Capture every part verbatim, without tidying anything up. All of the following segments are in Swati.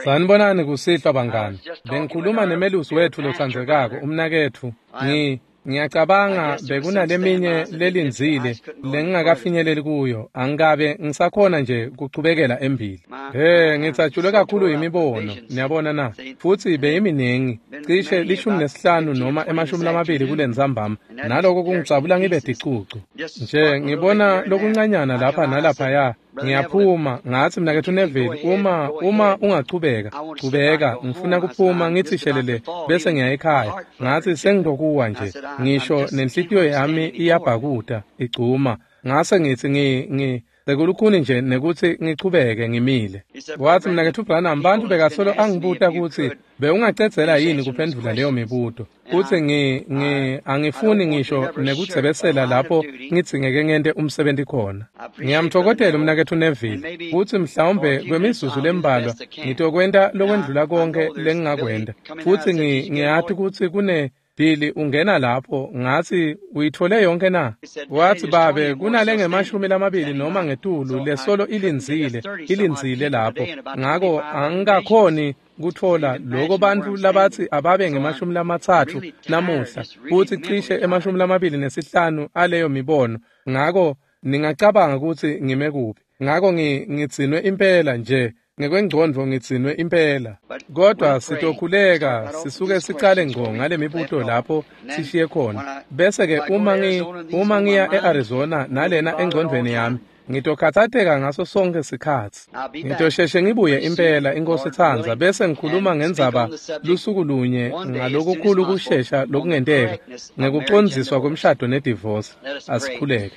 Sanibonani kusihlwa bangani. Bengikhuluma nemelusi wetfu lotsandzekako umnaketfu. Ngi ngiyacabanga bekunaleminye lelindzile lengingakafinyeleli kuyo. Angikabe ngisakhona nje kuchubekela embili. He, ngitsatshulwe kakhulu imibono, niyabona na. Futsi beyiminengi, cishe lishumi nesihlanu noma emashumi lamabili kulentsambama. Naloko kungijabula ngibe ticucu. Nje ngibona lokuncanyana lapha nalaphaya. Ngiyaphuma ngathi mnaketfu Neville, uma uma ungachubeka chubeka, ngifuna kuphuma ngithi shelele bese ngiya ekhaya. Ngathi sengilokuwa nje, ngisho nenhlitiyo yami iyabhakuta igcuma. Ngase ngithi ngi ngi sekulukhuni nje nekuthi ngichubeke ngimile. Wathi mnaketfu Branham, bantu bekasolo angibuta kutsi bewungacedzela yini kuphendvula leyo mibuto. Kutsi ngi ngi angifuni ngisho nekudzebesela lapho ngidzingeke ngente umsebenti khona. Ngiyamtfokotela umnaketfu Neville kutsi mhlawumbe kwemizuzu lembalwa ngitokwenta lokwendlula konke lengingakwenta. Futsi ngi ngiyati kutsi kune Billy ungena lapho, ngathi uyithole yonke na? Wathi babe kunale ngemashumi lamabili noma ngetulu lesolo ilindzile ilindzile lapho. Ngako angikakhoni kutfola loko bantfu labatsi ababe ngemashumi lamatsatfu namuhla, futsi cishe emashumi lamabili nesihlanu aleyo mibono. Ngako ningacabanga kutsi ngime kuphi. Ngako ngidzinwe impela nje. Ngekwengcondvo ngidzinwe impela. Kodwa sitokhuleka sisuke sicale ngco ngale mibuto lapho sishiye khona. Bese ke uma ngi uma ngiya eArizona nalena engcondvweni yami, ngitokhatsateka ngaso sonke sikhatsi. Ngitosheshe ngibuye impela iNkosi itsandza, bese ngikhuluma ngendzaba lusuku lunye ngalokukhulu kushesha lokungenteka ngekucondziswa kwemshado nedivorce. Asikhuleke.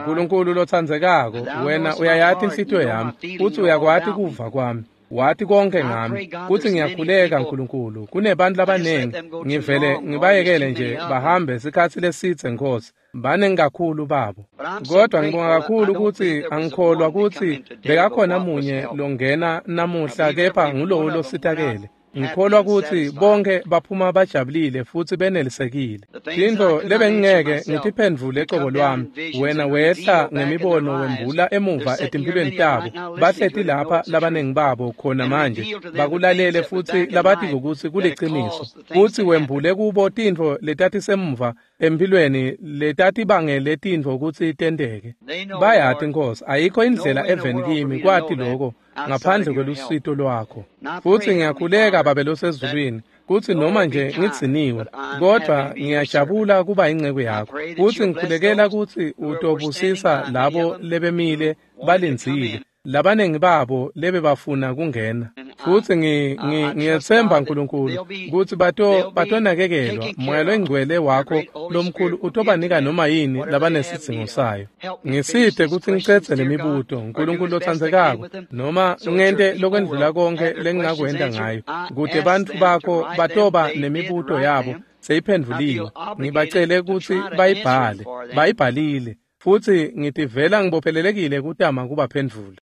Nkulunkulu lotsandzekako, wena uyayati inhlitiyo yami, futsi uyakwati kuva kwami. Wati konke ngami. Kutsi ngiyakhuleka Nkulunkulu, kunebantu labanengi ngivele ngibayekele nje bahambe sikhatsi lesidze Nkosi. Banengi kakhulu babo. Kodwa ngibonga kakhulu kutsi angikholwa kutsi bekakhona munye longena namuhla kepha ngulowo lositakele. Ngikholwa kutsi bonke baphuma bajabulile futsi benelisekile. Tintfo lebengingeke ngitiphendvule cobo lwami, wena wehla ngemibono wembula emuva etimphilweni tabo. Bahleti lapha labanengi babo khona manje bakulalele futsi labatiko kutsi kuliciniso. Futsi wembule kubo tintfo letatisemuva empilweni letatibangele tintfo kutsi tenteke. Bayati Nkosi, ayikho indlela eveni kimi kwati loko ngaphandle kwelusito lwakho. Futsi ngiyakhuleka Babe losezulwini kutsi noma nje ngidziniwe, kodwa ngiyajabula kuba inceku yakho. Futsi ngikhulekela kutsi utobusisa labo lebemile balindzile, labanengi babo lebebafuna kungena. Futsi ngiyetsemba Nkulunkulu kutsi bato batonakekelwa. Moya longcwele wakho lomkhulu utobanika noma yini labanesidzingo sayo. Ngisite kutsi ngicedze lemibuto, Nkulunkulu lotsandzekako, noma ngente lokwendlula konke lengingakwenta ngayo, kute bantfu bakho batoba nemibuto yabo seyiphendvuliwe. Ngibacele kutsi bayibhale, bayibhalile. Futsi ngitivela ngibophelelekile kutama kubaphendvula.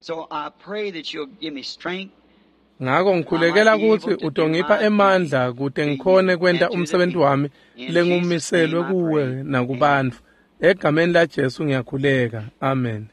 Ngako ngikhulekela kutsi utongipha emandla kute ngikhone kwenta umsebenti wami lengumiselwe kuwe nakubantfu. Egameni laJesu ngiyakhuleka. Amen.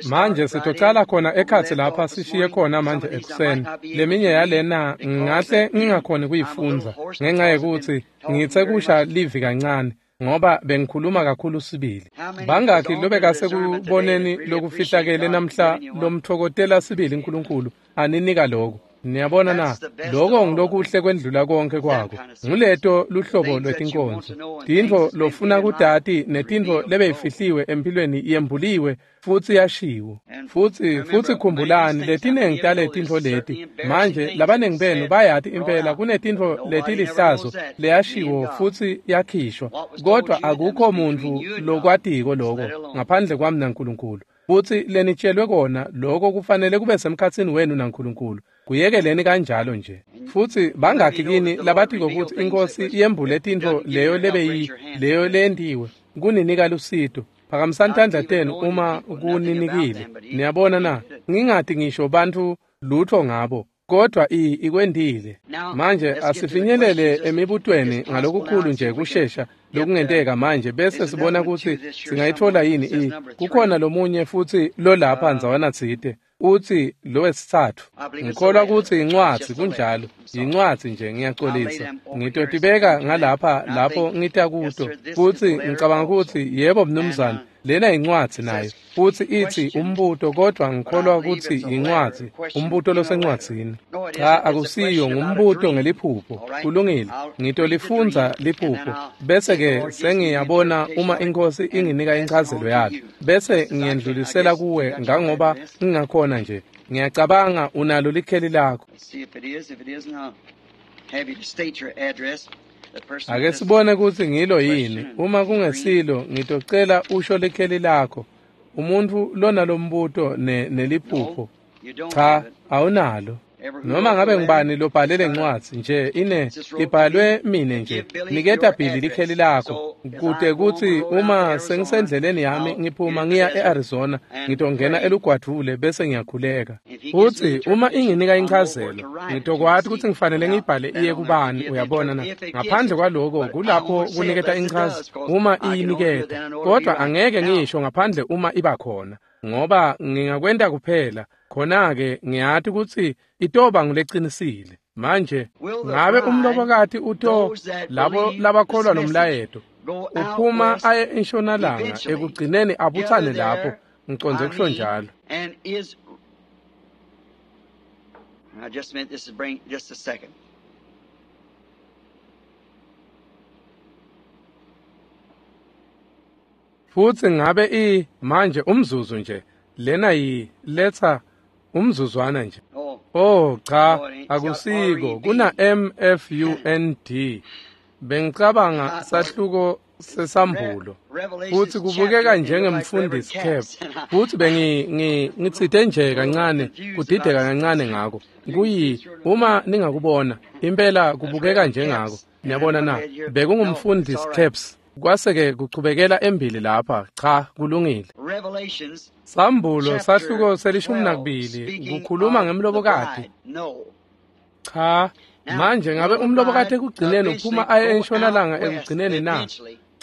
Manje sitocala khona ekhatsi lapha sishiye khona manje ekuseni. Leminye yalena ngingahle ngingakhoni kuyifundza ngenxa yekutsi ngitse kusha livi kancane, ngoba bengikhuluma kakhulu sibili. Bangakhi lobekasekuboneni lokufihlakele namhla lomtfokotela sibili Nkulunkulu aninika lokho? Niyabona na, lokho ngilokuhle kwendlula konke kwako. Nguleto luhlobo lwetinkonzo, tintfo lofuna kutati netintfo lebeyifihliwe empilweni yembuliwe futsi yashiwo. Futsi futsi khumbulani letinengi taletintfo leti. Manje labanengi benu bayati impela kunetintfo letilihlazo leyashiwo futsi yakhishwa, kodwa akukho muntfu lokwatiko lokho ngaphandle kwami naNkulunkulu. Futsi lenitshelwe kona lokho kufanele kube semkhatsini wenu naNkulunkulu. Kuyekeleni kanjalo nje. Futsi bangakhi kini labatiko kutsi iNkosi yembule tintfo leyo lebeyi leyo lentiwe kuninika lusito? Phakamisani tandla tenu uma kuninikile. Niyabona na, ngingati ngisho bantfu lutho ngabo, kodwa i ikwendile. Manje asifinyelele emibutweni ngalokukhulu nje kushesha lokungenteka manje bese sibona kutsi singayitfola yini i kukhona lomunye futsi lolapha ndzawana tsite utsi lowesitsatfu. Ngikholwa kutsi incwadzi kunjalo, yincwadzi nje, ngiyacolisa. Ngitotibeka ngalapha lapho ngita kuto futsi ngicabanga kutsi yebo mnumzane, lena yincwadzi nayo futsi itsi umbuto, kodvwa ngikholwa kutsi yincwadzi, umbuto losencwadzini. Cha, akusiyo, ngumbuto ngeliphupho. Kulungile, ngitolifundza liphupho bese-ke sengiyabona uma iNkhosi inginika inchazelo yalo, bese ngiyendlulisela kuwe ngangoba ngingakhona nje. Ngiyacabanga unalo likheli lakho. Ake sibone kutsi ngilo yini. Uma kungesilo, ngitocela usho likheli lakho. Umuntfu lonalombuto ne neliphupho. Cha, awunalo. Noma ngabe ngibani lobhale lencwadzi nje ine ibhalwe mine nje, niketa Billy likheli lakho kute kutsi uma sengisendleleni yami ngiphuma ngiya e-Arizona ngitongena elugwadvule bese ngiyakhuleka. Futsi uma inginika inchazelo ngitokwati kutsi ngifanele ngiyibhale iye kubani, uyabona na. Ngaphandle kwaloko kulapho kuniketa inchazelo uma iyiniketa, kodwa angeke ngisho ngaphandle uma iba khona, ngoba ngingakwenta kuphela khona-ke ngiyati kutsi itoba nguleqinisile. Manje ngabe umlobokati uto labo labakholwa lomlayeto uphuma aye entshonalanga ekugcineni abutsane lapho, ngicondze kusho njalo. Futsi ngabe i manje umzuzu nje lena yi letha umzuzwana nje. Oh cha, akusiko, kuna M F U N D. Bengicabanga sahluko sesambulo futsi kubukeka njengemfundisi cap, futsi bengi ngitsite nje kancane kudideka kancane ngako. Kuyi uma ningakubona impela kubukeka njengako, niyabona na, bekungumfundisi caps kwase-ke kuchubekela embili lapha. Cha, kulungile. Sambulo sahluko selishumi nakubili kukhuluma ngemlobokati. Cha, manje ngabe umlobokati ekugcineni uphuma aye entshonalanga ekugcineni na?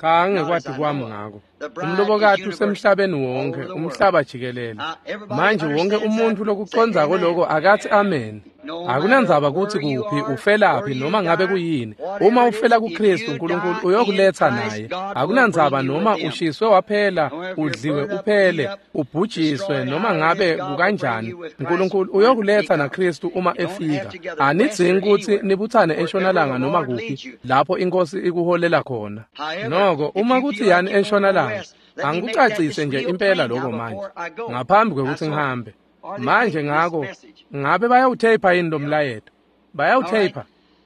Cha, ngekwati kwami ngako. Umlobokati usemhlabeni wonke, umhlaba jikelele. Manje wonke umuntu lokucondzako loko akathi amen. Akunandzaba kutsi kuphi, ufelaphi noma ngabe kuyini. Uma ufela kuKristu, uNkulunkulu uyokuletha naye. Akunandzaba noma ushiswe waphela, udliwe uphele, ubhujiswe noma ngabe kukanjani, uNkulunkulu uyokuletha naKristu uma efika. Anidzingi kutsi nibutsane entshonalanga noma kuphi lapho iNkhosi ikuholela khona. Noko uma kutsi yani entshonalanga, angikucacise nje impela lokho manje ngaphambi kwekutsi ngihambe. Manje ngako ngabe bayawutheyipha yini lo mlayeto? Bayawutheyipha?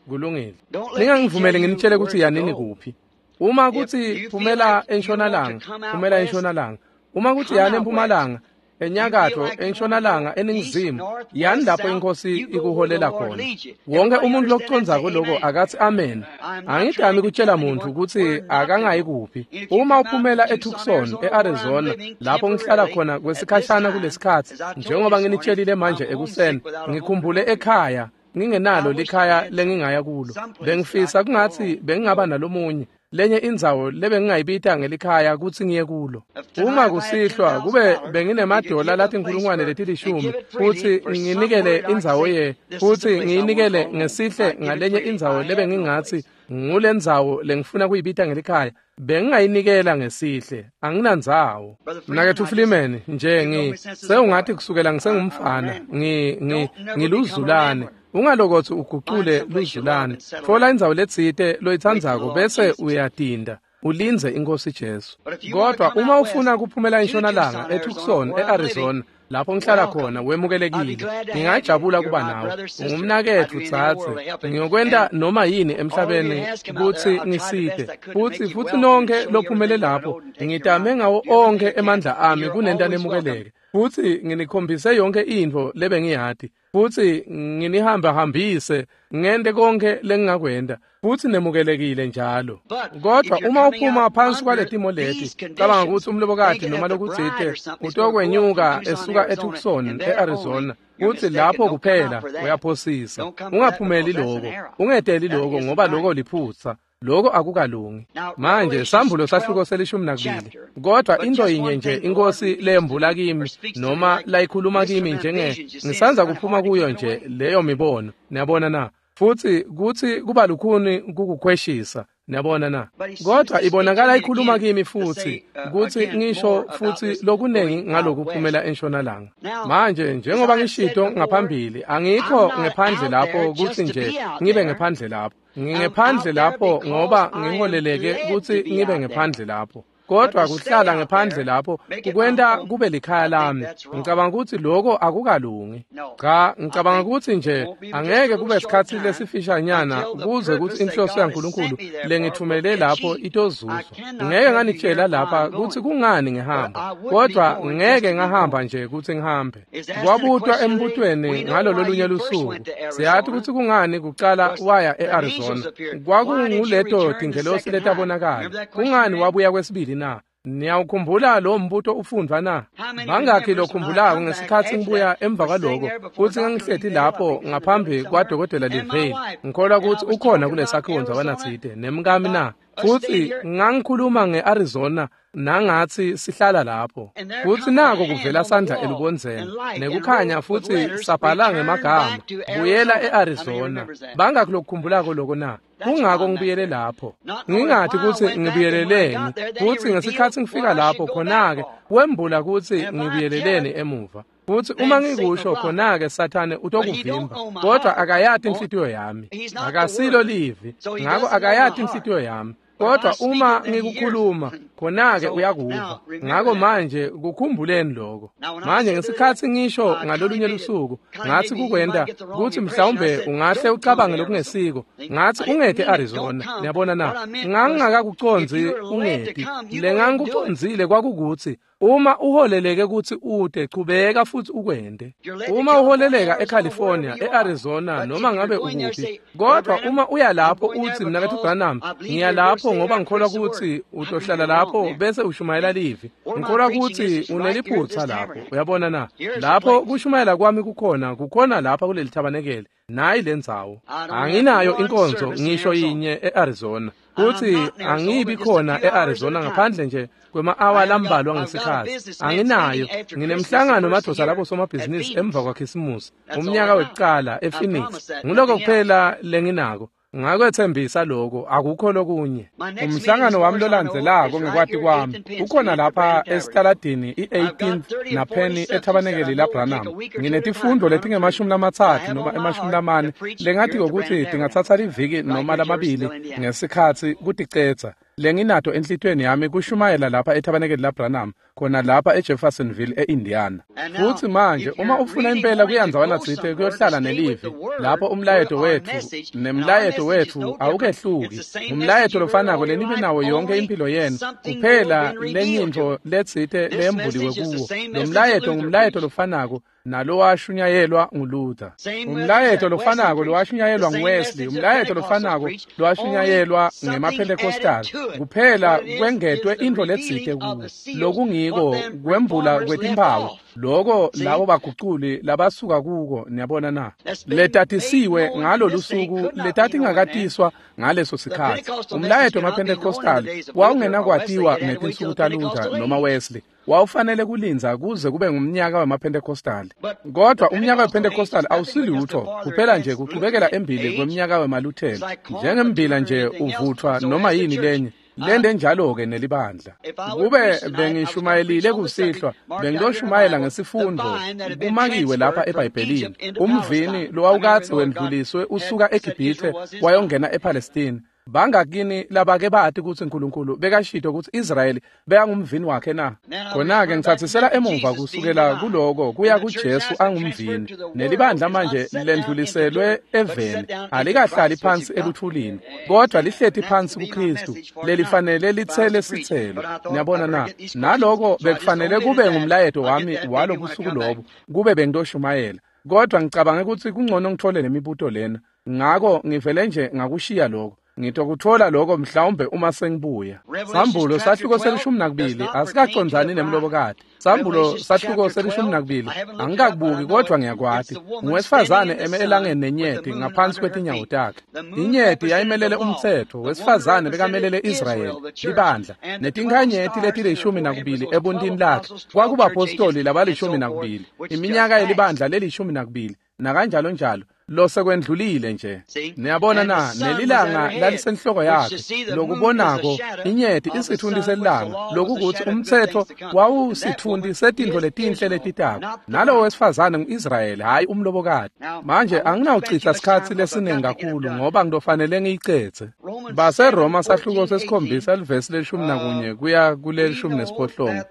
Kulungile. Ningangivumeli nginitshele kutsi yanini kuphi. Uma kutsi phumela entshonalanga, phumela entshonalanga. Uma kutsi yani empumalanga, enyakatfo, entshonalanga, eningizimu, yani lapho iNkhosi ikuholela khona. Wonke umuntu lokucondzako loko akathi amen. Angidami kutshela muntu kutsi akangayi kuphi. Uma uphumela eTucson, eArizona, lapho ngihlala khona kwesikhashana kulesikhatsi, njengoba nginitshelile manje ekuseni, ngikhumbule ekhaya, ngingenalo likhaya lengingaya kulo. Bengifisa kungatsi bengingaba nalomunye lenye indzawo lebengingayibita ngelikhaya kutsi ngiye kulo. Uma kusihlwa kube benginemadola latinkhulungwane letilishumi futsi nginikele indzawo ye futsi ngiyinikele ngesihle ngalenye indzawo lebengingatsi ngulendzawo lengifuna kuyibita ngelikhaya, bengingayinikela ngesihle. Anginandzawo. Mnaketfu Freeman nje ngi sewungathi kusukela ngisengumfana ngi ngi ngiluzulane. Ungalokotsi ugucule luzulane. Tfola indzawo letsite loyitsandzako bese uyatinda ulindze iNkhosi Jesu. Kodwa uma ufuna kuphumela entshonalanga eTucson, eArizona, lapho ngihlala khona, wemukelekile. Ngingajabula kuba nawe. Ungumnaketfu dzadze. Ngiyokwenta noma yini emhlabeni kutsi ngisite. Futsi futsi nonke lophumele lapho, ngitame ngawo onkhe emandla ami kunenta nemukeleke. Futsi nginikhombise yonke intfo lebengiyati. Futsi nginihambahambise ngente konke lengingakwenta. Futsi nemukelekile njalo. Kodwa uma uphuma phansi kwaletimo leti, cabanga kutsi umlobokati noma lokutsite utokwenyuka esuka eTucson, eArizona, kutsi lapho kuphela uyaphosisa. Ungaphumeli loko, ungeteli loko ngoba loko liphutsa. Lokho akukalungi. Manje sambulo sahluko selishumi nakubili. Kodwa into yinye nje inkosi lembula kimi noma layikhuluma kimi njenge ngisanza kuphuma kuyo nje leyo mibono. Niyabona na? Futhi kuthi kuba lukhuni kukukhweshisa. Niyabona na? Kodwa ibonakala ikhuluma kimi futhi kuthi ngisho futhi lokunengi ngalokuphumela entshonalanga. Manje njengoba ngishito ngaphambili, angikho ngephandle lapho kuthi nje ngibe ngephandle lapho. Ngingephandle lapho ngoba ngiholeleke kuthi ngibe ngephandle lapho. Kodwa kuhlala ngephandle lapho kukwenta kube likhaya lami. Ngicabanga ukuthi lokho akukalungi. Cha, ngicabanga ukuthi nje angeke kube isikhathi lesifishanyana kuze ukuthi inhloso yaNkulunkulu lengithumele lapho itozuzwa. Ngeke nganitshela lapha ukuthi kungani ngihamba, kodwa ngeke ngahamba nje ukuthi ngihambe. Kwabutwa embutweni ngalolo lunye lusuku. Siyathi ukuthi kungani kuqala waya e-Arizona. Kwakunguleto tingelosi letabonakala. Kungani wabuya kwesibili na? Niyawukhumbula lo mbuto ufundwa na? Bangakhi lokhumbulako ngesikhathi ngibuya emva kwaloko kuthi ngangihleti lapho ngaphambi kwadokotela Livale. Ngikholwa ukuthi ukhona kulesakhiwo ndzawanatsite nemkami na? Futhi ngangikhuluma nge-Arizona nangathi sihlala lapho. Futhi nako kuvela sandla elubondzeni nekukhanya futhi sabhala ngemagama buyela e-Arizona. Bangakhi lokukhumbulako lokho na? Kungako ngibuyele lapho. Ngingathi ukuthi ngibuyeleleni, futhi ngesikhathi ngifika lapho khona-ke wembula ukuthi ngibuyeleleni emuva. Futhi uma ngikusho khona-ke Sathane utokuvimba, kodwa akayati inhlitiyo yami. Akasilo livi, ngako akayati inhlitiyo yami. Kodwa uma ngikukhuluma khona-ke uyakuva. Ngako manje kukhumbuleni lokho. Manje ngesikhathi ngisho ngalolunye lusuku ngathi kukwenta kuthi mhlawumbe ungahle ucabange lokungesiko. Ngathi ungete e-Arizona. Niyabona na? Ngangingakakucondzi ungeti. Lengangikucondzile kwakukuthi uma uholeleke kuthi ude chubeka futhi ukwende. Uma uholeleka eCalifornia, eArizona noma ngabe ukuphi, kodwa uma uya lapho uthi mnakethu Branham, ngiya lapho ngoba ngikholwa ukuthi utohlala lapho bese ushumayela livi. Ngikholwa ukuthi uneliphutha lapho. Uyabona na? Lapho kushumayela kwami kukhona, kukhona lapha kuleli thabanekele. Nayi lendzawo. Anginayo inkonzo ngisho yinye eArizona. Kuthi angibi khona eArizona ngaphandle nje kwema-awa lambalwa ngesikhathi. Anginayo. Nginemhlangano madoda labo somabhizinisi emva kwaKhisimusi umnyaka wekuqala ePhoenix. Nguloko kuphela lenginako. Ngakwethembisa lokho, akukho lokunye. Umhlangano wami lolandzelako ngekwati kwami ukhona lapha esitaladini i-eighteenth naPenny ethabanekeli laBranham. Nginetifundo letingemashumi lamatsatfu noma emashumi lamane lengathi ukuthi tingatsatsa liviki noma lamabili ngesikhathi kuticedza. Lenginato enhlitiyweni yami kushumayela lapha ethabanekeli laBranham khona lapha eJeffersonville eIndiana. Futhi manje uma ufuna impela kuya ndzawanatsite kuyohlala nelivi lapho umlayeto wethu nemlayeto wethu awukehluki. Umlayeto lofanako lenibe nawo yonke impilo yenu, kuphela lenyintfo letsite leyembuliwe kuwo. Lo mlayeto ngumlayeto lofanako nalowashunyayelwa nguLuther. Umlayeto lofanako lowashunyayelwa nguWesley, umlayeto lofanako lowashunyayelwa ngemaPentecostal. Kuphela kwengetwe intfo letsite kuwo. Lokungiko kwembula kwetimphawu loko labo baguculi labasuka kuko. Niyabona na? Letatisiwe ngalo lusuku letatingakatiswa ngaleso sikhathi. Umlayeto wemaPentecostal wawungenakwatiwa ngetinsuku taLuther noma Wesley. Wawufanele kulindza kuze kube ngumnyaka wemaPentecostal. Kodwa umnyaka wePentecostal awusilutho, kuphela nje kuchubekela embili kweminyaka wemaLuthela. Njengembila nje uvuthwa noma yini lenye. Lende njalo-ke nelibandla. Kube bengishumayelile kusihlwa, bengiyoshumayela ngesifundo kumakiwe lapha eBhayibhelini. Umvini lowawukadze wendluliswe usuka eGibhithe wayongena ePalestine. Bangakini labake bathi ukuthi uNkulunkulu bekashito ukuthi Israyeli bekangumvini wakhe na? Khona-ke ngithathisela emuva kusukela kuloko kuya kuJesu angumvini. Nelibandla manje lendluliselwe eveni, alikahlali phansi eluthulini, kodwa lihleti phansi kuKristu, lelifanele lithele sithelo. Niyabona na? Naloko bekufanele kube ngumlayeto wami walobusuku lobo, kube bengitoshumayela. Kodwa ngicabange ukuthi kungcono ngithole lemibuto lena. Ngako ngivele nje ngakushiya lokho. Ngitokuthola lokho mhlawumbe uma sengibuya. Sambulo sahluko selishumi nakubili asikacondzani nemlobokati. Sambulo sahluko selishumi nakubili angikakubuki kodwa ngiyakwati. Ngowesifazane eme elangeni nenyeti ngaphansi kwetinyawo takhe. Inyeti yayimelele umtsetfo, wesifazane bekamelele Israyeli, libandla, netinkhanyeti letilishumi nakubili ebuntini lakhe. Kwakubapostoli labalishumi nakubili, iminyaka yelibandla lelishumi nakubili, nakanjalo njalo. Losekwendlulile nje. Niyabona na, nelilanga lalisenhloko yakhe, lokubonako inyeti isithundi selanga, lokukuthi umtsetfo wawusithundi setintfo letinhle letitako. Nalowo wesifazane ngu-Israyeli, hhayi umlobokati. Manje anginawuchitha sikhatsi lesiningi kakhulu ngoba ngitofanele ngiyicedze. BaseRoma sahluko sesikhombisa livesi lelishumi nakunye kuya kulelishumi nesiphohlongo.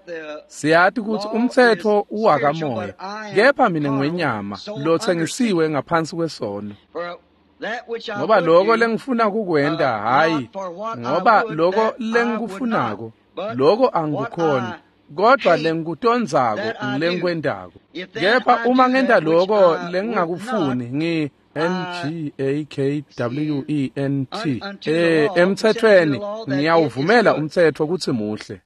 Siyati kutsi umtsetfo uwakamoya, kepha mina ngwenyama lotsengisiwe ngaphansi kwesono. Ngoba lokho lengifuna kukwenta, hhayi ngoba lokho lengikufunako, lokho angikukhoni, kodwa lengikutondzako lengikwentako. Kepha uma ngenta lokho lengingakufuni, ngi N G A K W E N T eh emtsetfweni ngiyawuvumela umtsetfo kutsi muhle.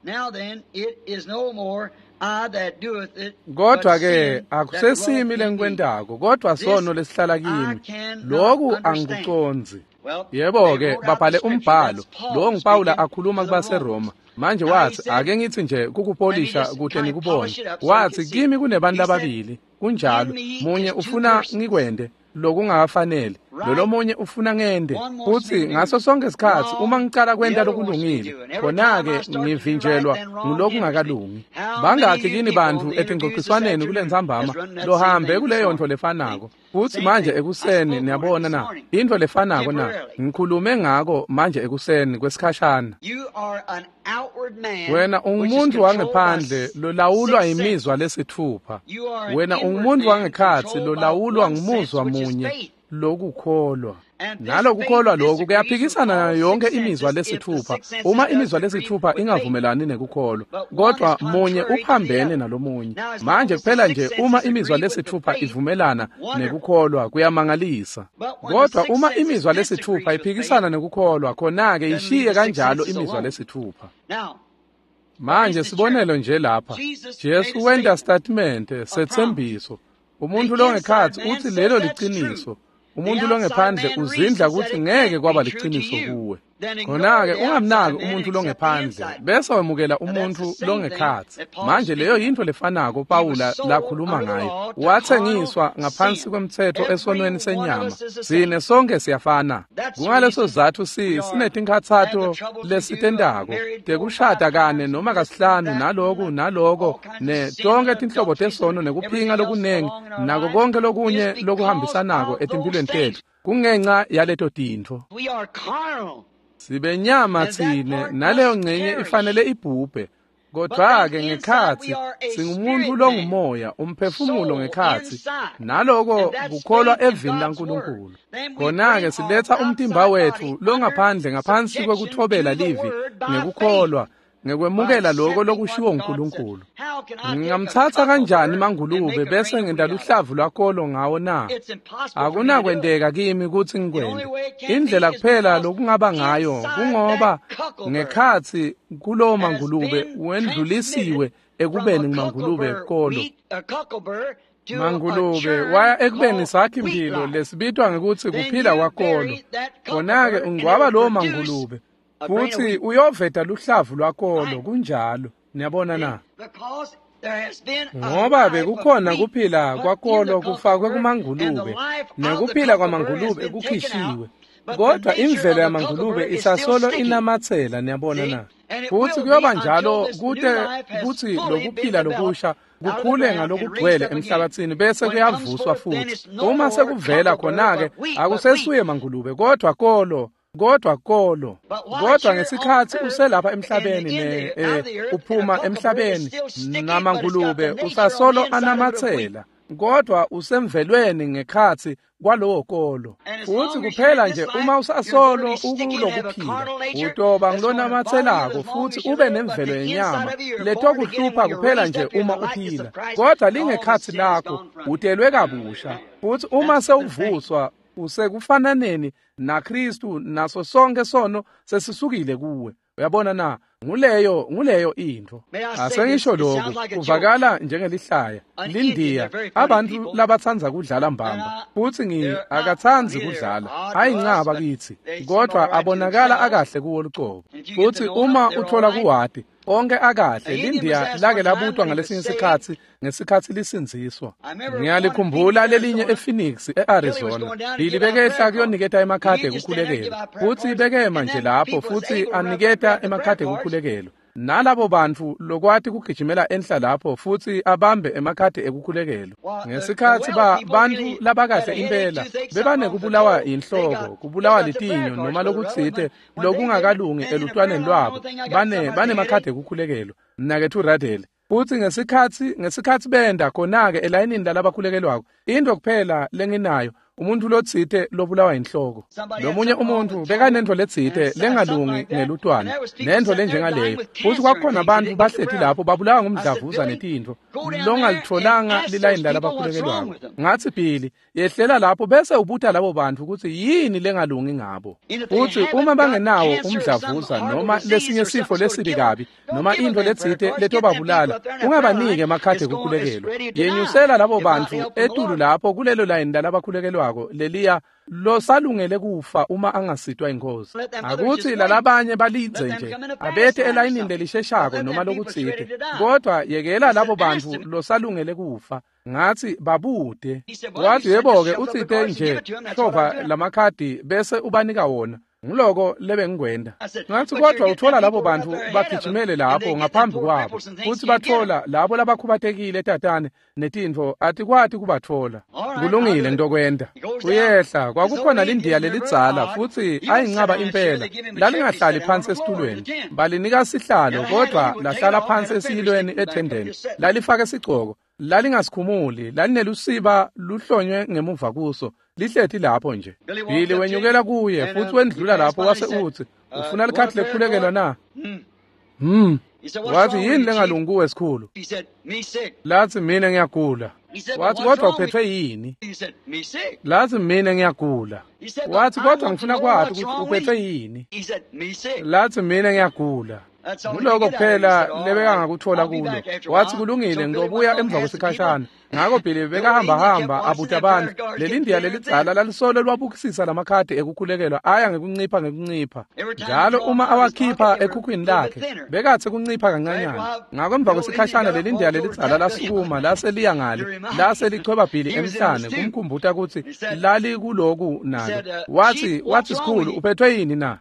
Kodwa ke akusesimi lengikwentako, kodwa sono lesihlala kimi. Lokhu angikucondzi. Yebo ke babhale umbhalo lo nguPawula akhuluma kubaseRoma. Manje wathi ake ngithi nje kukupolisha kude nikubone. Wathi kimi kunebantu lababili, kunjalo, munye ufuna ngikwende lokungakafanele, lolomunye ufuna ngende. Futhi ngaso sonke isikhathi uma ngicala kwenta lokulungile, khona-ke ngivinjelwa ngulokungakalungi. Bangakhi kini bantu etingxoxiswaneni kulentsambama lohambe kuleyo nto lefanako? Futhi manje ekuseni niyabona na, into lefanako na, ngikhulume ngako manje ekuseni kwesikhashana. Wena ungumuntu wangephandle lolawulwa imizwa lesithupha. Wena ungumuntu wangekhatsi lolawulwa ngumuzwa munye, lokukholwa. Nalokukholwa lokhu kuyaphikisana nayo yonke imizwa lesithupha. Uma imizwa lesithupha ingavumelani nekukholwa, kodwa munye uphambene nalomunye. Manje kuphela nje uma imizwa lesithupha ivumelana nekukholwa kuyamangalisa. Kodwa uma imizwa lesithupha iphikisana nekukholwa, khona-ke ishiye kanjalo imizwa lesithupha. Manje sibonelo nje lapha, Jesu wenta statement setsembiso. Umuntu longekhatsi uthi lelo liciniso. Umuntu longephandle uzindla ukuthi ngeke kwaba liciniso kuwe. Khona-ke ungamnaki umuntu longephandle bese wemukela umuntu longekhatsi. Manje leyo yinto lefanako Pawula lakhuluma ngayo. Wathengiswa ngaphansi kwemtsetfo esonweni senyama. Sine sonke siyafana. Kungaleso sizatfu si sinetinkhatsato lesitentako tekushada kane noma kasihlanu naloku naloko ne tonke tinhlobo tesono nekuphinga lokunengi nako konke lokunye lokuhambisanako etimphilweni tetfu kungenxa yaleto tintfo. Sibenyama tsine naleyo ngcenye ifanele ibhubhe. Kodwa-ke ngekhatsi singumuntu longumoya, umphefumulo ngekhatsi, naloko kukholwa evini laNkulunkulu. Khona-ke siletha umtimba wetfu longaphandle ngaphansi kwekuthobela livi ngekukholwa, ngekwemukela lokho lokushiwo nguNkulunkulu. Ngingamthatha kanjani mangulube bese ngenta luhlavu lwakolo ngawo na? Akunakwenteka kimi kutsi ngikwente. Indlela kuphela lokungaba ngayo kungoba ngekhatsi kulowo mangulube wendlulisiwe ekubeni ngumangulube kolo. Mangulube waya ekubeni sakhi imphilo lesibitwa ngekutsi kuphila kwakolo. Khona-ke ungcwaba lowo mangulube futhi uyoveta luhlavu lwakolo. Kunjalo, niyabona na? Ngoba bekukhona kuphila kwakolo kufakwe kumangulube, nekuphila kwamangulube kukhishiwe, kodwa imvelo yamangulube isasolo inamatsela, niyabona na? Futhi kuyoba njalo kute kutsi lokuphila lokusha kukhule ngalokugcwele emhlabathini bese kuyavuswa futhi. Uma sekuvela khona-ke akusesuye mangulube kodwa kolo, kodwa kolo. Kodwa ngesikhathi uselapha emhlabeni ne eh, uphuma emhlabeni namangulube usasolo anamatsela, kodwa usemvelweni ngekhatsi kwalowo kolo. Futhi kuphela nje uma usasolo ukulokuphila utoba ngulonamatselako futhi ube nemvelo yenyama letokuhlupha kuphela nje uma uphila, kodwa lingekhatsi lakho utelwe kabusha. Futhi uma sewuvuswa Usekufananeni naKristu naso sonke sono sesisukile kuwe. Uyabona na? Nguleyo nguleyo intfo. Asengisho lokhu kuvakala njengelihlaya. Lindiya abantu labatsandza kudlala mbamba futsi ngi akatsandzi kudlala ayincaba kitsi kodwa abonakala akahle kuwo lucobo. Futsi uma uthola kuwati onke akahle. Lindiya lake labutwa ngalesinye isikhatsi ngesikhatsi lisindziswa. Ngiyalikhumbula lelinye ePhoenix eArizona. Billy bekehla kuyoniketa emakhadi ekukhulekelwa futsi bekema nje lapho futsi aniketa emakhadi ekukhulekelwa. Nalabo bantfu lokwati kugijimela enhla lapho futsi abambe emakhadi ekukhulekelwa. Ngesikhatsi ba bantfu labakahle impela bebanekubulawa inhloko, kubulawa litinyo noma lokutsite lokungakalungi elutwaneni lwabo, bane banemakhadi ekukhulekelwa. Mnaketfu Radel futsi ngesikhatsi ngesikhatsi benda khona-ke elayinini lalabakhulekelwako, into kuphela lenginayo umuntu lotsite lobulawa inhloko. Lomunye umuntu bekanentfo letsite lengalungi ngelutwane nentfo lenjengaleyo. Futsi kwakukhona bantfu bahleti lapho babulawa ngumdlavuza netintfo longalitfolanga lilayini lalabakhulekelwako. Ngatsi Billy, yehlela lapho bese ubuta labo bantfu kutsi yini lengalungi ngabo. Futsi uma bangenawo umdlavuza noma lesinye sifo lesibi kabi noma intfo letsite letobabulala, ungabaniki emakhadi ekukhulekelwa. Yenyusela labo bantfu etulu lapho kulelo layini lalabakhulekelwako leliya losalungele kufa uma angasitwa inkosi. Akuthi lalabanye balindze nje abethe elayinini lelisheshako noma lokutsite, kodwa yekela labo bantfu losalungele kufa. Ngathi babude. Wathi yebo-ke utsite nje hlova lamakhadi bese ubanika wona. Ngiloko lebengikwenda. Ngathi kodwa uthola labo bantfu bagijimele lapho ngaphambi kwabo futsi bathola labo labakhubatekile tatane netintfo atikwati kubatfola. Kulungile ngitokwenda. Uyehla kwakukhona lindiya lelidzala futsi ayincaba impela lalingahlali phansi esitulweni. Balinika sihlalo kodwa lahlala phansi esiyilweni ethendeni. Lalifake sigcoko lalingasikhumuli lalinelusiba luhlonywe ngemuva kuso lihleti lapho nje. Billy wenyukela kuye futsi wendlula lapho wase utsi ufuna likhadi lekukhulekelwa na? Hmm. Wathi yini lengalungi kuwe sikhulu? Lathi mina ngiyagula. Wathi kodwa uphethwe yini? Lathi mina ngiyagula. Wathi kodwa ngifuna kwati ukuthi uphethwe yini? Lathi mina ngiyagula. Nguloko kuphela lebekangakuthola kulo. Wathi kulungile ngizobuya emva kwesikhashana. Ngakho Billy bekahamba hamba abuta abantu. Lelindiya lelidzala lalisolo lwabukisisa lamakhadi ekukhulekelwa aya ngekuncipha ngekuncipha. Njalo uma awakhipha ekhukhwini lakhe bekathe kuncipha kancanyana. Ngakho emva kwesikhashana lelindiya lelidzala lasukuma lase liya ngale lase lichweba Billy emhlane kumkhumbuta kutsi lalikuloku nalo. Wathi wathi sikhulu uphethwe yini na?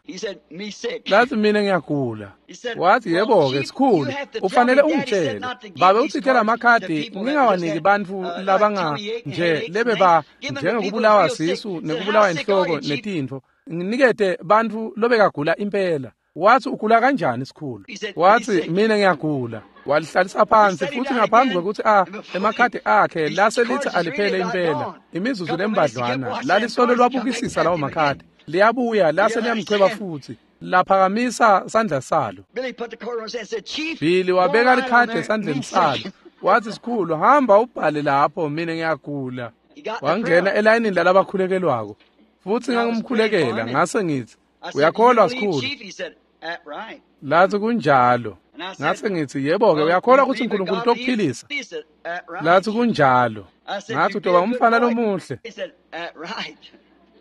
Lathi mina ngiyagula. Wathi yebo-ke sikhulu ufanele ungitshele babe utsite lamakhadi ngingawaniki bantfu labanga nje lebeba njengekubulawa sisu nekubulawa inhloko netintfo nginikete bantfu lobekagula impela. Wathi ugula kanjani sikhulu? Wathi mina ngiyagula. Walihlalisa phansi futsi ngaphambi kwekutsi a emakhadi akhe lase lithi aliphele impela imizuzu lembadlwana lalisolo lwabukisisa lawo makhadi liyabuya lase liyamchweba futsi laphakamisa sandla salo. Billy wabeka likhadi esandleni salo. Wathi sikhulu hamba ubhale lapho mina ngiyagula. Wangena elayinini lalabakhulekelwako futsi ngangimkhulekela ngase ngithi uyakholwa sikhulu? Lathi kunjalo. Ngase ngithi yebo-ke uyakholwa ukuthi uNkulunkulu utokuphilisa? Lathi kunjalo. Ngathi utoba umfana lomuhle.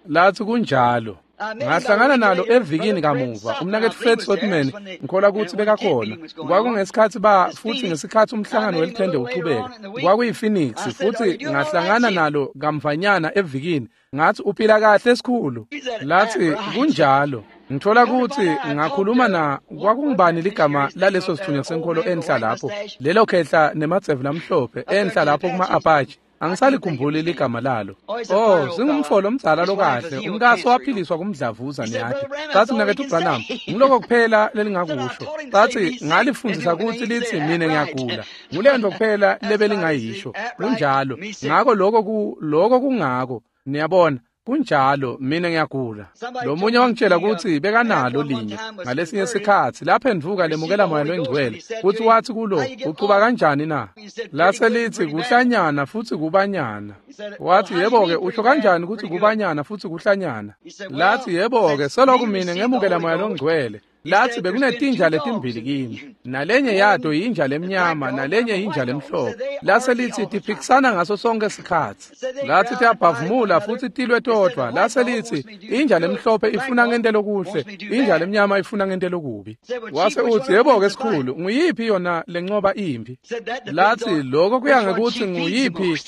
Lathi kunjalo. Ngahlangana nalo evikini kamuva umnaketfu Fred Sotman ngikholwa kutsi bekakhona. Kwakungesikhatsi ba futsi ngesikhatsi umhlangano welithende uchubeka kwakuyi-Phoenix futsi ngahlangana nalo kamvanyana evikini. Ngathi uphila kahle sikhulu? Lathi kunjalo. Ngithola kutsi ngakhuluma na kwakungubani ligama laleso sithunywa senkholo enhla lapho lelo khehla nemadzevu lamhlophe enhla lapho kuma-Apache. Angisalikhumbuli ligama lalo. Oh, singumfolo omdzala lokahle umkaso waphiliswa kumdlavuza niyati. Sathi mnaketfu Branham ngiloko kuphela lelingakusho. Sathi ngalifundisa kutsi litsi mina ngiyagula. Ngulento kuphela lebelingayisho. Kunjalo. Ngakho lokho ku lokho kungako. Niyabona Kunjalo, mina ngiyagula. Lo munye wangitshela ukuthi bekanalo linye ngalesinye sikhatsi laphenduka lemukela Moya loNgcwele, futhi wathi kulo, uchuba kanjani na? Lase lithi kuhlanyana futhi kubanyana. Wathi yebo-ke, usho kanjani ukuthi kubanyana futhi kuhlanyana? Lathi yebo-ke, selokhu mina ngemukela Moya loNgcwele. Lathi bekunetinja letimbili kimi, nalenye yato yinja lemnyama, nalenye yinja lemhlophe. Lase lithi tiphikisana ngaso sonke sikhatsi. Lathi tiyabhavumula futhi tilwe todvwa. Lase lithi inja lemhlophe ifuna ngente lokuhle, inja lemnyama ifuna ngente lokubi. Wase uthi yebo-ke sikhulu, nguyiphi yona lencoba impi? Lathi lokho kuya ngekuthi nguyiphi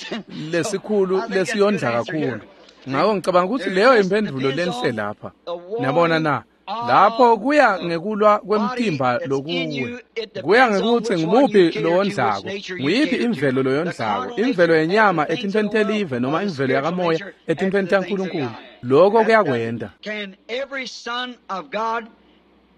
lesikhulu lesiyondla kakhulu. Ngako ngicabanga ukuthi leyo impendulo lenhle lapha. Niyabona na? Lapho kuya ngekulwa kwemtimba lokuwe, kuya ngekuthi ngumuphi lowondlako, nguyiphi imvelo loyondlako, imvelo yenyama etintweni telive noma imvelo yakamoya etintweni taNkulunkulu. Lokho kuyakwenda. Can every son of God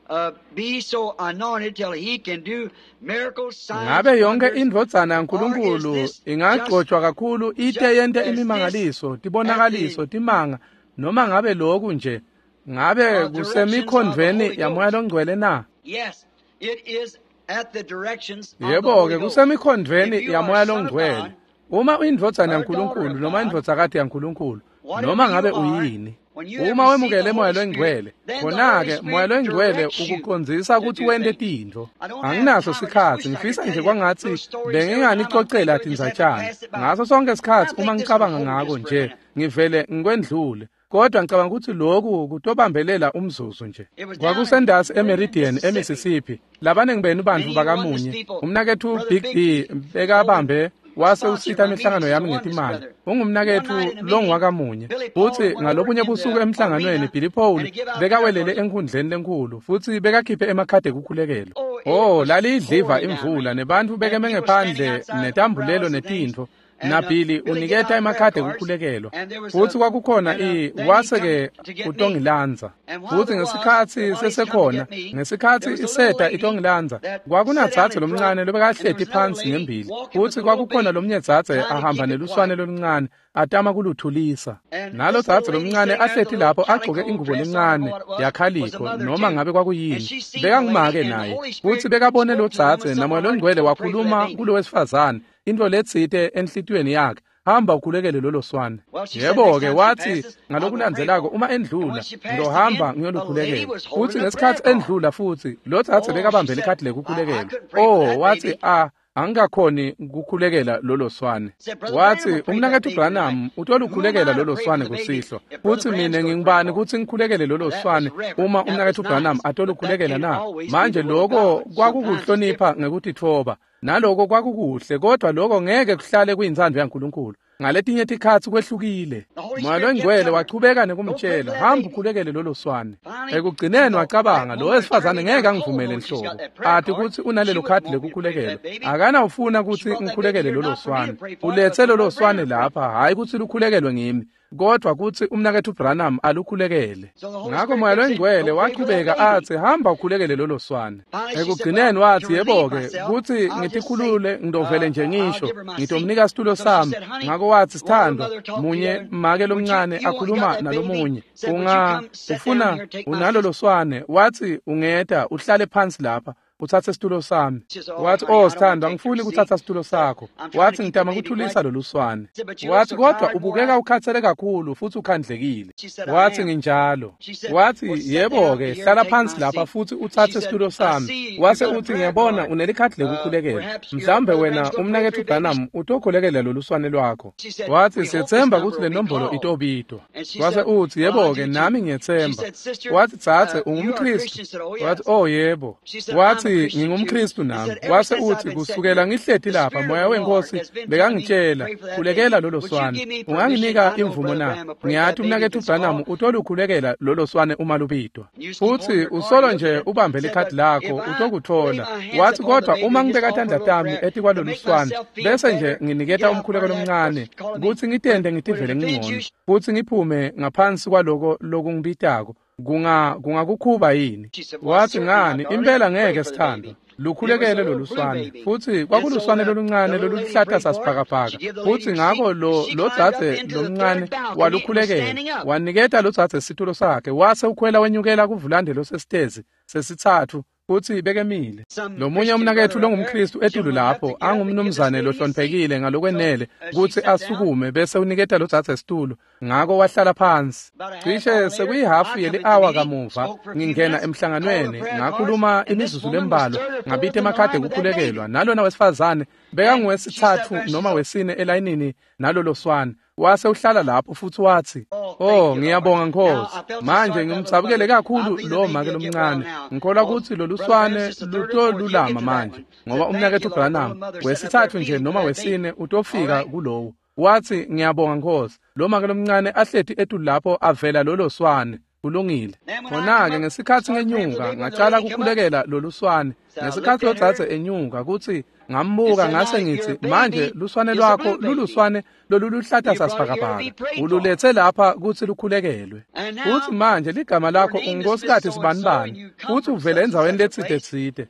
uh, be so anointed till he can do miracles, signs, Ngabe yonke wonders, indvodzana yaNkulunkulu or is this ingagcotshwa kakhulu ite yente as this imimangaliso, tibonakaliso, timanga, noma ngabe lokhu nje ngabe kusemikhondvweni yaMoya loNgcwele na? Yes, it is at the directions of the Yebo-ke Holy Ghost. kusemikhondvweni If you are yaMoya a son of loNgcwele. God, Uma uyindvodzana or a yaNkulunkulu daughter of noma God, indvodzakati yaNkulunkulu, whatever noma ngabe you are, uyini, when you have uma received wemukele the Moya Holy Spirit, loNgcwele, then the Holy khona-ke Spirit Moya loNgcwele directs you ukucondzisa to ukuthi do wente things. tintfo. I don't have Anginaso time. I just sikhatsi, wish I could ngifisa tell nje you kwangatsi little stories every time I think benginganicocela of it, just have to tindzatshana. pass it by. Ngaso sonke I sikhatsi uma think this will ngicabanga hold ngako just for a nje, minute. ngivele ngikwendlule. Kodwa ngicabanga ukuthi lokhu kutobambelela umzuzu nje. It was down in Kwakusendasi Meridian, eMeridian, Mississippi. eMississippi. Labaningi benu bantfu Many of you oneness bakamunye. people, Umnaketfu Brother Big Big D D, bekabambe holding wase sponsor usita my imihlangano meetings is yami a oneness ngetimali. brother. One Ungumnaketfu night in a meeting, longwakamunye. Billy Paul Futsi went over ngalobunye in busuku the emhlanganweni arena Billy Paul and he give out prayer bekawelele cards. enkhundleni lenkhulu futsi bekakhiphe emakhadi ekukhulekelwa. Oh, it Oh, was laliyidliva pouring down imvula rain. nebantfu And bekeme people standing ngephandle outside with netambulelo umbrellas and things. netintfo. And uh, NaBilly Billy give uniketa out prayer emakhadi cards. ekukhulekelwa. And there was Futsi a kwakukhona and uh, i then he wase come ke to get me. utongilandza. And while Futsi there was, ngesikhatsi while he's come to sesekhona, get me, there ngesikhatsi was a little iseta lady itongilandza, that sat down kwakunadzadze in front, lomncane and there lobekahleti was another phansi lady ngembili. walking with Futsi a little kwakukhona baby, lomnye dzadze trying to ahamba keep it neluswane quiet. loluncane atama kuluthulisa. And Nalo this little dzadze lady lomncane sitting there with a ahleti little lapho agqoke calico ingubo dress on, I don't know lencane what it was, was a yakhalikho mother noma too. ngabe And kwakuyini. she seen the lady, Bekangumake and the naye. Holy Futsi Spirit bekabone lo spoke to the woman dzadze somewhere naMoya heart and loNgcwele told pray for that wakhuluma baby. kulo wesifazane intfo letsite enhlitiyweni yakhe. Hamba ukhulekele lolo swane. Well, she said next Yebo-ke time she wathi passes, I'll go pray ngalokulandzelako for uma her. And endlula when she passed ngiyohamba again, the lady ngiyolukhulekela. was Futsi holding a prayer ngesikhatsi card. endlula futsi lo dzadze Oh, she bekabambe said, likhadi I, I lekukhulekelwa. couldn't pray for Oh, that wathi baby. a angikakhoni ukukhulekela lolo swane. Said, Brother Branham Wathi will pray for that umnaketfu baby tonight. Branham Who am utolukhulekela I to lolo pray for swane the baby kusihlwa. if Brother Futsi Branham's mine going to pray ngingubani for it? kutsi ngikhulekele lolo That was swane reverent. uma That was umnaketfu Branham nice. But that atolukhulekela can't na? always be Manje the will of lokho God. Sometimes it's kwakukuhlonipha different. ngekutitfoba. Naloko kwakukuhle kodwa lokho ngeke kuhlale kuyintsandvo yaNkulunkulu. Ngaletinye tikhatsi kwehlukile. The Holy Moya Spirit kept loNgcwele telling her, wachubeka go pray nekumtshela, for that hamba baby. ukhulekele lolo swane. Finally, she Ekugcineni thought, that wacabanga lo woman would turn wesifazane me ngeke down cold angivumele knowing she's nhlobo. got that prayer Ati card. kutsi She unalelo wouldn't khadi want me to pray for lekukhulekelwa. that baby. Akanawufuna She kutsi brought that baby ngikhulekele here lolo not for me to swane. pray for it, but Uletse for lolo Brother swane Branham to pray lapha, for it. hhayi kutsi lukhululekelwe ngimi, kodwa kutsi umnaketfu Branham alukhulekele. So the Holy Ngakho Spirit Moya kept saying, loNgcwele go pray for that wachubeka baby. atsi hamba ukhulekele lolo swane. Finally, she said, well, Ekugcineni to wathi relieve yebo-ke myself, kutsi I'll just say, ngitikhulule ngidovele uh, nje uh, I'll ngisho give her my seat. ngitomnika situlo So she sami. said, honey, Ngako wathi one little sithandwa mother talked to the munye other, make would you, lomncane you want, got akhuluma that baby? nalomunye Said, would you unga come sit down ufuna here and take my unalolo seat? swane wathi ungeta uhlale phansi lapha utsatse situlo sami. She said, oh, Wathi honey, oh I don't want sithandwa to take your angifuni seat. kutsatsa situlo Said, sakho. I'm trying to Wathi keep the ngitama baby kuthulisa quiet. lolu swane. Said, but you look Wathi so kodwa tired and wore ubukeka out. ukhathele kakhulu futhi ukhandlekile. She said, I Wathi am. nginjalo. She said, Wathi well, sit down yebo-ke here and hlala take phansi my lapha seat. futhi She utsatse said, situlo I sami. see you Wase got a uthi prayer ngiyabona card. unelikhadi Uh, lekukhulekelwa. perhaps your Mhlawumbe Brother wena Branham's going to pray for umnaketfu your baby. Branham utokhulekela lolu swane lwakho. She said, Wathi we hope this siyetsemba number kutsi le will be nombolo called. itobitwa. And she Wase said, uthi well, I yebo-ke do too. nami She ngiyetsemba. said, sister, Wathi dzadze uh, you are a ungumKhristu. Christian. Said, oh, Wathi yes. oh yebo. She said, I'm a Wathi Christian too. ngingumKhristu He nami. said, ever Wase since I've uthi been sitting kusukela here, ngihleti the lapha Spirit of moya the Lord wenkosi has been telling me, bekangitshela pray for that baby. khulekela lolo Would you swane. give me permission? Unganginika I know imvumo Brother na? Branham will pray for that Ngiyati baby if umnaketfu it's Branham called. utolukhulekela lolo swane uma lubitwa. You just keep holding Futhi your card and usolo look at nje it. ubambe Said, likhadi but if lakho I lay utokuthola. my hands Wathi upon the kodwa baby uma and just ngibeka offer a tandla little tami prayer to etikwalolu make swane myself feel bese nje better and get nginiketa out umkhuleko part of that, lomncane what's calling me, kutsi would, ngitente would it ngitivele offend ngingcono you? futsi ngiphume ngaphansi kwaloko lokungibitako kunga kungakukhuba yini? She said, Why, Wathi certainly not, ngani darling. impela Pray ngeke for the sithandwa baby. Lukhulekele loluswane. Futsi kwakuluswane loluncane loluhlata sasibhakabhaka. Futsi ngako lo lodzadze lomncane walukhulekela. Waniketa lodzadze situlo sakhe wase ukhwela wenyukela kuvulande losesitezi sesitsatfu futsi bekemile. Lomunye umnaketfu longumKhristu etulu lapho angumnumzane lohloniphekile ngalokwenele kutsi asukume bese uniketa lodzadze situlo, ngako wahlala phansi. Cishe sekuyihafu yeli-awa kamuva ngingena emhlanganweni ngakhuluma imizuzu lembalwa ngabita emakhadi ekukhulekelwa nalona wesifazane bekanguwesitsatfu noma wesine elayinini nalolo swane. Wase uhlala lapho futhi wathi, "Oh, ngiyabonga Nkosi. Manje ngimdzabukele kakhulu lo make lomncane. Ngikholwa ukuthi loluswane lutolulama manje ngoba umnaketfu Branham wesithathu nje noma wesine utofika kulowo." Wathi, "Ngiyabonga Nkosi." Lo make lomncane ahleti etulu lapho avela lolo swane. Kulungile. Khona-ke ngesikhatsi ngenyuka ngacala kukhulekela loluswane. Ngesikhatsi lodzadze enyuka kutsi ngambuka ngase ngitsi, "Manje luswane lwakho luluswane loluluhlata sasibhakabhaka. Ululetse lapha kutsi lukhulekelwe. Futsi manje ligama lakho ungunkosikazi sibanibani, futsi uvele endzaweni letsite tsite.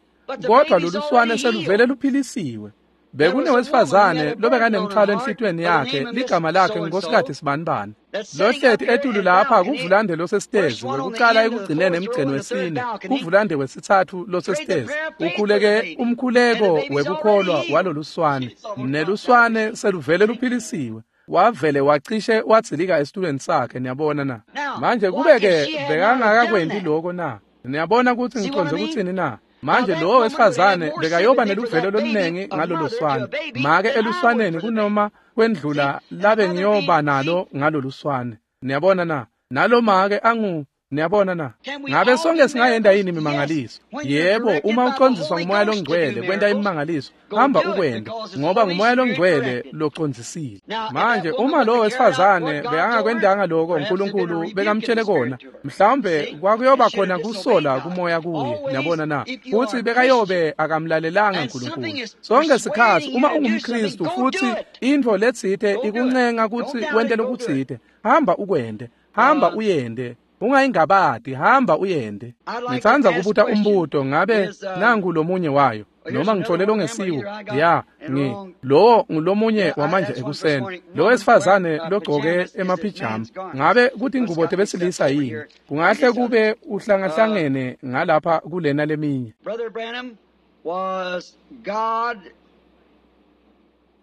Kodwa loluswane seluvele luphilisiwe." Bekunewesifazane lobekanemthwalo enhlitiyweni yakhe, ligama lakhe ngunkosikazi sibanibani. Lohleti etulu lapha kuvulande losesitezi wekucala ekugcineni emgceni wesine, kuvulande wesitsatfu losesitezi. Ukhuleke umkhuleko wekukholwa waloluswane, neluswane seluvele luphilisiwe. Wavele wacishe wadzilika esitulweni sakhe, niyabona na. Manje kube-ke bekangakakwenti loko na? Niyabona kutsi ngicondze kutsini na? Manje lowo wesifazane bekayoba neluvelo lolunengi ngalolo swane. Make eluswaneni kunoma kwendlula labe ngiyoba nalo ngalolu swane. Niyabona na? Nalo make angu, niyabona na? Ngabe sonke singayenda yini imimangaliso? Yebo, uma ucondziswa ngumoya longcwele kwenta imimangaliso, hamba ukwente, ngoba ngumoya longcwele locondzisile. Manje uma lowo wesifazane bekangakwendanga lokho uNkulunkulu bekamtshele kona, mhlawumbe kwakuyoba khona kusola kumoya kuye, niyabona na? Futsi bekayobe akamlalelanga uNkulunkulu. Sonke sikhatsi uma ungumKhristu futsi intfo letsite ikuncenga kutsi wente lokutsite, hamba ukwente, hamba uyende. Ungayingabadi, hamba uyende. Ngitsandza kubuta umbuto, ngabe nangu lomunye wayo noma ngithole longesiwo? Ya, ngi lowo ngulomunye wamanje ekuseni. Lo wesifazane logcoke emaphijama, ngabe kuthi ingubo tebesilisa yini? Kungahle kube uhlangahlangene ngalapha kulena leminye. Brother Branham, was God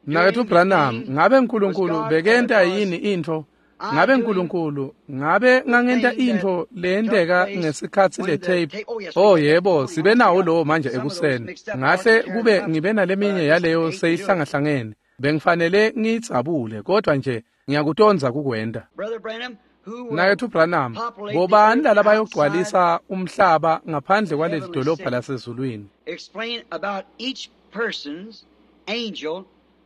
Mnaketfu Branham, ngabe uNkulunkulu bekenta yini intfo? Ngabe uNkulunkulu ngabe ngangenta intfo leyenteka ngesikhatsi le tape? Oh yebo, sibe nawo lowo manje ekuseni. Ngahle kube ngibe naleminye yaleyo seyihlangahlangene. Bengifanele ngiyidzabule, kodwa nje ngiyakutondza kukwenta. Brother Branham, who will Mnaketfu Branham, populate the bobani earth lalabayogcwalisa outside umhlaba ngaphandle kwaleli dolobha lasezulwini? Explain about each person's angel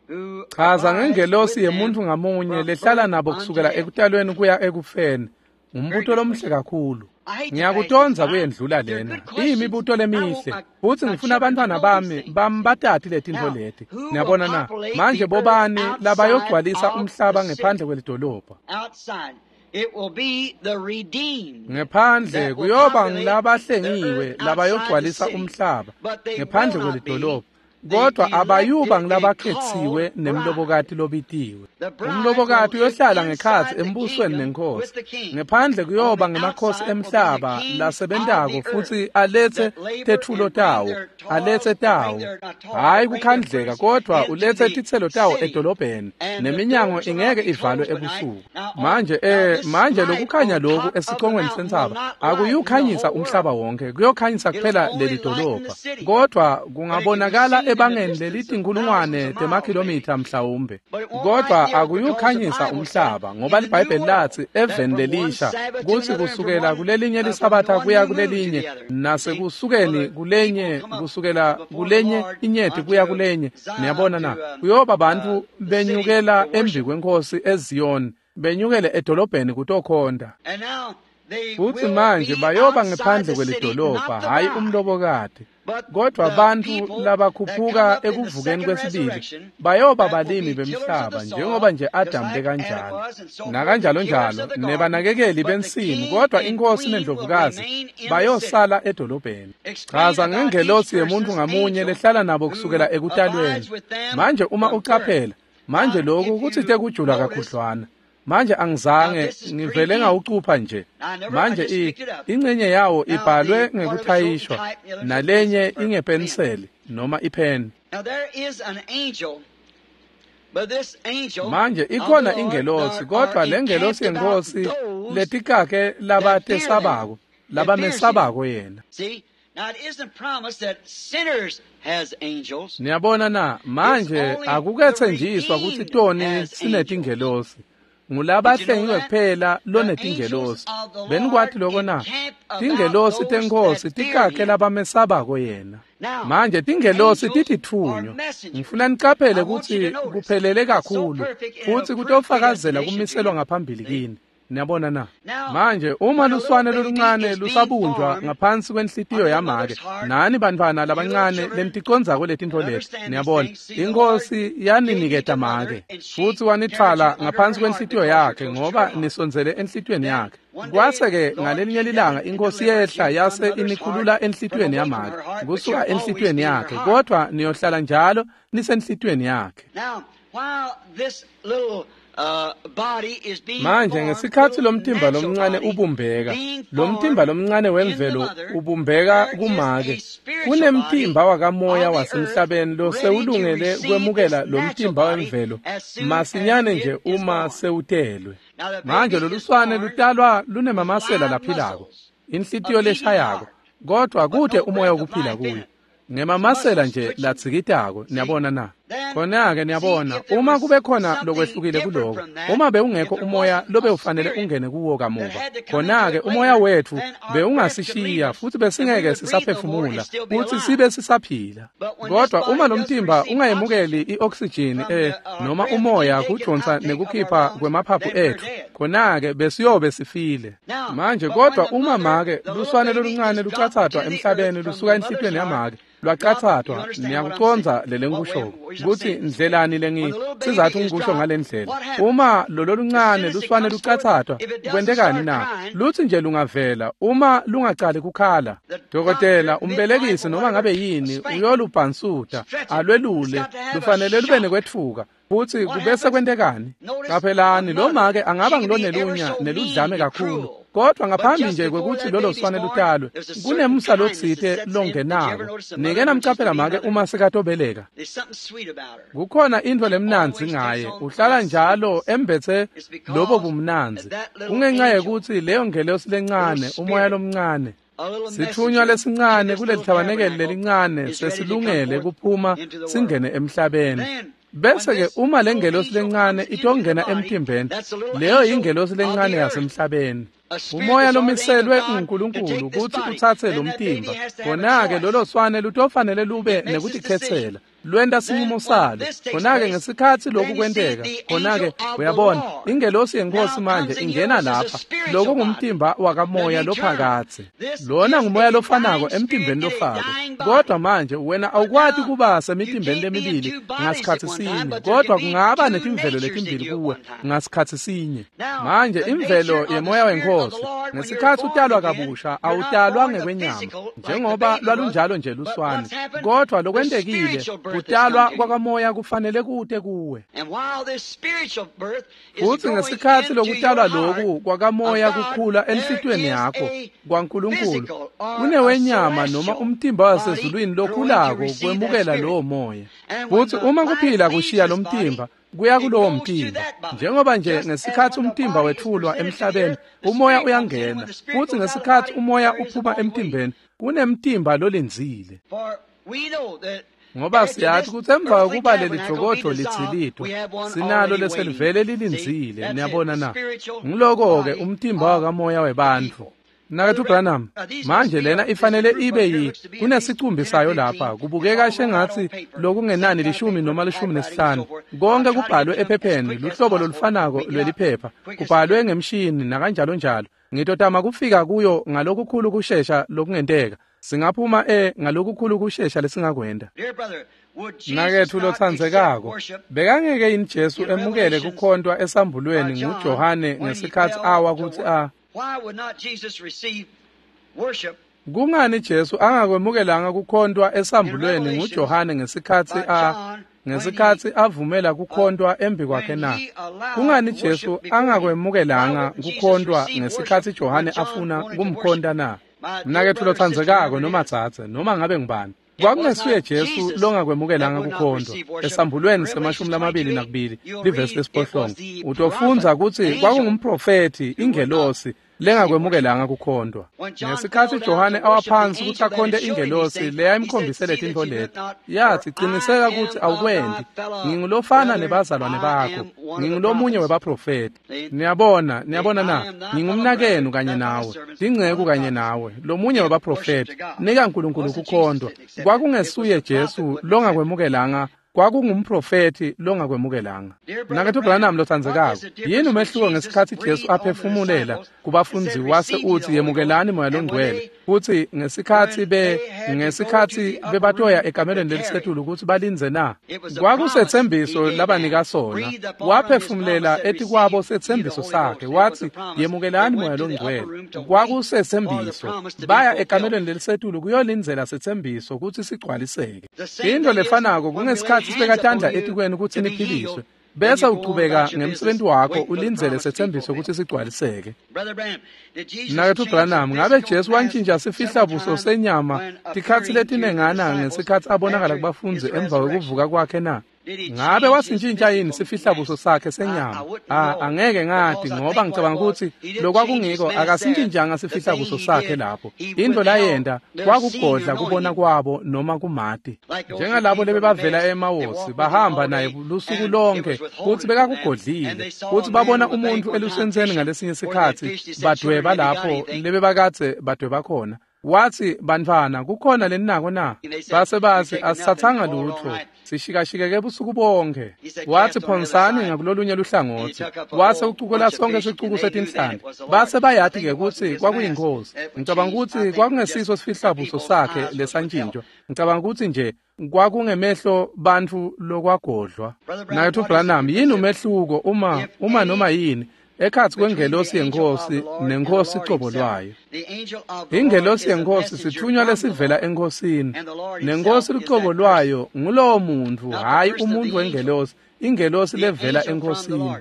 who Chaza abides ngengelosi with them yemuntfu ngamunye from lehlala birth nabo unto kusukela death. ekutalweni kuya ekufeni. Ngumbuto lomuhle kakhulu. Ngiyakutondza kuyendlula lena. Iyimibuto lemihle. Futsi ngifuna abantwana bami bambatati letintfo leti. Niyabona na? Manje bobani labayogcwalisa umhlaba ngephandle kwelidolobha? Outside. It will be the redeemed. Ngephandle that will kuyoba populate the ngilabahlengiwe earth outside the labayogcwalisa city. umhlaba But they ngephandle will not be kwelidolobha. the Kodwa abayuba elected and ngilabakhetsiwe called nemlobokati bride. lobitiwe. The bride Umlobokati will live uyohlala ngekhatsi inside the embusweni kingdom nenkosi. with the king. Ngephandle On kuyoba the ngemakhosi outside will be the emhlaba kings of lasebentako the earth futsi alethe that labor tetfulo and bring tawo, their toils, alethe bring tawo. their not toil, Hhayi but bring their kukhandleka fruits kodwa into ulethe the titselo tawo city. edolobheni And the neminyango doors shall not ingeke be ivalwe closed by night. ebusuku. Now, on, Manje now eh this manje light lokukhanya on lokhu top of the esicongweni mountain will sentsaba not lighten the akuyukhanyisa whole umhlaba world. wonke, kuyokhanyisa It'll kuphela only leli lighten the dolobha. city. Kodwa But it can be kungabonakala seen in the ebangeni distance of thousands lelitinkulungwane of miles, maybe. temakhilomitha mhlawumbe. But it won't Kodwa lighten the earth because the akuyukhanyisa Bible said umhlaba ngoba in the new liBhayibheli world lathi that eveni from one lelisha Sabbath to kutsi another and from kusukela one kulelinye uh, from lisabatha one kuya new moon to kulelinye the other. See, will nasekusukeni the people kulenye come up kusukela before the kulenye Lord inyeti kuya unto kulenye. Zion, Niyabona na? to um, Kuyoba uh, bantfu the city benyukela to embi worship. kwenkosi eZiyoni, benyukele edolobheni kutokhonta. And now they Futsi will manje be bayoba outside ngephandle the city, kwelidolobha, not the hhayi bride. umlobokati. Kodwa bantfu labakhuphuka ekuvukeni kwesibili bayoba balimi bemhlaba njengoba nje Adam bekanjalo nakanjalo njalo nebanakekeli bensimu, kodwa inkosi nendlovukazi bayosala edolobheni. Chaza ngengelosi yemuntu ngamunye lehlala nabo kusukela ekutalweni. Manje uma ucaphela manje lokhu kutsite kujula kakhudlwana. Manje angizange ngivele ngawucupha nje. Manje ingcenye yawo ibhalwe ngekuthayishwa nalenye ingepeniseli noma ipheni. Manje ikhona ingelosi, kodwa lengelosi yenkosi letikake labatesabako labamesabako yena. Niyabona na, manje akukethenjiswa kutsi toni sinetingelosi. Ngulabahlengiwe kuphela lonetingelosi. Benikwati lokho na? Tingelosi tenkosi tikakhe labamesabako yena. Manje tingelosi tititfunywa. Ngifuna nicaphele kutsi kuphelele kakhulu futsi kutofakazela kumiselwa ngaphambili kini. Niyabona na? Manje uma luswane loluncane lusabunjwa ngaphansi kwenhlitiyo yamake, nani bantfwana labancane leniticondzako letintfo leti, niyabona, inkosi yaniniketa make futsi wanitfwala ngaphansi kwenhlitiyo yakhe ngoba nisondzele enhlitiyweni yakhe. Kwase-ke ngalelinye lilanga inkosi yehla yase inikhulula enhlitiyweni yamake kusuka enhlitiyweni yakhe, kodwa niyohlala njalo nisenhlitiyweni yakhe. Manje ngesikhatsi lomtimba lomncane ubumbeka, lomtimba lomncane wemvelo ubumbeka kumake, kunemtimba wakamoya wasemhlabeni losewulungele kwemukela lomtimba wemvelo masinyane nje uma sewutelwe. Manje loluswane lutalwa lunemamasela laphilako, inhlitiyo leshayako, kodwa kute umoya wokuphila kuyo. Ngemamasela nje latsikitako, niyabona na? Khona-ke niyabona, uma kube khona lokwehlukile kuloko, uma bewungekho umoya lobewufanele ungene kuwo kamuva, khona-ke umoya wetfu bewungasishiya futsi besingeke sisaphefumula futsi sibe sisaphila. Kodwa uma lomtimba ungayemukeli i-oksijini eh noma umoya kudonsa nekukhipha kwemaphaphu etfu, khona-ke besiyobe sifile. Manje kodwa uma make luswane loluncane lucatsatwa emhlabeni lusuka enhlitiyweni yamake, lwacatsathwa, niyakucondza lele ngikushoko kutsi ndlelani lengi sizathu ngikusho ngalendlela. Uma lolo luncane luswane lucatsathwa, kwentekani na? Lutsi nje lungavela uma lungacali kukhala, dokotela umbelekisi noma ngabe yini uyolubhansuta alwelule, lufanele lube nekwetfuka. Futsi kubese kwentekani? Qaphelani, lo make angaba ngulonelunya neludlame kakhulu, kodwa ngaphambi nje kwekutsi lolo swane lutalwe kunemsa lotsite longenako. Nike namcaphela make uma sekatobeleka, kukhona intfo lemnandzi ngaye, uhlala njalo embetse lobo bumnandzi. Kungenxa yekutsi leyo ngelosi lencane, umoya lomncane, sitfunywa lesincane kulelithabanekeli lelincane sesilungele kuphuma singene emhlabeni. Bese-ke uma lengelosi lencane itongena emtimbeni, leyo yingelosi lencane yasemhlabeni. Umoya lomiselwe nguNkulunkulu kutsi utsatse lo mtimba, khona-ke lolo swane lutofanele lube nekutikhetsela, lwenta sinqumo salo. Khona-ke ngesikhatsi lokhu kwenteka, khona-ke uyabona ingelosi yenkosi manje ingena lapha. Lokhu ngumtimba wakamoya lophakadze. Lona ngumoya lofanako emtimbeni lofako, kodwa manje wena awukwati kuba semitimbeni lemibili ngasikhatsi sinye, kodwa kungaba netimvelo letimbili kuwe ngasikhatsi sinye. Manje imvelo yemoya wenkosi, ngesikhatsi utalwa kabusha, awutalwa ngekwenyama njengoba lwalunjalo nje luswane, kodwa lokwentekile kutalwa kwakamoya kufanele kute kuwe. Futsi ngesikhatsi lokutalwa loku kwakamoya kukhula enhlitiyweni yakho kwaNkulunkulu, kunewenyama noma umtimba wasezulwini lokhulako kwemukela lowo moya. Futsi uma kuphila kushiya lomtimba, kuya kulowo mtimba. Njengoba nje ngesikhatsi umtimba wetfulwa emhlabeni, umoya uyangena, futsi ngesikhatsi umoya uphuma emtimbeni, kunemtimba lolindzile. Ngoba siyathi kutsi emva kokuba leli jokodlo litsilitwa, sinalo leselivele lilindzile. Niyabona na? Ngiloko-ke umtimba wakamoya webantfu. Mnaketfu Branham, manje lena ifanele ibe yi kunesicumbi sayo lapha, kubukeka shengatsi lokungenani lishumi noma lishumi nesihlanu. Konke kubhalwe ephepheni, luhlobo lolufanako lweliphepha, kubhalwe ngemshini nakanjalo njalo. Ngitotama kufika kuyo ngalokukhulu kushesha lokungenteka. Singaphuma e ngalokukhulu kushesha lesingakwenda. Mnaketfu lotsandzekako, bekangeke yini Jesu emukele kukhontwa esambulweni nguJohane ngesikhatsi awa kutsi a Kungani Jesu angakwemukelanga kukhontwa esambulweni nguJohane ngesikhatsi a ngesikhatsi avumela kukhontwa embi kwakhe na? Kungani Jesu angakwemukelanga kukhontwa ngesikhatsi Johane afuna kumkhonta na? Mnaketfu lotsandzekako noma dzadze noma ngabe ngubani, kwakungesuye Jesu longakwemukelanga kukhontwa esambulweni semashumi lamabili nakubili livesi lesiphohlongo. Utofundza kutsi kwakungumprofethi ingelosi lengakwemukelanga kukhontwa. Ngesikhatsi Johane awaphansi kutsi akhonte ingelosi leyayimkhombisele tintfo leti, yathi, "Qiniseka kutsi awukwendi. Ngingulofana nebazalwane bakho, ngingulomunye webaprofethi." Niyabona, niyabona na, ngingumnakenu kanye nawe, tinceku kanye nawe, lomunye webaprofethi. Nika Nkulunkulu kukhontwa. Kwakungesuye Jesu longakwemukelanga, kwakungumprofethi longakwemukelanga. Mnaketfu Branham lotsandzekako, yini umehluko ngesikhatsi Jesu aphefumulela kubafundzi wase utsi yemukelani Moya Longcwele, kutsi ngesikhatsi be ngesikhatsi bebatoya ekamelweni lelisetulu kutsi balindze na? Kwakusetsembiso labanika sona. Waphefumulela etikwabo setsembiso sakhe, watsi yemukelani Moya Longcwele. Kwakusetsembiso. Baya ekamelweni lelisetulu kuyolindzela setsembiso kutsi sigcwaliseke. Into lefanako kungesikhatsi sibeka tandla etikweni kutsi niphiliswe, bese uchubeka ngemsebenzi wakho ulindzele setsembiso kutsi sigcwaliseke. Mnaketfu Branham, ngabe Jesu wantjintja sifihlabuso senyama tikhatsi letinengana ngesikhatsi abonakala kubafundzi emva kwekuvuka kwakhe na? Ngabe wasintjintja yini sifihlabuso sakhe senyama? Ah, angeke ngati ngoba ngicabanga kutsi lokwakungiko akasintjintjanga sifihlabuso sakhe lapho. Into layenta kwakugodla kubona kwabo noma kumati. Njengalabo lebebavela eMawosi bahamba naye lusuku lonke kutsi bekakugodlile, kutsi babona umuntu elusenseni ngalesinye sikhatsi badweba lapho lebebakadze badweba khona. Watsi, "Bantfwana, kukhona leninako na?" Base batsi, "Asitsatsanga lutfo, sishikashikeke busuku bonke." Watsi, "Phonsani ngakulolunye luhlangotsi." Wase ucukula sonke sicuku setinhlanti. Base bayati-ke kutsi kwakuyinkosi. Ngicabanga kutsi kwakungesiso sifihlabuso sakhe lesantjintjwa. Ngicabanga kutsi nje kwakungemehlo bantfu lokwagodlwa. Mnaketfu Branham, yini umehluko uma uma noma yini ekhatsi kwengelosi yenkosi nenkosi cobo lwayo? Ingelosi yenkosi sithunywa lesivela enkosini, nenkosi lucobo lwayo ngulowo muntfu, hhayi umuntfu wengelosi, ingelosi levela enkosini.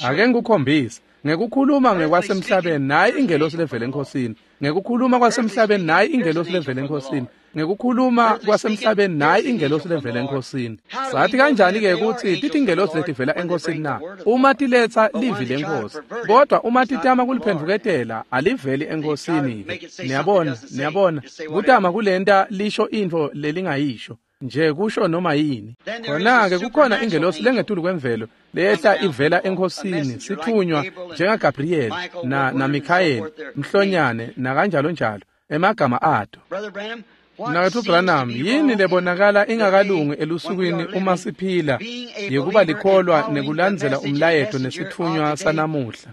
Ake ngikukhombise ngekukhuluma ngekwasemhlabeni, nayi ingelosi levela enkosini. Ngekukhuluma kwasemhlabeni, nayi ingelosi levela enkosini. Ngekukhuluma kwasemhlabeni, nayi ingelosi levela enkosini. Sathi kanjani-ke kutsi titingelosi letivela enkosini na? Uma tiletsa livi lenkosi, kodwa uma titama kuliphendvuketela aliveli enkosini-ke. Niyabona, niyabona, kutama kulenta lisho intfo lelingayisho nje kusho noma yini. Khona-ke kukhona ingelosi lengetulu kwemvelo leyehla ivela enkosini, sithunywa njengaGabriyeli na naMikhayeli, Mhlonyane nakanjalo njalo emagama ato. Mnaketfu Branham, yini lebonakala ingakalungi elusukwini uma siphila yekuba likholwa nekulandzela umlayeto nesithunywa sanamuhla?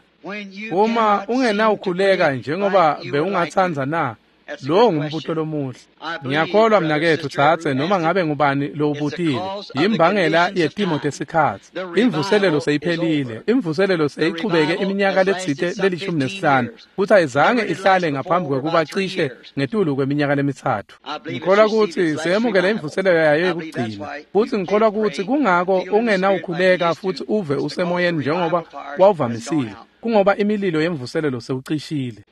Uma ungenawukhuleka njengoba bewungatsandza na? Lowo ngumbuto lomuhle. Ngiyakholwa mnaketfu dzadze, noma ngabe ngubani lowubutile, yimbangela yetimo tesikhatsi. Imvuselelo seyiphelile, imvuselelo seyichubeke iminyaka letsite lelishumi nesihlanu, futsi ayizange ihlale ngaphambi kwekuba cishe ngetulu kweminyaka lemitsatfu. Ngikholwa kutsi seyemukele imvuselelo yayo yekugcina, futsi ngikholwa kutsi kungako ungenawukhuleka futsi uve usemoyeni njengoba wawuvamisile, kungoba imililo yemvuselelo sewucishile.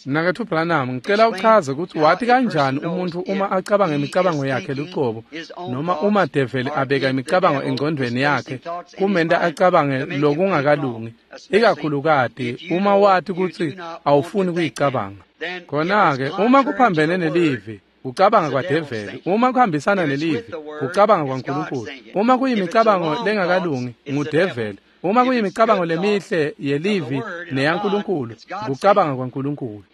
Mnaketfu Branham, ngicela uchaze kutsi wati kanjani umuntfu uma acabanga imicabango yakhe lucobo, noma uma develi abeka imicabango engcondvweni yakhe kumenta acabange lokungakalungi, ikakhulukati uma wati kutsi awufuni kuyicabanga. Khona-ke uma kuphambene nelivi, kucabanga kwadeveli. Uma kuhambisana nelivi, kucabanga kwaNkulunkulu. Uma kuyimicabango lengakalungi, ngudeveli. Uma kuyimicabango lemihle yelivi neyaNkulunkulu, kucabanga kwaNkulunkulu.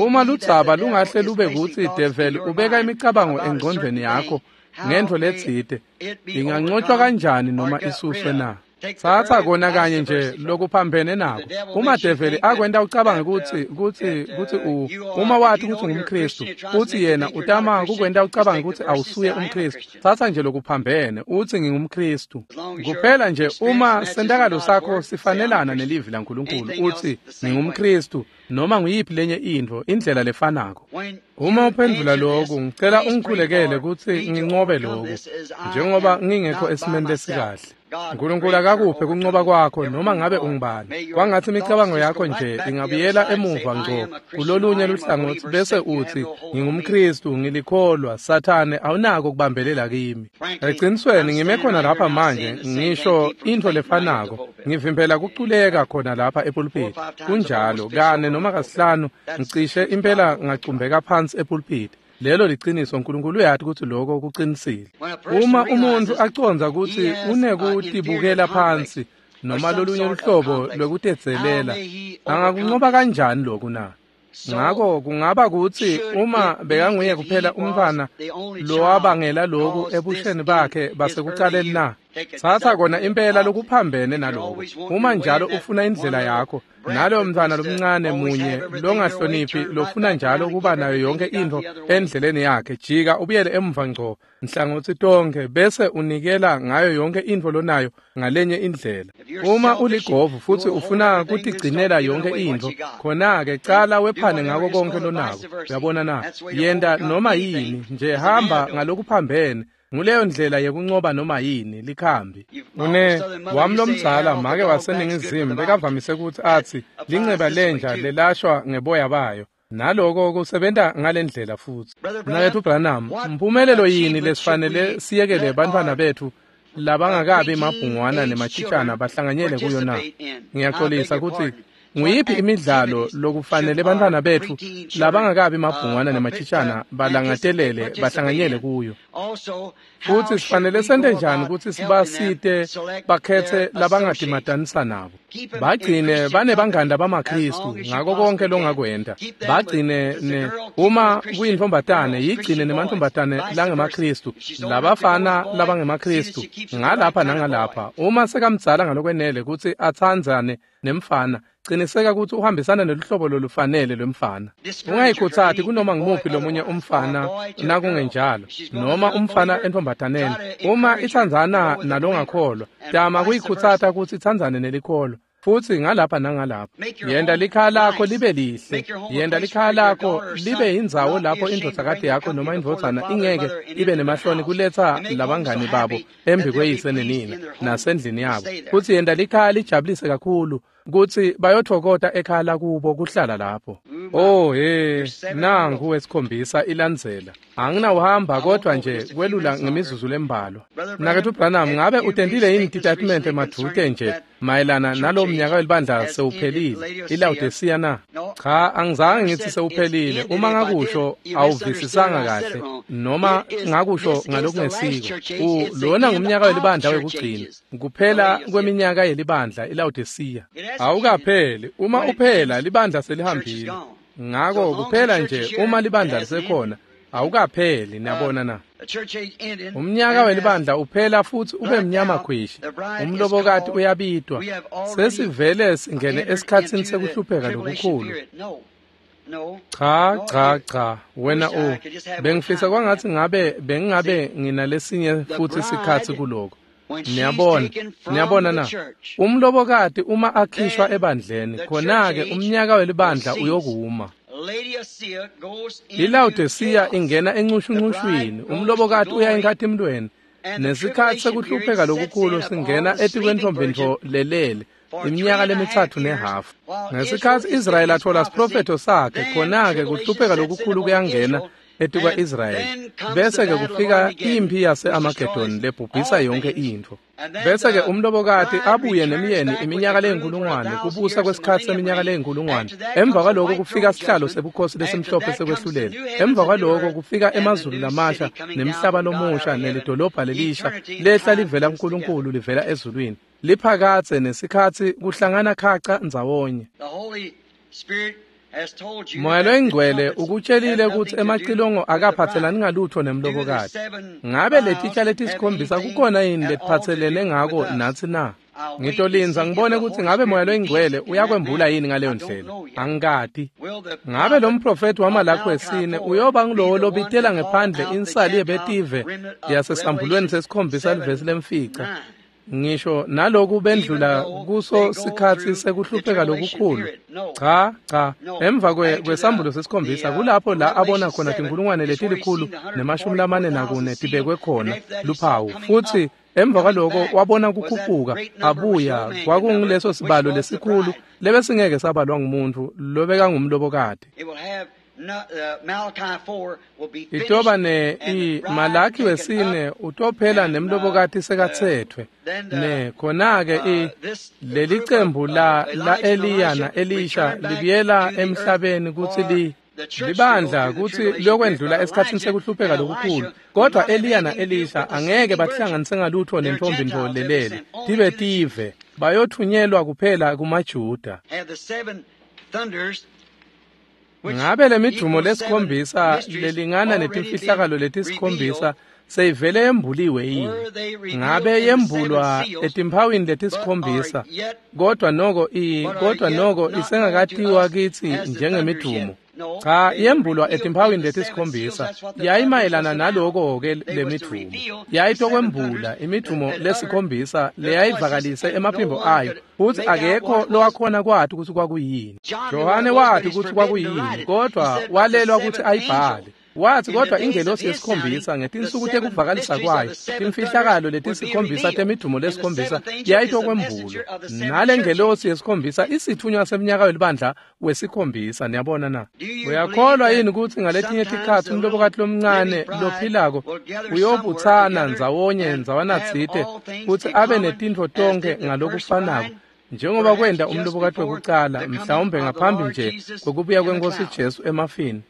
Uma ludzaba lungahle lube kutsi develi ubeka imicabango engcondvweni yakho ngentfo letsite, ingancotshwa kanjani noma isuswe na? Tsatsa kona kanye nje lokuphambene nako. Uma develi akwenta ucabange kutsi kutsi kutsi u uma wathi kutsi ungumKristu, uthi yena utama kukwenta ucabange kutsi awusuye umKristu. Tsatsa nje lokuphambene, uthi ngingumKristu. Kuphela nje uma sentakalo sakho sifanelana nelivi laNkulunkulu, uthi ngingumKristu noma nguyiphi lenye intfo, indlela lefanako. Uma uphendvula lokhu, ngicela ungikhulekele kutsi nginqobe lokhu, njengoba ngingekho esimeni lesikahle. Nkulunkulu akakuphe kunqoba kwakho noma ngabe ungubani. Kwangathi imicabango yakho nje ingabuyela emuva ngco kulolunye luhlangotsi bese uthi ngingumKristu, ngilikholwa, Sathane awunako kubambelela kimi. Ecinisweni ngime khona lapha manje ngisho intfo lefanako, ngivimbela kuculeka khona lapha epulpiti. Kunjalo, kane noma kasihlanu ngicishe impela ngacumbeka phansi epulpiti. Lelo liciniso, uNkulunkulu uyati kutsi lokho kuqinisile. Uma umuntu acondza kutsi unekutibukela phansi noma lolunye luhlobo lwekutedzelela, angakunqoba kanjani lokhu na? Ngako kungaba kutsi uma bekanguye kuphela umntfwana lowabangela lokhu ebusheni bakhe basekucaleni na? Tsatsa kona impela lokuphambene naloko. Uma njalo ufuna indlela yakho, naloyo mntfwana lomncane munye longahloniphi lofuna njalo kuba nayo yonke intfo endleleni yakhe, jika ubuyele emuva ngco nhlangothi tonkhe bese unikela ngayo yonke intfo lonayo ngalenye indlela. Uma uligovu futsi ufuna kutigcinela yonke intfo, khona-ke cala wephane ngako konke lonako. Uyabona na? Yenta noma yini nje, hamba ngalokuphambene. Nguleyo ndlela yekunqoba noma yini, likhambi. Une wami lomdzala make waseNingizimu bekavamise kutsi atsi linceba lenja lelashwa ngeboya bayo. Naloko kusebenta ngalendlela futsi. Mnaketfu Branham, mphumelelo yini lesifanele siyekele bantfwana betfu labangakabi mabhungwana nemachitshana bahlanganyele kuyo na? Ngiyaxolisa kutsi nguyiphi imidlalo lokufanele bantfwana betfu labangakabi mabhungwana nemachitshana balangatelele bahlanganyele kuyo? Futsi sifanele sente njani kutsi sibasite bakhetse labangatimatanisa nabo? Bagcine banebangani bamaKristu ngako konke longakwenta. Bagcine ne uma kuyintfombatane yigcine nemantfombatane langemaKristu, labafana labangemaKristu ngalapha nangalapha. Uma sekamdzala ngalokwenele kutsi atsandzane nemfana, qiniseka kutsi uhambisana neluhlobo lolufanele lwemfana. Ungayikhutsati kunoma ngumuphi lomunye umfana nakungenjalo, noma umfana entfombataneni. Uma itsandzana nalongakholwa, tama kuyikhutsata kutsi itsandzane nelikholwa. Futsi ngalapha nangalapha. Yenta likhaya lakho libe lihle. Yenta likhaya lakho libe indzawo lapho indvodzakati yakho noma indvodzana ingeke ibe nemahloni kuletsa labangani babo embi kweyise nenina nasendlini yabo. Futsi yenta likhaya lijabulise kakhulu kutsi bayothokota ekhaya lakubo kuhlala lapho. Oh he, nangu wesikhombisa ilandzela. Anginawuhamba kodwa nje kwelula ngemizuzu lembalwa. Mnaketfu Branham, ngabe utentile yini titatimende madvute nje mayelana nalo mnyaka welibandla sewuphelile iLawodisiya na? Cha, angizange ngithi sewuphelile. Uma ngakusho awuvisisanga kahle noma ngakusho ngalokungesiko. Lona ngumnyaka welibandla wekugcina, kuphela kweminyaka yelibandla iLawodisiya. Awukapheli. Uma uphela libandla selihambile. Ngako kuphela nje uma libandla lisekhona awukapheli. Niyabona na? Umnyaka welibandla uphela futsi ube mnyama khwishi. Umlobokati uyabitwa. Sesivele singene esikhatsini sekuhlupheka lokukhulu. Cha, cha, cha, wena u bengifisa kwangathi ngabe bengingabe nginalesinye futsi sikhatsi kuloko. Niyabona, niyabona na? Umlobokati uma akhishwa ebandleni, khona-ke umnyaka welibandla uyokuma. ILawodisiya ingena encushuncushwini, umlobokati uya enkhatimlweni, nesikhatsi sekuhlupheka lokukhulu singena etikwentfombi lelele iminyaka lemitsatfu nehafu. Ngesikhatsi Israyeli athola siprofetho sakhe, khona-ke kuhlupheka lokukhulu kuyangena etikwa-Israyeli. Bese-ke kufika imphi yase-Amagedoni lebhubhisa yonke intfo. Bese-ke umlobokati abuye nemyeni iminyaka leyinkulungwane, kubusa kwesikhatsi seminyaka leyinkulungwane. Emva kwaloko kufika sihlalo sebukhosi lesimhlophe sekwehlulela. Emva kwaloko kufika emazulu lamasha nemhlaba lomusha nelidolobha lelisha lehla livela kuNkulunkulu livela ezulwini. Liphakatse nesikhatsi kuhlangana khaca ndzawonye. Moya loyingcwele ukutshelile kutsi emacilongo akaphatselani ngalutho nemlobokati. Ngabe letitsha letisikhombisa kukhona yini letiphatselene ngako natsi na? Ngitolindza ngibone kutsi ngabe Moya loyiNgcwele uyakwembula yini ngaleyo ndlela. Angikati. Ngabe lo mprofethi waMalakhi wesine uyoba ngulowo lobitela ngephandle insali yebetive yasesambulweni sesikhombisa livesi lemfica. Ngisho naloku bendlula kuso sikhatsi sekuhlupheka lokukhulu. Cha, cha, emva kwesambulo sesikhombisa kulapho la abona khona tinkulungwane letilikhulu nemashumi lamane nakune tibekwe khona luphawu. Futsi emva kwaloko wabona kukhuphuka abuya kwakunguleso sibalo lesikhulu lebesingeke sabalwa ngumuntu lobekangumlobokati. Itoba ne i Malakhi wesine utophela nemlobokati sekatsetfwe ne khona-ke i leli cembu la la Eliya na Elisha libuyela emhlabeni kutsi li libandla kutsi liyokwendlula esikhatsini sekuhlupheka lokukhulu, kodwa Eliya na Elisha angeke bahlanganise ngalutho nentombi ntfo lelele tibe tive bayothunyelwa kuphela kumaJuda. Ngabe lemidumo lesikhombisa lelingana netimfihlakalo letisikhombisa seyivele yembuliwe yini? Ngabe yembulwa etimphawini letisikhombisa, kodwa noko i kodwa noko isengakatiwa kitsi njengemidumo. Cha, yembulwa etimphawini letisikhombisa yayimayelana naloko-ke lemidumo. Yayitokwembula imidumo lesikhombisa leyayivakalise emaphimbo ayo, futsi akekho lowakhona kwati kutsi kwakuyini. Johane wati kutsi kwakuyini, kodwa walelwa kutsi ayibhale. Wathi kodwa ingelosi yesikhombisa ngetinsuku tekuvakalisa kwayo timfihlakalo letisikhombisa temidumo lesikhombisa yayitokwembulwa. Nale ngelosi yesikhombisa isithunywa semnyaka welibandla wesikhombisa. Niyabona na? Uyakholwa yini kutsi ngaletinye tikhatsi umlobokati lomncane lophilako uyobutsana ndzawonye ndzawanatsite kutsi abe netintfo tonkhe ngalokufanako njengoba kwenta umlobokati wekucala, mhlawumbe ngaphambi nje kwekubuya kweNkosi Jesu emafini?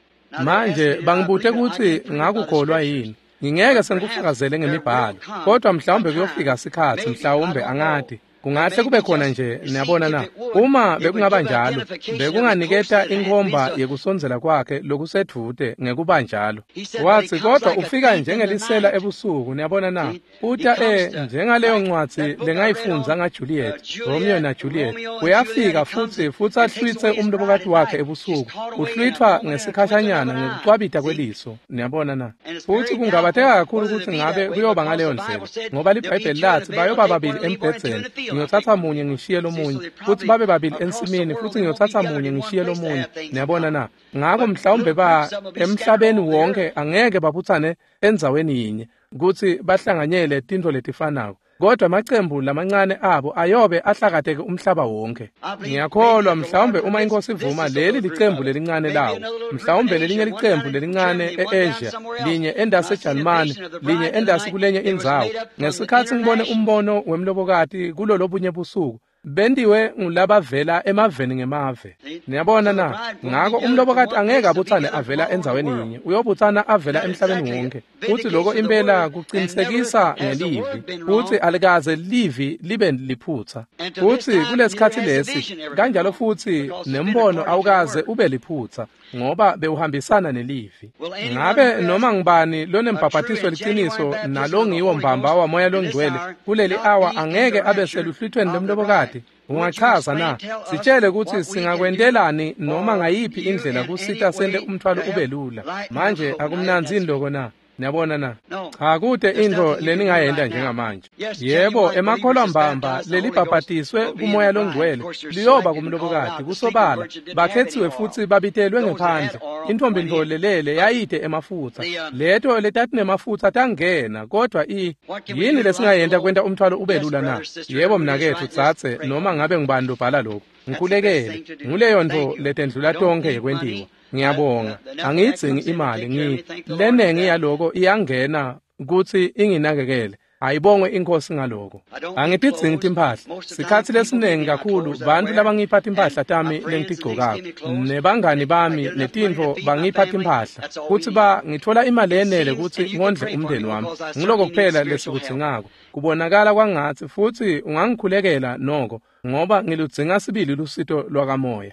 Manje bangibute kutsi ngakukholwa yini. Ngingeke sengikufakazele ngemibhalo, kodwa mhlawumbe kuyofika sikhatsi, mhlawumbe angati. Kungahle kube khona nje, niyabona na? Uma bekungaba njalo, bekunganiketa inkhomba yekusondzela kwakhe lokusedvute ngekuba njalo. Wathi kodwa ufika njengelisela ebusuku, niyabona na? Uta e njengaleyo ncwadzi lengayifundza ngaJuliet, Romeo na Juliet. Uyafika futsi futsi ahlwitse umlobokati wakhe ebusuku. Uhlwithwa ngesikhashanyana ngekucwabita kweliso, niyabona na? Futsi kungabateka kakhulu kutsi ngabe kuyoba ngaleyo ndlela, ngoba liBhayibheli lathi bayoba babili embhedzeni. Ngiyothatha munye ngishiye lomunye, futsi babe babili ensimini, futsi ngiyothatha munye ngishiye lomunye. Niyabona na? Ngako mhlawumbe ba emhlabeni wonke angeke babutsane endzaweni yinye kutsi bahlanganyele tintfo letifanako, kodwa amacembu lamancane abo ayobe ahlakateke umhlaba wonke. Ngiyakholwa mhlawumbe uma iNkosi ivuma, leli licembu lelincane lawo, mhlawumbe lelinye licembu lelincane e-Asia, linye endasi eJalimane, linye endasi kulenye indzawo. Ngesikhatsi ngibone umbono wemlobokati kulolobunye busuku, bentiwe ngulabavela emaveni ngemave. Niyabona na? Ngako umlobokati angeke abutsane avela endzaweni yinye, uyobutsana avela emhlabeni wonke. Futsi loko impela kucinisekisa ngelivi, futsi alikaze livi libe liphutsa. Futsi kulesikhatsi lesi kanjalo futsi nembono awukaze ube liphutsa, ngoba bewuhambisana nelivi. Ngabe noma ngubani lonembhabhatiso liciniso nalongiwo mbamba waMoya loNgcwele kuleli awa angeke abe seluhlwithweni lomlobokati? Ungachaza na? Sitshele kutsi singakwentelani noma ngayiphi indlela kusita sente umthwalo ube lula. Manje akumnandzini loko na? Niyabona na? Cha, kute intfo leningayenta njengamanje. Yebo, emakholwa mbamba lelibhabhatiswe kuMoya loNgcwele liyoba kumlobokati kusobala. Bakhetsiwe futsi babitelwe ngephandle. Intfombi ntfo lelele yayide emafutsa. Leto letatinemafutsa tangena, kodwa i yini lesingayenta kwenta umthwalo ube lula na? Yebo mnaketfu, tsatse noma ngabe ngubani lobhala lokhu. Ngikhulekele. Nguleyo ntfo letendlula tonkhe yekwentiwa. Ngiyabonga. Angiyidzingi imali, ngi lenengi yaloko iyangena kutsi inginakekele. Ayibongwe iNkosi ngaloko. Angitidzingi timphahla. Sikhatsi lesiningi kakhulu bantfu labangipha timphahla tami lengitigcokako, nebangani bami netintfo bangipha timphahla, kutsi ba ngitfola imali yenele kutsi ngondle umndeni wami. Nguloko kuphela lesikudzingako. Kubonakala kwangatsi futsi ungangikhulekela noko, ngoba ngiludzinga sibili lusito lwakamoya.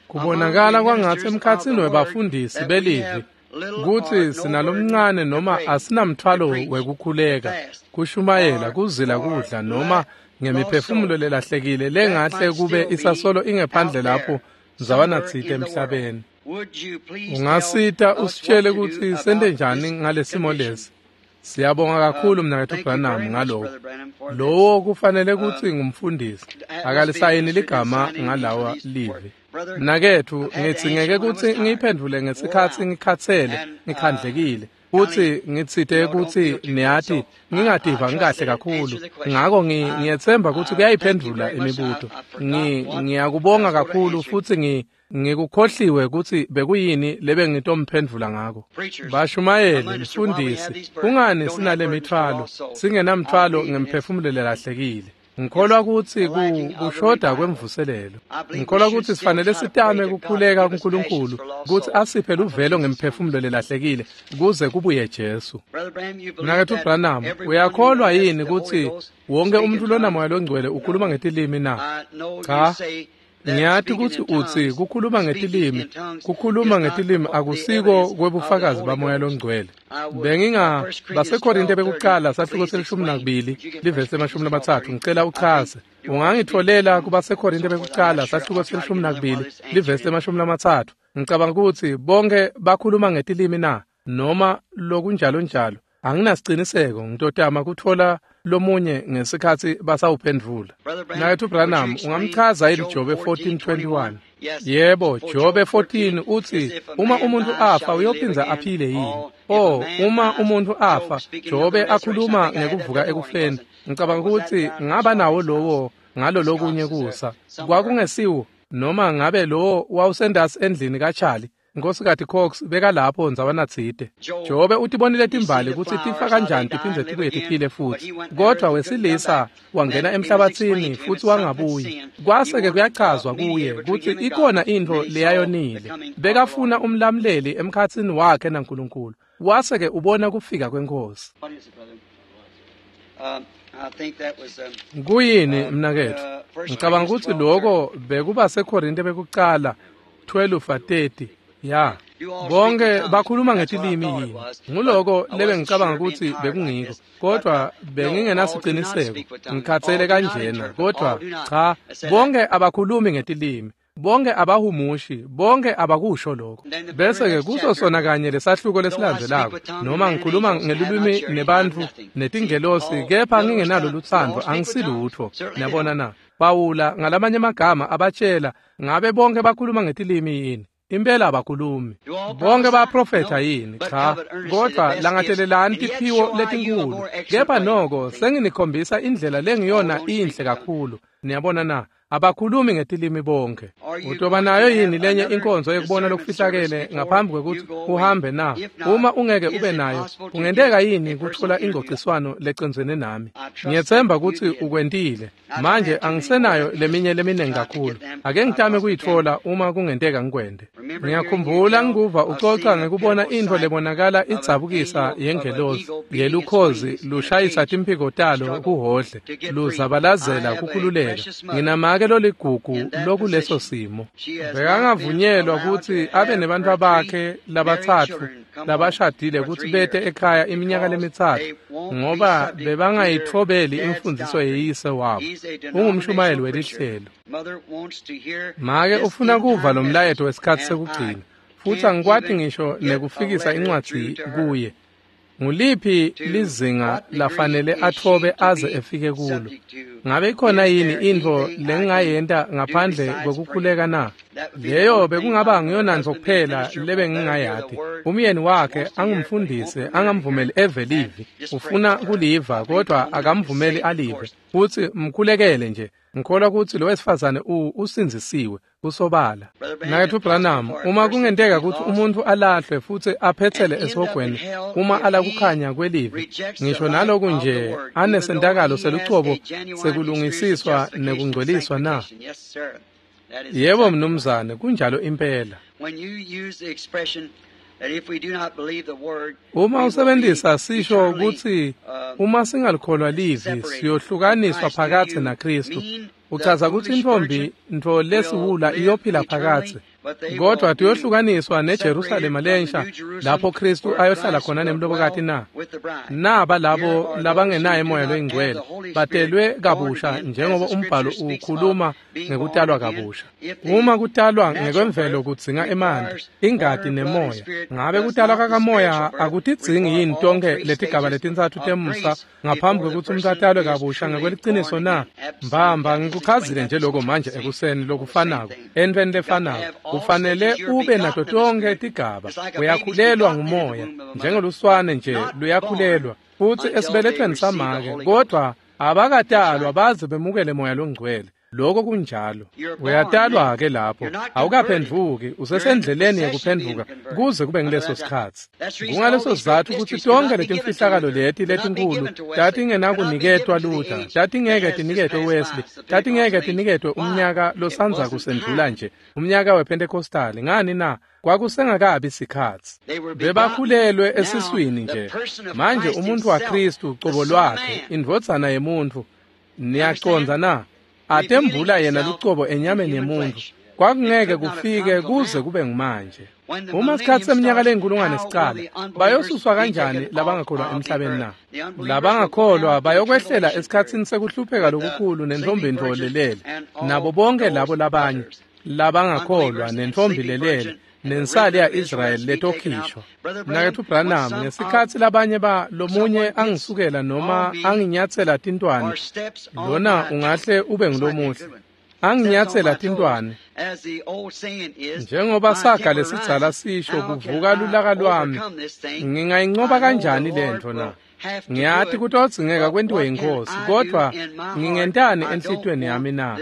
Kubonakala kwangatsi emkhatsini webafundisi belivi kutsi sinalomncane noma asinamthwalo wekukhuleka, kushumayela, kuzila kudla noma ngemiphefumulo lelahlekile lengahle kube isasolo ingephandle lapho ndzawanatsite emhlabeni. Ungasita usitshele kutsi sente njani ngalesimo lesi? Siyabonga kakhulu mnaketfu Branham ngaloko. Lowo kufanele kutsi ngumfundisi, akalisayini ligama ngalawa livi. Mnaketfu, ngitsingeke kutsi ngiyiphendvule ngesikhatsi ngikhatsele, ngikhandlekile, futsi ngitsite kutsi niyati ngingativa ngikahle kakhulu. Ngako ngiyetsemba kutsi kuyayiphendvula imibuto. Ngiyakubonga kakhulu futsi ngi ngikukhohliwe kutsi bekuyini lebengitomphendvula ngako. Bashumayeli, mfundisi, kungani sinale mithwalo, singenamthwalo ngemphefumulo lelahlekile? Ngikholwa kutsi kushoda kwemvuselelo. Ngikholwa kutsi sifanele sitame kukhuleka kuNkulunkulu kutsi asiphe luvelo ngemphefumulo lelahlekile kuze kubuye Jesu. Mnaketfu Branham, uyakholwa yini kutsi wonke umuntu lonamoya longcwele ukhuluma ngetilimi na? Cha. Ngiyati kutsi utsi kukhuluma ngetilimi, kukhuluma ngetilimi akusiko kwebufakazi bamoya longcwele. Benginga baseKorinte bekuqala sahluko selishumi nakubili livesi lemashumi lamatsatfu, ngicela uchaze. Ungangitfolela kubaseKorinte bekuqala sahluko selishumi nakubili livesi lemashumi lamatsatfu. Ngicabanga kutsi bonke bakhuluma ngetilimi na noma lokunjalo njalo. Anginasiciniseko, ngitotama kutfola lomunye ngesikhatsi basawuphendvula. Mnaketfu Branham, ungamchaza yini Jobe fourteen twenty-one? Yebo, Jobe fourteen utsi uma umuntu afa uyophindza aphile yini? Oh, uma umuntu afa, Jobe akhuluma ngekuvuka ekufeni. Ngicabanga kutsi ngaba nawo lowo ngalo lokunye kusa. Kwakungesiwo noma ngabe lowo wawusendasi endlini kaCharlie. Nkosikazi Cox bekalapho ndzawanatsite. Jobe utibonile timbali kutsi tifa kanjani tiphindze tibuye tiphile futsi. Kodwa wesilisa wangena emhlabatsini futsi wangabuyi. Kwase-ke kuyachazwa kuye kutsi ikhona intfo leyayonile. Bekafuna umlamuleli emkhatsini wakhe naNkulunkulu. Wase-ke ubona kufika kweNkhosi. Kuyini mnaketfu? Ngicabanga kutsi loko bekuba seKorinte bekuqala twelve thirty. Ya, bonke bakhuluma ngetilimi yini? Nguloko lebengicabanga kutsi bekungiko, kodwa bengingenasiciniseko. Ngikhatsele kanjena, kodwa cha, bonke abakhulumi ngetilimi, bonke abahumushi, bonke abakusho lokho. Bese-ke kuso sona kanye lesahluko lesilandzelako, noma ngikhuluma ngelulwimi nebantfu netingelosi, kepha ngingenalo lutsandvo, angisilutfo. Niyabona na? Pawula ngalamanye amagama abatshela, ngabe bonke bakhuluma ngetilimi yini? Impela abakhulumi. Bonke baprofetha yini? Cha, kodwa langatelelani tiphiwo letinkulu. Kepha noko senginikhombisa indlela lengiyona inhle kakhulu. Niyabona na? Abakhulumi ngetilimi bonke. Utoba nayo yini lenye inkonzo yekubona lokufihlakele ngaphambi kwekutsi uhambe na? Uma ungeke ube nayo, kungenteka yini kutfola ingcociswano lecondzene nami? Ngiyetsemba kutsi ukwentile. Manje angisenayo leminye leminingi kakhulu. Ake ngitame kuyitfola uma kungenteka ngikwente. Ngiyakhumbula ngikuva ucoca ngekubona intfo lebonakala idzabukisa yengelosi yelukhozi lushayisa timphiko talo kuhodle, luzabalazela kukhululeka. Nginamake loligugu lokuleso simo. Bekangavunyelwa kutsi abe nebantfu bakhe labatsatfu labashadile kutsi bete ekhaya iminyaka lemitsatfu ngoba bebangayitfobeli imfundziso yeyise wabo. Ungumshumayeli welihlelo. Make ufuna kuva lo mlayeto wesikhatsi sekugcina, futsi angikwati ngisho nekufikisa incwadzi kuye. Nguliphi lizinga lafanele atfobe aze efike kulo? Ngabe ikhona yini intfo lengingayenta ngaphandle kwekukhuleka na? Leyo bekungaba ngiyonantfo kuphela lebengingayati. Umyeni wakhe angumfundisi, angamvumeli eve livi. Ufuna kuliva kodwa akamvumeli alive. Futsi mkhulekele nje. Ngikholwa kutsi lo wesifazane usindzisiwe kusobala. Mnaketfu Branham, uma kungenteka kutsi umuntfu alahlwe futsi aphetsele esihogweni uma ala kukhanya kwelivi, ngisho naloku nje anesentakalo selucobo sekulungisiswa nekungcweliswa na? Yebo mnumzane, kunjalo impela. Uma usebenzisa sisho kutsi uma singalikholwa livi siyohlukaniswa phakatsi naKristu, uchaza kutsi intfombi ntfo lesiwula iyophila phakatsi. Kodwa tiyohlukaniswa neJerusalema lensha lapho Kristu ayohlala khona nemlobokati na. Naba labo labangenaye moya loyingcwele batelwe kabusha njengoba umbhalo ukhuluma ngekutalwa kabusha. Uma kutalwa ngekwemvelo kudzinga emanti, ingati nemoya, ngabe kutalwa kakamoya akutidzingi yini tonke letigaba letintsatfu temusa ngaphambi kwekutsi umuntu atalwe kabusha ngekweliciniso na? Mbamba ngikuchazile nje lokho manje ekuseni lokufanako entweni lefanako. Kufanele ube nato tonke tigaba. Uyakhulelwa ngumoya njengoluswane nje luyakhulelwa futhi esibelethweni samake, kodwa abakatalwa baze bemukele moya longcwele. Lokho kunjalo. Uyatalwa ke lapho, awukaphendvuki, usesendleleni yekuphendvuka kuze kube ngileso sikhatsi. Kungaleso sizatfu kutsi tonke letimfihlakalo leti letinkulu tatingenakuniketwa Luther, tatingeke tiniketwe Wesley, tatingeke tiniketwe umnyaka losandza kusendlula nje, umnyaka wePentecostal. Ngani na? Kwakusengakabi sikhatsi. Bebakhulelwe esiswini nje. Manje umuntu waKristu cobo lwakhe, indvodzana yemuntfu, niyacondza na? Atembula yena lucobo enyameni yemuntu. Kwakungeke kufike kuze kube ngumanje. Uma sikhatsi seminyaka leyinkulungwane sicala, bayosuswa kanjani labangakholwa emhlabeni na? Labangakholwa bayokwehlela esikhatsini sekuhlupheka lokukhulu nentfombi lelele, nabo bonke labo labanye labangakholwa nentfombi lelele nensali ya-Israyeli letokhishwa. Mnaketfu Branham, ngesikhatsi labanye ba lomunye angisukela noma anginyatsela tintwane, lona ungahle ube ngulomuhle, anginyatsela tintwane, njengoba saga lesidzala sisho, kuvuka lulaka lwami, ngingayincoba kanjani lentfo na? Ngiyati kutodzingeka kwentiwe yiNkhosi, kodwa ngingentani enhlitiyweni yami na?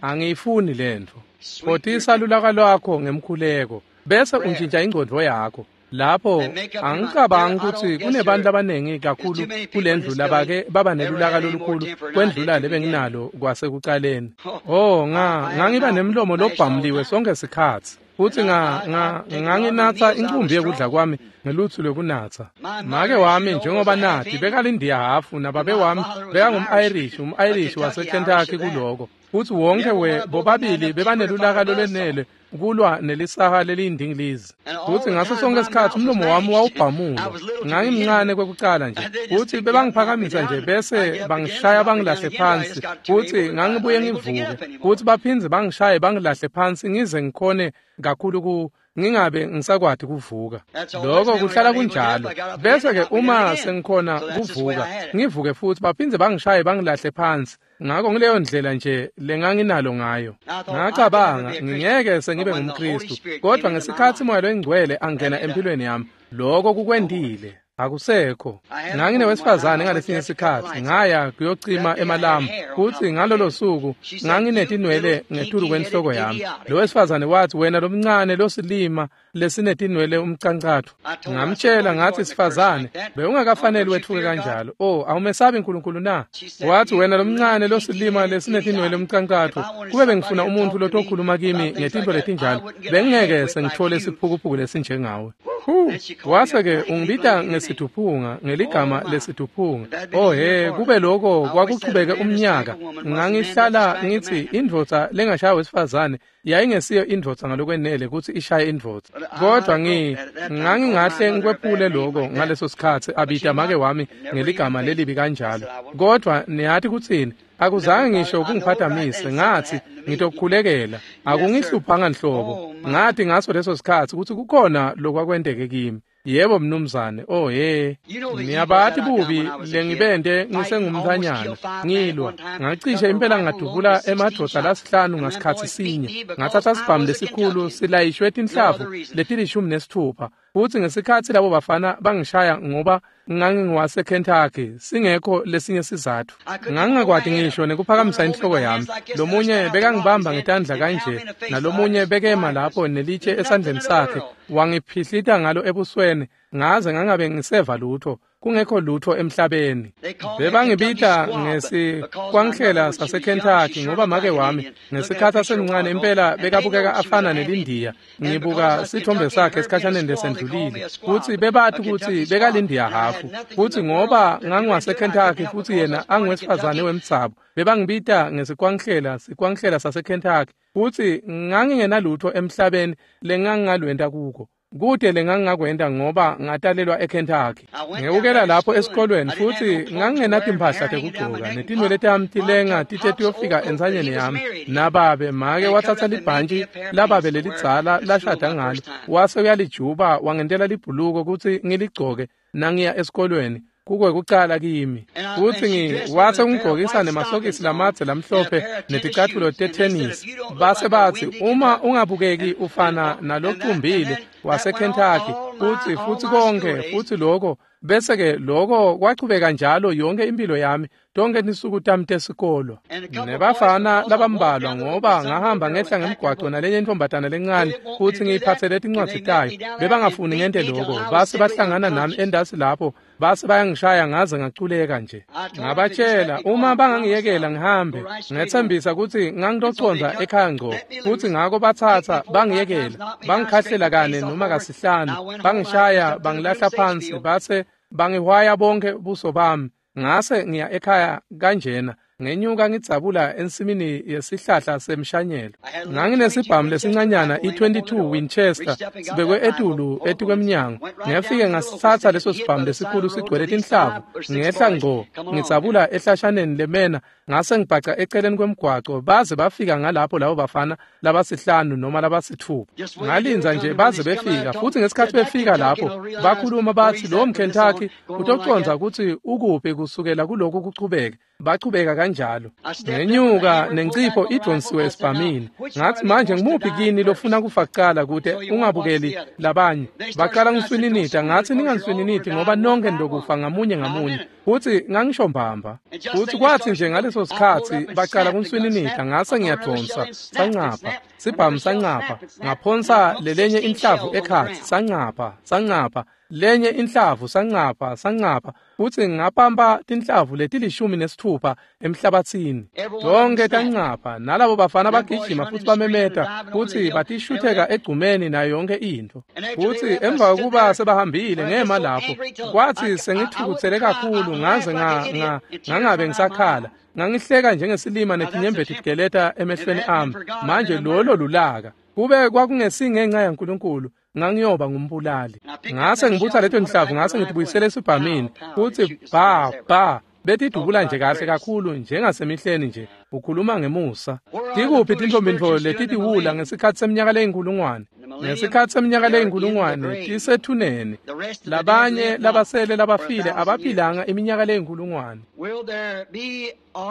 Angiyifuni lentfo. Photisa lulaka lwakho ngemkhuleko bese untshintsha ingcondvo yakho. Lapho angicabangi kutsi kunebantu labaningi kakhulu kulendlu labake baba nelulaka lolukhulu kwendlula lebenginalo kwasekucaleni. Oh, nga ngangiba nemlomo lobhamuliwe sonke sikhatsi. Futhi nga nga nganginatsa incumbi yekudla kwami ngelutsu lwekunatsa. Make wami njengoba nathi bekalindiya hafu, nababe wami bekangum-Irish, um-Irish waseKentucky kuloko. Futhi wonke we bobabili bebanelulaka lolwenele kulwa nelisaha leliyindingilizi. Futhi ngaso sonke isikhatsi umlomo wami wawubhamulwa. Ngangimncane kwekucala nje. Futhi bebangiphakamisa nje bese bangishaya bangilahle phansi. Futhi ngangibuye ngivuke. Futhi baphindze bangishaye bangilahle phansi ngize ngikhone kakhulu ku ngingabe ngisakwati kuvuka. Lokho kuhlala kunjalo. Bese ke uma sengikhona kuvuka, ngivuke futhi baphindze bangishaye bangilahle phansi. Ngakho ngileyo ndlela nje lenganginalo ngayo. Ngacabanga ngingeke sengibe ngumKristu, kodwa ngesikhatsi moya loyingcwele angena empilweni yami, lokho kukwendile. Akusekho. Nganginewesifazane ngalesinye sikhatsi, ngaya kuyocima emalambu, futhi ngalolo suku nganginetinwele ngetulu kwenhloko yami. Lo wesifazane wathi, wena lomncane losilima lesinetinwele umcancatho. Ngamtshela ngathi, sifazane, bewungakafanele wetfuke kanjalo. Oh, awumesabi uNkulunkulu na? Wathi, wena lomncane losilima lesinetinwele umcancatho, kube bengifuna umuntu lotokhuluma kimi ngetinto letinjalo, bengingeke sengithole isiphukuphuku lesinjengawe. Hu, wase ke ungibita ngesithuphunga, ngeligama lesithuphunga. Oh he, kube lokho kwakuchubeke umnyaka. Ngangihlala ngithi indvodza lengashaya wesifazane yayingesiyo indvodza ngalokwenele kutsi ishaye indvodza. Kodwa ngi ngangingahle ngikwephule lokho ngaleso sikhatsi abita make wami ngeligama lelibi kanjalo. Kodwa niyathi kutsini? Akuzange ngisho kungiphathamise, ngathi ngitokukhulekela. Akungihluphanga nhlobo. Ngathi ngaso leso sikhatsi kutsi kukhona lokwakwenteke kimi. Yebo mnumzane, oh he, niyabathi bubi lengibende ngisengumntfanyana, ngilwa, ngacishe impela ngadubula emadvodza lasihlanu ngasikhatsi sinye, ngathatha sibhamu lesikhulu silayishwe tinhlavu letilishumi nesitfupha, futhi ngesikhatsi labo bafana bangishaya ngoba ngangingiwaseKentucky, singekho lesinye sizatfu. Ngangingakwati ngisho nekuphakamisa inhloko yami. Lomunye bekangibamba ngetandla kanje, nalomunye bekema lapho nelitshe esandleni sakhe, wangiphihlita ngalo ebusweni, ngaze ngangabe ngiseva lutho. kungekho lutho emhlabeni. Bebangibita ngesikwankhlela saseKentucky ngoba make wami ngesikhathi asemncane impela bekabukeka afana nelindiya. Ngibuka sithombe sakhe esikhashaneni lesendlulile futsi bebati kutsi bekalindiya hafu, futsi ngoba ngangiwaseKentucky futsi yena angiwesifazane wemdzabu, bebangibita ngesikwankhlela sikwankhlela saseKentucky, futsi ngangingenalutho emhlabeni lengangingalwenta kuko. Kude lengangingakwenta ngoba ngatalelwa eKentucky. Ngewukela lapho esikolweni futsi ngangingenatimpahla tekugcoka netinwele tami tilenga tite tiyofika entsanyeni yami. Nababe make watsatsa libhantshi lababe lelidzala lashada ngalo wase uyalijuba wangentela libhuluko kutsi ngiligcoke nangiya esikolweni. Kukwekucala kimi. Futsi ngi wase ungigqokisa nemasokisi lamadze lamhlophe neticatfulo tethenisi. Base batsi uma ungabukeki ufana nalocumbile waseKentucky, futsi futsi konke futsi lokho bese ke lokho kwachubeka njalo yonke impilo yami, tonke tinsuku tami tesikolo. Nebafana labambalwa ngoba ngahamba ngehla ngemgwaco nalenye intombatana lencane futsi ngiyiphatsele tincwadzi tayo, bebangafuni ngente lokho. Base bahlangana nami endasi lapho, base bayangishaya ngaze ngaculeka nje. Ngabatshela uma bangangiyekela ngihambe, ngethembisa kutsi ngangitoconza ekhaya ngco, futsi ngako batsatsa bangiyekela, bangikhahlela kane noma kasihlanu, bangishaya bangilahla phansi, base bangihwaya bonke buso bami. Ngase ngiya ekhaya kanjena, ngenyuka ngidzabula ensimini yesihlahla semshanyelo. Nganginesibhamu lesincanyana i twenty-two Winchester sibekwe etulu etikwemnyango. Ngefike ngasitsatsa leso sibhamu lesikhulu sigcwele tinhlavu, ngehla ngco ngidzabula ehlashaneni lemena, ngase ngibhaca eceleni kwemgwaco baze bafika ngalapho labo bafana labasihlanu noma labasithupha. Ngalinza nje baze befika, futsi ngesikhathi befika lapho bakhuluma batsi lo mKentucky utoconza kutsi ukuphi kusukela kulokhu kuchubeke. Bachubeka kanjalo. Ngenyuka nencipho idonsiwe esibhamini. Ngathi manje ngimuphi kini lofuna kufa kucala kute ungabukeli labanye? Baqala ngiswininita, ngathi ninganiswininiti ngoba nonke nilokufa ngamunye ngamunye. Futsi ngangisho mbamba. Futsi kwathi nje ngaleso sikhatsi baqala kunswininita, ngase ngiyadonsa, sancapha, sibhamu sancapha, ngaphonsa lelenye inhlavu ekhatsi, sancapha, sancapha, lenye inhlavu sancapha, sancapha, futsi ngapampa tinhlavu letilishumi nesithupha emhlabatsini. Tonke tancapha, nalabo bafana bagijima futsi bamemeta futsi batishutheka egcumeni nayo yonke intfo. Futsi emva kokuba sebahambile ngema lapho, kwathi sengithukutsele kakhulu ngaze nga nga ngangabe ngisakhala. Ngangihleka njengesilima netinyembeti tigeleta emehlweni ami. Manje lolo lulaka. Kube kwakungesingenxa yaNkulunkulu, ngangiyoba ngumbulali. Ngase ngibutha leto nhlavu ngase ngitibuyisele esibhamini, futsi ba ba betidubula nje kahle kakhulu njengasemihleni nje. Ukhuluma ngemusa. Tikuphi tintfombintfo letitiwula ngesikhathi seminyaka leyinkulungwane? Ngesikhathi seminyaka leyinkulungwane tisethuneni. Labanye labasele labafile abaphilanga iminyaka leyinkulungwane.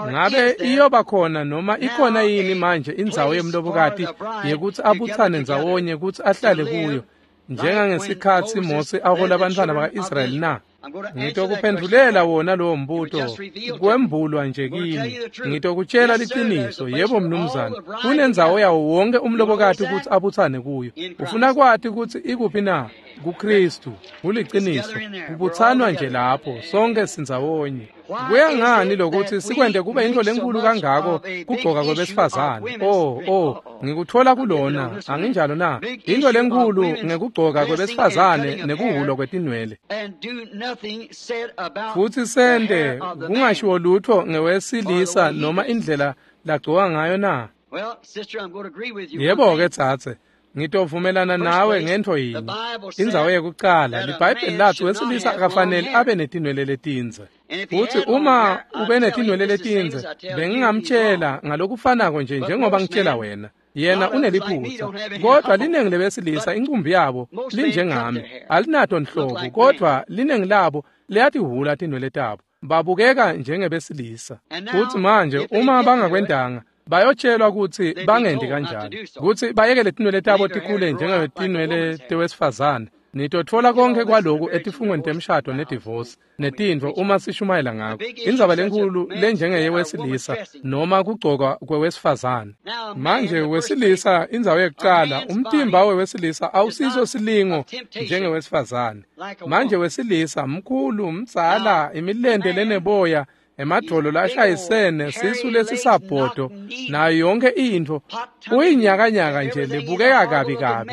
Ngabe iyoba khona noma ikhona yini manje indzawo yemlobokati yekutsi abutsane ndzawonye kutsi ahlale kuyo njengangesikhatsi Mose ahola abantwana baka-Israyeli na? Ngitokuphendvulela wona lowo mbuto, kwembulwa nje kimi. Ngitokutshela liciniso, yebo mnumzane, kunendzawo yawo wonke umlobokati kutsi abutsane kuyo. Ufuna kwati kutsi ikuphi na? KuKristu. Kuliciniso, kubutsanwa nje lapho, sonke sindzawonye. Kuya ngani lokuthi sikwente kube into lenkulu kangako kugcoka kwebesifazane? Oh, oh, ngikuthola kulona, anginjalo na? Into lenkulu ngekugcoka kwebesifazane nekuhulwa kwetinwele. Futsi sente kungashiwo lutho ngewesilisa noma indlela lagcoka ngayo na? Yebo-ke dzadze, ngitovumelana nawe ngentfo yinye. Indzawo yekucala, liBhayibheli latsi wesilisa akafanele abe netinwele letindze. Futsi uma ube netinwele letindze, bengingamtshela ngalokufanako nje njengoba ngitshela wena. Yena uneliphutsa, kodwa linengi lebesilisa incumbi yabo linjengami, alinato nhlobo, kodwa linengi labo liyatihhula tinwele tabo, babukeka njengebesilisa. Futsi manje uma bangakwentanga, bayotshelwa kutsi bangendi kanjalo, kutsi bayekele tinwele tabo tikhule njengetinwele tewesifazane. Nitotfola konke kwaloku etifungweni temshado nedivosi netintfo uma sishumayela ngako. Indzaba lenkhulu lenjengeyewesilisa noma kugcoka kwewesifazane. Manje wesilisa indzawo yekucala, umtimba wewesilisa awusiso silingo njengewesifazane. Manje wesilisa mkhulu, mdzala, imilente leneboya, emadvolo lashayisene, sisu lesisabhodo, nayo yonke intfo uyinyakanyaka nje lebukeka kabi kabi,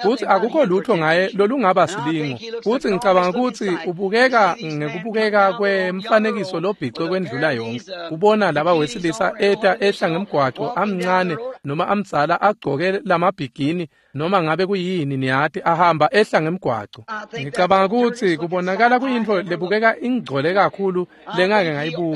futsi akukho lutho ngaye lolungaba silingo. Futsi ngicabanga kutsi ubukeka ngekubukeka kwemfanekiso lobhicwe kwendlula yonke. Kubona laba wesilisa eta ehla ngemgwaco amncane noma amdzala agcoke lamabhigini noma ngabe kuyini, niyati, ahamba ehla ngemgwaco. Ngicabanga kutsi kubonakala kuyintfo lebukeka ingcole kakhulu lengake ngayibuka.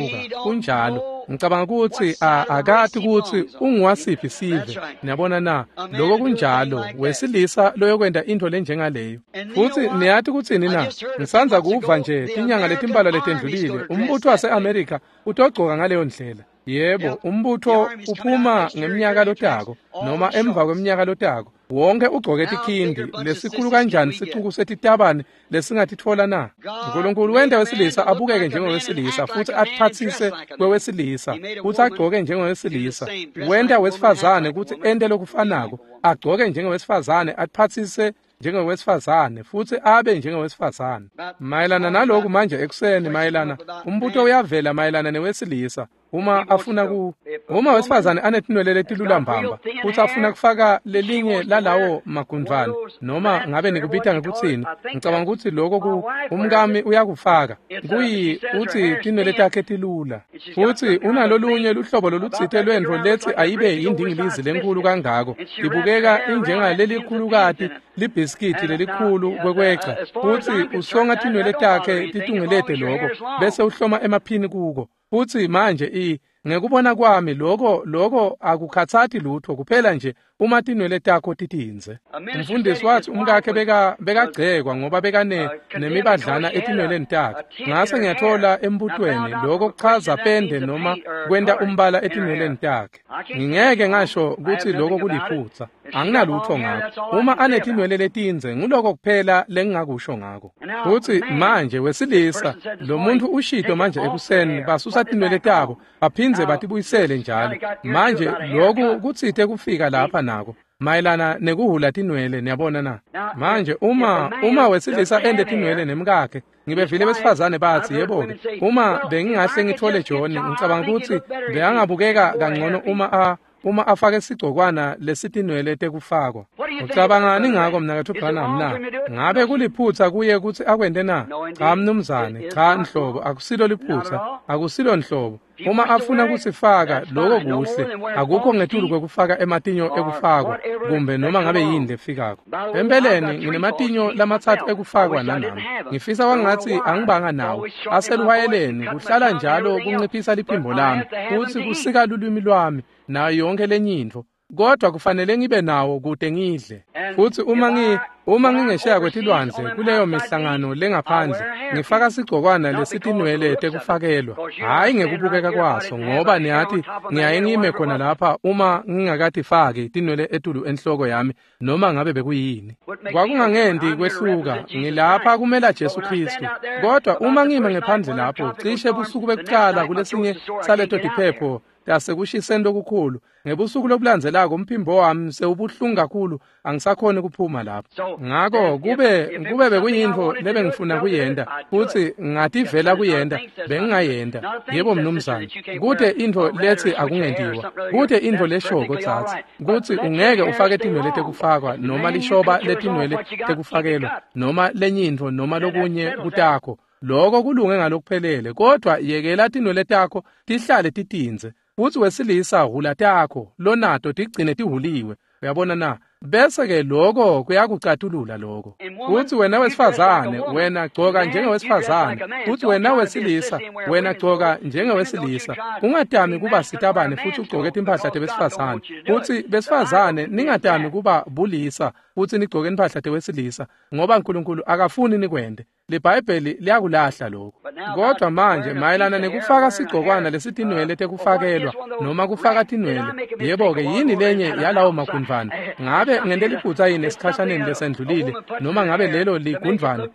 Kunjalo. Ngicabanga kutsi akati kutsi unguwasiphi sive. Niyabona na? Lokho kunjalo. Wesilisa loyokwenta intfo lenjengaleyo. Futsi niyati kutsini na? Ngisandza kuva nje tinyanga letimbalwa letendlulile, umbutho wase-Amerika utogcoka ngaleyo ndlela. Yebo, umbutho uphuma ngemnyaka lotako noma emva kweminyaka lotako. Wonke ugcoke tikhindi lesikhulu kanjani sicuku setitabane lesingatitfola na? Nkulunkulu wenta wesilisa abukeke njengowesilisa futsi atiphatsise kwewesilisa futsi agcoke njengowesilisa. Wenta wesifazane kutsi ente lokufanako, agcoke njengowesifazane, atiphatsise njengowesifazane futsi abe njengowesifazane. Mayelana naloku manje ekuseni, mayelana umbuto uyavela mayelana newesilisa uma afuna ku uma wesifazane anetinwele letilula mbamba futsi afuna kufaka lelinye lalawo magundvwane noma ngabe nikubita ngekutsini, ngicabanga kutsi lokho ku umkami uyakufaka kuyi utsi tinwele takhe tilula futsi unalolunye luhlobo lolutsite lwentfo letsi ayibe yindingilizi lenkulu kangako, ibukeka injengalelikhulukati libhiskiti lelikhulu kwekweca, futsi usonga tinwele takhe titungelete lokho bese uhloma emaphini kuko. Futsi manje i ngekubona kwami lokho lokho akukhatsati lutho kuphela nje uma tinwele takho titindze. Umfundisi wathi umkakhe beka bekagcekwa ngoba bekane nemibadlana etinweleni takhe. Ngase ngiyathola embutweni lokho kuchaza pende noma kwenta umbala etinweleni takhe. Ngingeke ngasho kutsi lokho kuliphutsa, anginalutho ngakho. Uma anetinwele letindze nguloko kuphela lengingakusho ngako. Futsi manje wesilisa lo muntu ushito manje ekuseni basusa tinwele tabo baphindze batibuyisele njalo. Manje lokhu kutsite kufika lapha nako mayelana nekuhula tinwele, niyabona na? Manje uma uma wesilisa ende tinwele nemkakhe, ngibevile besifazane bathi yebo-ke uma bengingahle ngithole John, ngicabanga kutsi bekangabukeka kangcono uma a uma afake sigcokwana lesitinwele tekufakwa. Ucabangani ngako mnaketfu Branham na? Ngabe kuliphutsa kuye kutsi akwente na? Cha mnumzane, cha nhlobo, akusilo liphutsa, akusilo nhlobo. Uma afuna kusifaka lokho kuhle, akukho ngetulu kwekufaka ematinyo ekufakwa kumbe noma ngabe yini lefikako. Empeleni nginematinyo lamatsatfu ekufakwa nanami. Ngifisa kwangatsi angibanga nawo. Aseluhwayeleni kuhlala njalo kunciphisa liphimbo lami, futsi kusika lulwimi lwami nayo yonke lenye intfo. Kodwa kufanele ngibe nawo kute ngidle. Futsi uma ngi uma ngingesheya kwetilwandle kuleyo mihlangano lengaphandle, ngifaka sigcokwana lesitinwele tekufakelwa, hhayi ngekubukeka kwaso, ngoba niyati ngiyaye ngime khona lapha uma ngingakatifaki tinwele etulu enhloko yami noma ngabe bekuyini. Kwakungangenti kwehluka, ngilapha kumela Jesu Kristu. Kodwa uma ngime ngephandle lapho cishe busuku bekucala kulesinye saleto tiphepho tasekushiseni lokukhulu, ngebusuku lobulandzelako umphimbo wami sewubuhlungu kakhulu angisakhoni kuphuma lapho. Ngako kube kube bekuyintfo lebengifuna kuyenta futsi ngativela kuyenta, bengingayenta. Yebo mnumzane, kute intfo letsi akungentiwa, kute intfo leshoko tsatsi kutsi ungeke ufake tinwele tekufakwa noma lishoba letinwele tekufakelwa noma lenye intfo noma lokunye kutakho. Lokho kulunge ngalokuphelele, kodwa yekela tinwele takho tihlale titindze. Futsi wesilisa hula takho lonato tigcine tihuliwe. Uyabona na? Bese ke lokho kuyakucatulula lokho. Futsi wena wesifazane, wena gcoka njengewesifazane. Futsi wena wesilisa, wena gcoka njengewesilisa. Ungatami kuba sitabane futsi ugcoke timphahla tebesifazane. Futsi besifazane ningatami kuba bulisa futsi nigcoke timphahla tewesilisa, ngoba Nkulunkulu akafuni nikwente. LiBhayibheli liyakulahla lokho. Kodwa manje mayelana nekufaka sigcokwana lesitinwele tekufakelwa noma kufaka tinwele, yebo-ke yini lenye yalawo magundvwane? Ngabe ngente liphutsa yini esikhashaneni lesendlulile noma ngabe lelo ligundvwane?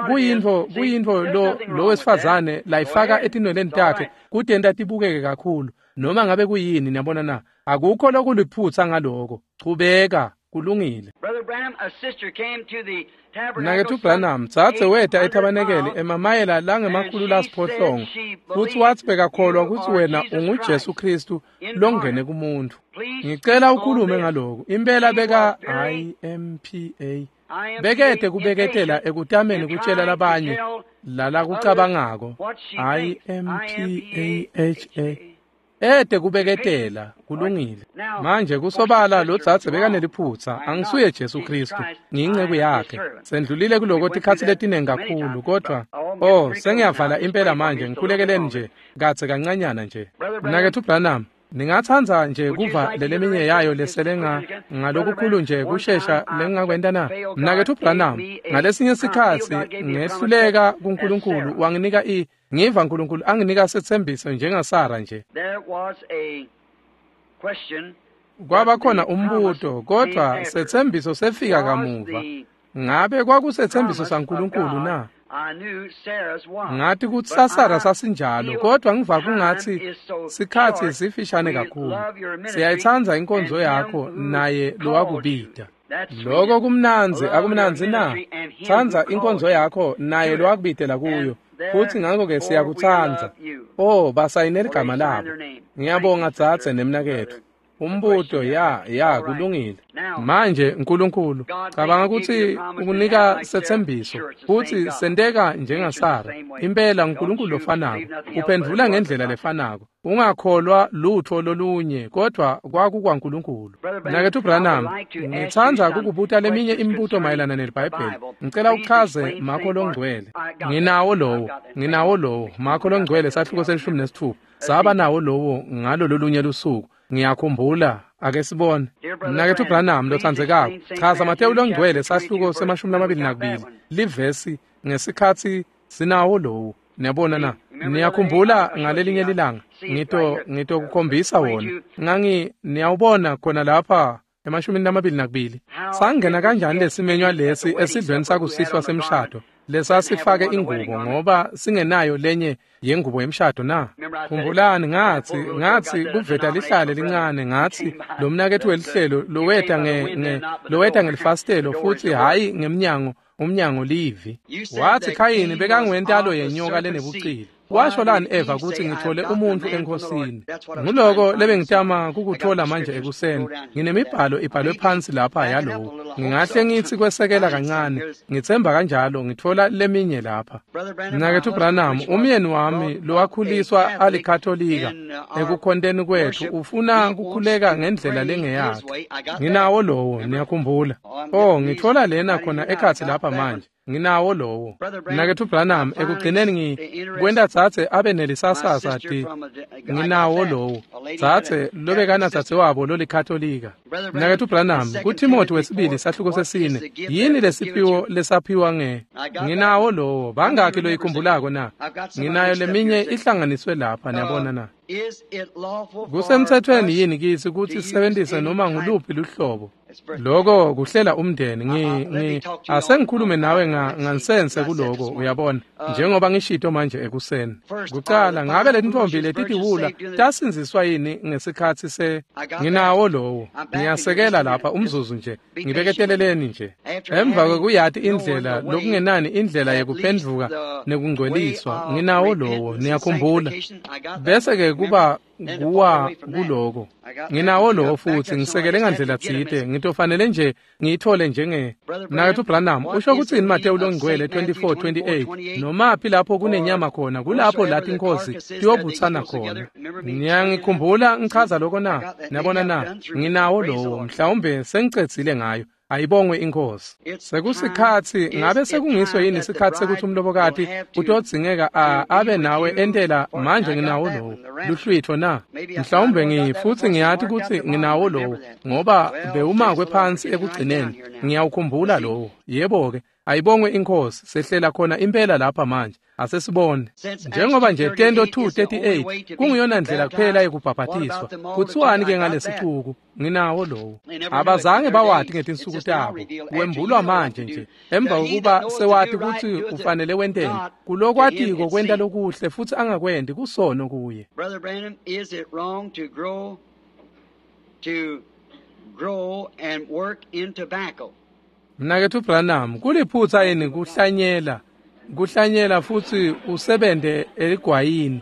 Kuyintfo kuyintfo lo lo wesifazane layifaka etinweleni takhe kutenta tibukeke kakhulu. Noma ngabe kuyini, niyabona na? Akukho lokuliphutsa ngaloko. Chubeka, kulungile. Mnaketfu Branham, dzadze weta ethabanekeli emamayela langemakhulu lasiphohlongo futsi watsi bekakholwa kutsi wena unguJesu Khristu longene kumuntfu. Ngicela ukhulume ngaloko. Impela beka I M P A bekete kubeketela ekutameni kutshela labanye lalakucabangako. I M P A H A ete kubeketela, kulungile. Manje kusobala lo dzadze bekaneliphutsa, angisuye Jesu Khristu, ngiyinceku yakhe. Sendlulile kuloko tikhatsi letinengi kakhulu, kodwa oh, sengiyavala impela manje, ngikhulekeleni nje kadze kancanyana nje. Mnaketfu Branham, ningatsandza nje kuva leleminye yayo lesele nga ngalokukhulu nje kushesha lengingakwenta na? Mnaketfu Branham, ngalesinye sikhatsi ngehluleka kuNkulunkulu wanginika i ngiva uNkulunkulu anginika setsembiso njengaSara nje. Kwaba khona umbuto, kodwa setsembiso sefika kamuva. Ngabe kwakusetsembiso saNkulunkulu na? Ngathi kutsi saSara sasinjalo, kodwa ngiva kungatsi sikhatsi sifishane kakhulu. Siyayitsandza inkonzo yakho naye lowakubita. Loko kumnandzi, akumnandzi na? Tsandza inkonzo yakho naye lowakubitela kuyo. Futsi ngakho-ke siyakutsandza. Oh, basayine ligama labo. Ngiyabonga dzadze nemnaketfu. Umbuto ya ya kulungile. Manje uNkulunkulu cabanga kutsi ukunika setsembiso futsi senteka njengaSara. Impela uNkulunkulu lofanako uphendvula ngendlela lefanako. Ungakholwa lutho lolunye kodwa kwakukwaNkulunkulu. Mnaketfu Branham, ngitsandza kukubuta leminye imibuto mayelana neliBhayibheli. Ngicela uchaze Makho longcwele. Nginawo lowo, nginawo lowo Makho longcwele sahluko selishumi nesitfupha. Saba nawo lowo ngalo lolunye lusuku. Ngiyakhumbula, ake sibone. Mnaketfu Branham lotsandzekako, chaza Matewu longcwele sahluko semashumi lamabili nakubili livesi ngesikhatsi sinawo lowo. Niyabona na? Niyakhumbula ngalelinye lilanga ngito ngitokukhombisa wona. Ngangi niyawubona khona lapha emashumini lamabili nakubili. Sangena kanjani lesimenywa lesi esidlweni sakusihlwa semshado lesasifake ingubo ngoba singenayo lenye yengubo yemshado na? Khumbulani ngatsi ngatsi kuveta lihlale lincane, ngatsi lo mnaketfu welihlelo loweta nge, nge loweta ngelifasitelo futsi hhayi ngemnyango, umnyango livi. Watsi Khayini bekangwentalo yenyoka lenebucili. Washo lani Eva kutsi ngithole umuntfu enkosini? Nguloko lebengitama kukuthola manje ekuseni. Nginemibhalo ibhalwe phansi lapha yalowo. Ngingahle ngitsi kwesekela kancane, ngitsemba kanjalo ngithola leminye lapha. Mnaketfu Branham, umyeni wami lowakhuliswa alikatolika ekukhonteni kwethu ufuna kukhuleka ngendlela lengeyakhe. Nginawo lowo, niyakhumbula. Oh, ngithola lena khona ekhatsi lapha manje. Nginawo lowo. Mnaketfu Branham, ekugcineni ngi kwenta dzadze abe nelisasasa ti. Nginawo lowo. Dzadze lobekana dzadze wabo lolikatolika. Mnaketfu Branham, kuTimothy wesibili sahluko sesine, yini lesiphiwo lesaphiwa nge? Nginawo lowo. Bangakhi loyikhumbulako na? Nginayo leminye ihlanganiswe lapha, niyabona na? Kusemtsetfweni yini kitsi kutsi sisebentise noma nguluphi luhlobo? Loko kuhlela umndeni. Ngi ngi asengikhulume nawe ngansense kuloko, uyabona, njengoba ngishito manje ekuseni. Kucala, ngabe letintfombi letitiwula tasindziswa yini ngesikhatsi se? Nginawo lowo. Ngiyasekela lapha umzuzu nje, ngibeketeleleni nje. Emva kwekuyati indlela lokungenani indlela yekuphendvuka nekungcweliswa, nginawo lowo, niyakhumbula. Bese ke kuba kuwa kuloko. Nginawo lowo futsi ngisekele ngandlela tsite, ngitofanele nje ngiyithole njenge. Mnaketfu Branham, usho kutsini Matewu longcwele twenty-four twenty-eight? Nomaphi lapho kunenyama khona, kulapho la tinkhozi tiyobutsana khona. Niyangikhumbula ngichaza lokho na? Niyabona na? Nginawo lowo, mhlawumbe sengicedzile ngayo. Ayibongwe iNkosi. Sekusikhatsi ngabe sekungiso yini isikhatsi sekuthi umlobokati utodzingeka abe nawe entela manje nginawo lowo luhlwitho na? Mhlawumbe ngi futsi ngiyati kutsi nginawo lowo ngoba bewumakwe phansi ekugcineni. Ngiyawukhumbula lowo. Yebo-ke, ayibongwe iNkosi, sehlela khona impela lapha manje. Asesibone. Njengoba nje Tento two thirty-eight kungiyona ndlela kuphela yekubhabhatiswa. Kuthiwani ke ngalesicuku? Nginawo lowo. Abazange bawati ngetinsuku tabo. Wembulwa manje nje. Emva kokuba sewati kutsi ufanele wenteni. Kulokwatiko kwenta lokuhle futsi angakwendi kusono kuye. Brother Branham, is it wrong to grow to grow and work in tobacco? Mnaketfu Branham, kuliphutsa yini kuhlanyela kuhlanyela futsi usebente eligwayini?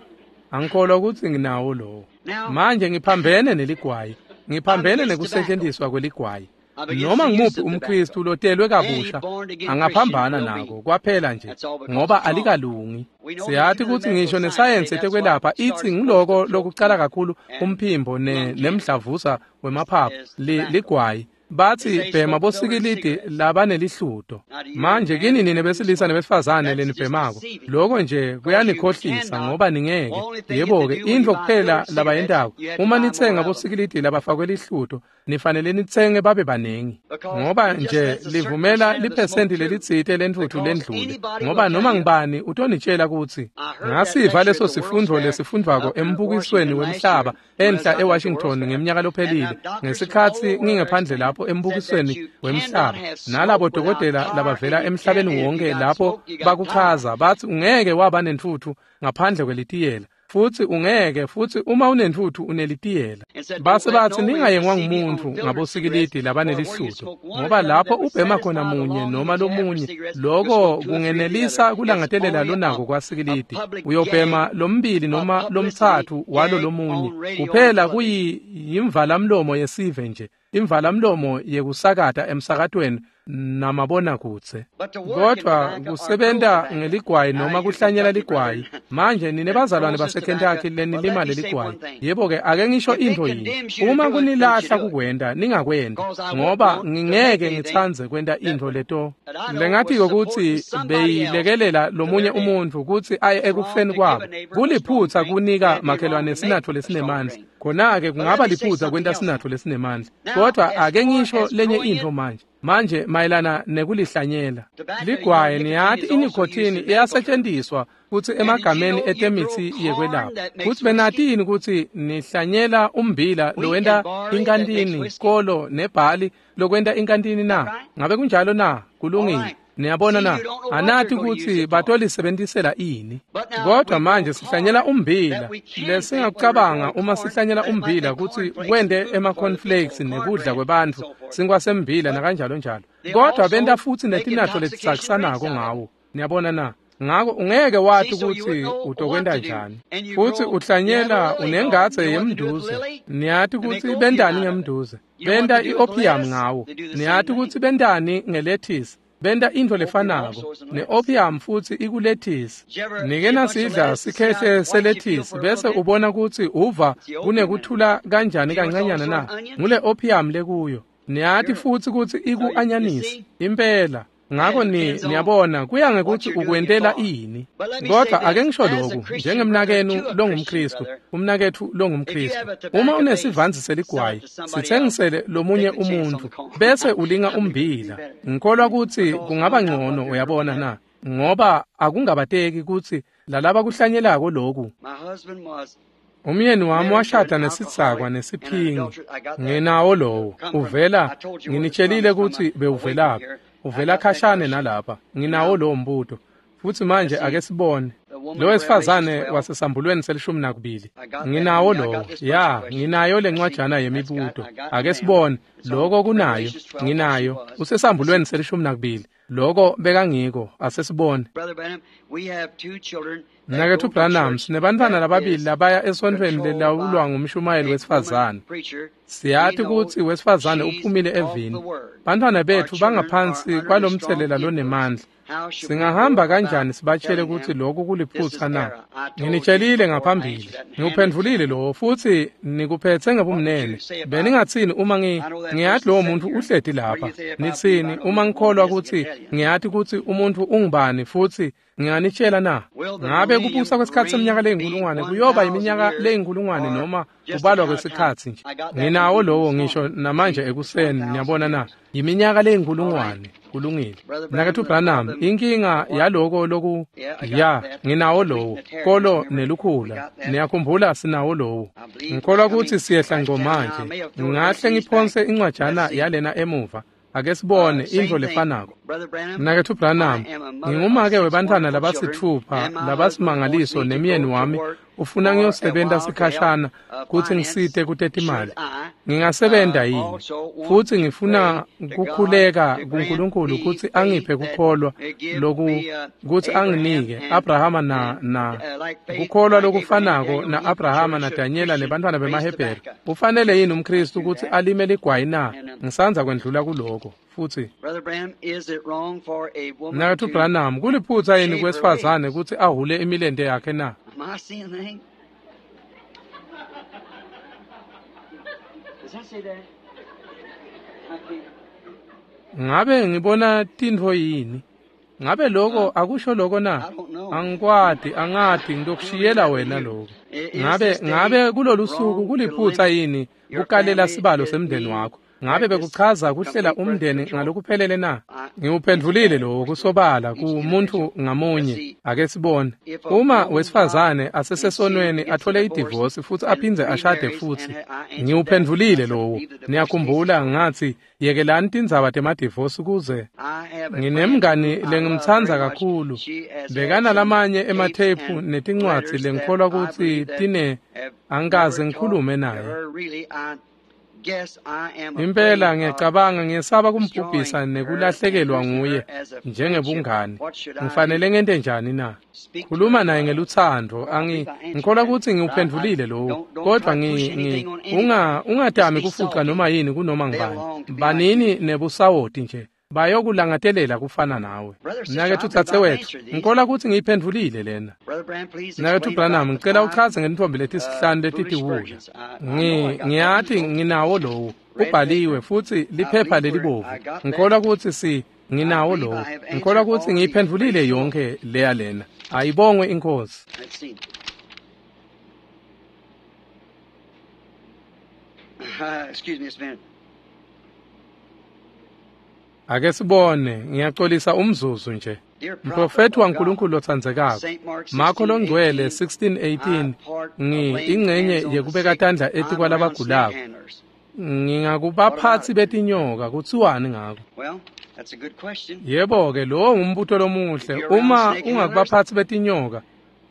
Angikholwa kutsi nginawo lowo. Manje ngiphambene neligwayi, ngiphambene nekusetshenziswa kweligwayi. Noma ngimuphi umKristu lotelwe kabusha angaphambana nako kwaphela nje ngoba alikalungi. Siyati kutsi ngisho nesayensi yetekwelapha itsi ngiloko lokucala kakhulu umphimbo nemdlavuza wemaphaphu ligwayi. Batsi bhema bosikilidi labanelihluto. Manje kini nine besilisa nebesifazane lenibhemako, loko nje kuyanikhohlisa ngoba ningeke. Yebo-ke, intfo kuphela labayentako uma nitsenga bosikilidi labafakwe lihluto, nifanele nitsenge babe banengi, ngoba nje livumela liphesenti lelitsite lentfutfu lendlule, ngoba noma ngibani utonitshela kutsi ngasiva leso sifundvo lesifundvwako embukisweni wemhlaba enhla eWashington ngeminyaka lophelile, ngesikhatsi ngingephandle lapho embukisweni wemhlaba nalabo dokotela labavela emhlabeni wonke lapho bakuchaza batsi ungeke waba nentfutfu ngaphandle kwelitiyela, futsi ungeke futsi uma unentfutfu unelitiyela. Base batsi ningayengwa ngumuntfu ngabosikilidi labanelihluto, ngoba lapho ubhema khona munye noma lomunye, loko kungenelisa kulangatelela lonako kwasikilidi. Uyobhema lombili noma lomtsatfu walo lomunye kuphela, kuyimvalamlomo yesive nje, imvalamlomo yekusakata emsakatweni namabonakudze. Kodwa kusebenta ngeligwayi noma kuhlanyela ligwayi, manje nine bazalwane baseKentucky lenilima leligwayi, yebo-ke ake ngisho intfo yinye, uma kunilahla kukwenta ningakwenta, ngoba ngingeke ngitsandze kwenta intfo leto lengatiko kutsi beyilekelela lomunye umuntfu kutsi aye ekufeni kwabo. Kuliphutsa kunika makhelwane sinatfo lesinemandla, khona-ke kungaba liphutsa kwenta sinatfo lesinemandla. Kodwa ake ngisho lenye intfo manje. Manje mayelana nekulihlanyela ligwayi, niyati inikhothini iyasetshenziswa kutsi emagameni etemitsi yekwelapha. Kutsi benatini kutsi nihlanyela umbila lowenta inkantini, kolo nebhali lokwenta inkantini na? Ngabe kunjalo na? Kulungile. Niyabona na? Anati kutsi batolisebenzisela ini. Kodwa manje sihlanyela umbila lesingakucabanga uma sihlanyela umbila kutsi kwente ema-cornflakes nekudla kwebantfu, sinkwa sembila nakanjalo njalo. Kodwa benta futsi netinatfo letisakisanako ngawo. Niyabona na? Ngako ungeke wati kutsi utokwenta njani. Futsi uhlanyela unengadze yemnduze. Niyati kutsi bentani ngemnduze? Benta i-opium ngawo. Niyati kutsi bentani ngelethisi? Benta intfo lefanako ne-opium futsi ikulethisi. Nike nasidla sikhehle selethisi bese ubona kutsi uva kunekuthula kanjani kancanyana na? Ngule opium lekuyo. Niyati futsi kutsi iku-anyanisi impela. Ngako ni niyabona kuya ngekuthi ukwentela ini. Kodwa ake ngisho lokhu njengemnakenu longumKristu, umnaketfu longumKristu, uma unesivanzi seligwayi sithengisele lomunye umuntfu bese ulinga umbila, ngikholwa kutsi kungaba ngcono, uyabona na? Ngoba akungabateki kutsi lalaba kuhlanyelako loku. Umyeni wami washada nesitsakwa nesiphingi. Nginawo lowo uvela, nginitshelile kutsi bewuvelaphi, uvela khashane nalapha. Nginawo lowo mbuto. Futsi manje ake sibone lo wesifazane wasesambulweni selishumi nakubili. Nginawo lowo. Ya, nginayo lencwajana yemibuto. Ake sibone loko kunayo. Nginayo usesambulweni selishumi nakubili. Loko bekangiko. Asesibone. Brother Branham, we have two children Mnaketfu Branham, sinebantfwana lababili labaya esontfweni lelawulwa ngumshumayeli wesifazane. Siyati kutsi wesifazane uphumile evini. Bantfwana betfu bangaphansi kwalomtselela lonemandla. Singahamba kanjani sibatshele kutsi lokhu kuliphutsa na? Nginitshelile ngaphambili, ngiwuphendvulile lowo futsi nikuphetse ngebumnene. Beningatsini uma ngi ngiyati lowo muntfu uhleti lapha? Nitsini uma ngikholwa kutsi ngiyati kutsi umuntfu ungubani futsi nginganitshela na? Ngabe kubusa kwesikhatsi seminyaka leyinkulungwane kuyoba iminyaka leyinkulungwane noma kubalwa kwesikhatsi nje? Nginawo lowo ngisho namanje ekuseni, niyabona na? Yiminyaka leyinkulungwane. Kulungile. Mnaketfu Branham, inkinga yaloko loku ya nginawo lowo kolo nelukhula. Niyakhumbula sinawo lowo. Ngikholwa kutsi siyehla ngco manje. Ngingahle ngiphonse incwajana yalena emuva. Ake sibone intfo lefanako. Mnaketfu Branham, ngingumake webantfwana labasitfupha labasimangaliso nemyeni wami ufuna ngiyosebenta sikhashana kutsi ngisite kutetimali. Ngingasebenta yini? Futsi ngifuna kukhuleka kuNkulunkulu kutsi angiphe kukholwa loku kutsi anginike Abrahama na na kukholwa lokufanako na Abrahama na Daniela nebantfwana bemaHebheru. Ufanele yini umKristu kutsi alime ligwayi na? Ngisandza kwendlula kuloko. Futsi Mnaketfu Branham, kuliphutsa yini kwesifazane kutsi ahhule imilente yakhe na? Ngabe ngibona tintfo yini? Ngabe lokho akusho lokho na? Angikwati, angati, ngitokushiyela wena lokho. Ngabe ngabe kulolu suku kuliphutsa yini kukalela sibalo semndeni wakho? Ngabe bekuchaza kuhlela umndeni ngalokuphelele na? Ngiwuphendvulile lowo kusobala kumuntu ngamunye. Ake sibone. Uma wesifazane asesesonweni athole idivosi futsi aphindze ashade futsi. Ngiwuphendvulile lowo. Niyakhumbula ngathi yekelani tindzaba temadivosi kuze. Nginemngani lengimtsandza kakhulu. Bekana lamanye ematheyiphu netincwadzi lengikholwa kutsi tine angikaze ngikhulume naye. Impela ngiyacabanga ngiyesaba kumbhubhisa nekulahlekelwa nguye njengebungani. Ngifanele ngente njani na? Khuluma naye ngelutsandvo. Angi ngikholwa kutsi ngiwuphendvulile lowo, kodvwa ngi ngi unga ungatami kufuca noma yini kunoma ngubani. Banini nebusawoti nje. Bayokulangatelela kufana nawe. Mnaketfu dzadzewetfu, ngikholwa kutsi ngiyiphendvulile lena. Mnaketfu Branham, ngicela uchaze ngentfombi letisihlanu letitiwula. Ngi ngiyati nginawo lowo. Ubhaliwe futsi liphepha lelibovu. Ngikholwa kutsi si nginawo lowo. Ngikholwa kutsi ngiyiphendvulile yonkhe leya lena. Ayibongwe iNkhosi. Excuse me just a minute. Ake sibone, ngiyaxolisa umzuzu nje. Mprofethi waNkulunkulu lotsandzekako, Marko longcwele sixteen eighteen, ngi ingcenye yekubeka tandla etikwalabagulako. Ngingakubaphatsi betinyoka, kutsiwani ngako? Yebo-ke, lowo ngumbuto lomuhle. Uma ungakubaphatsi betinyoka,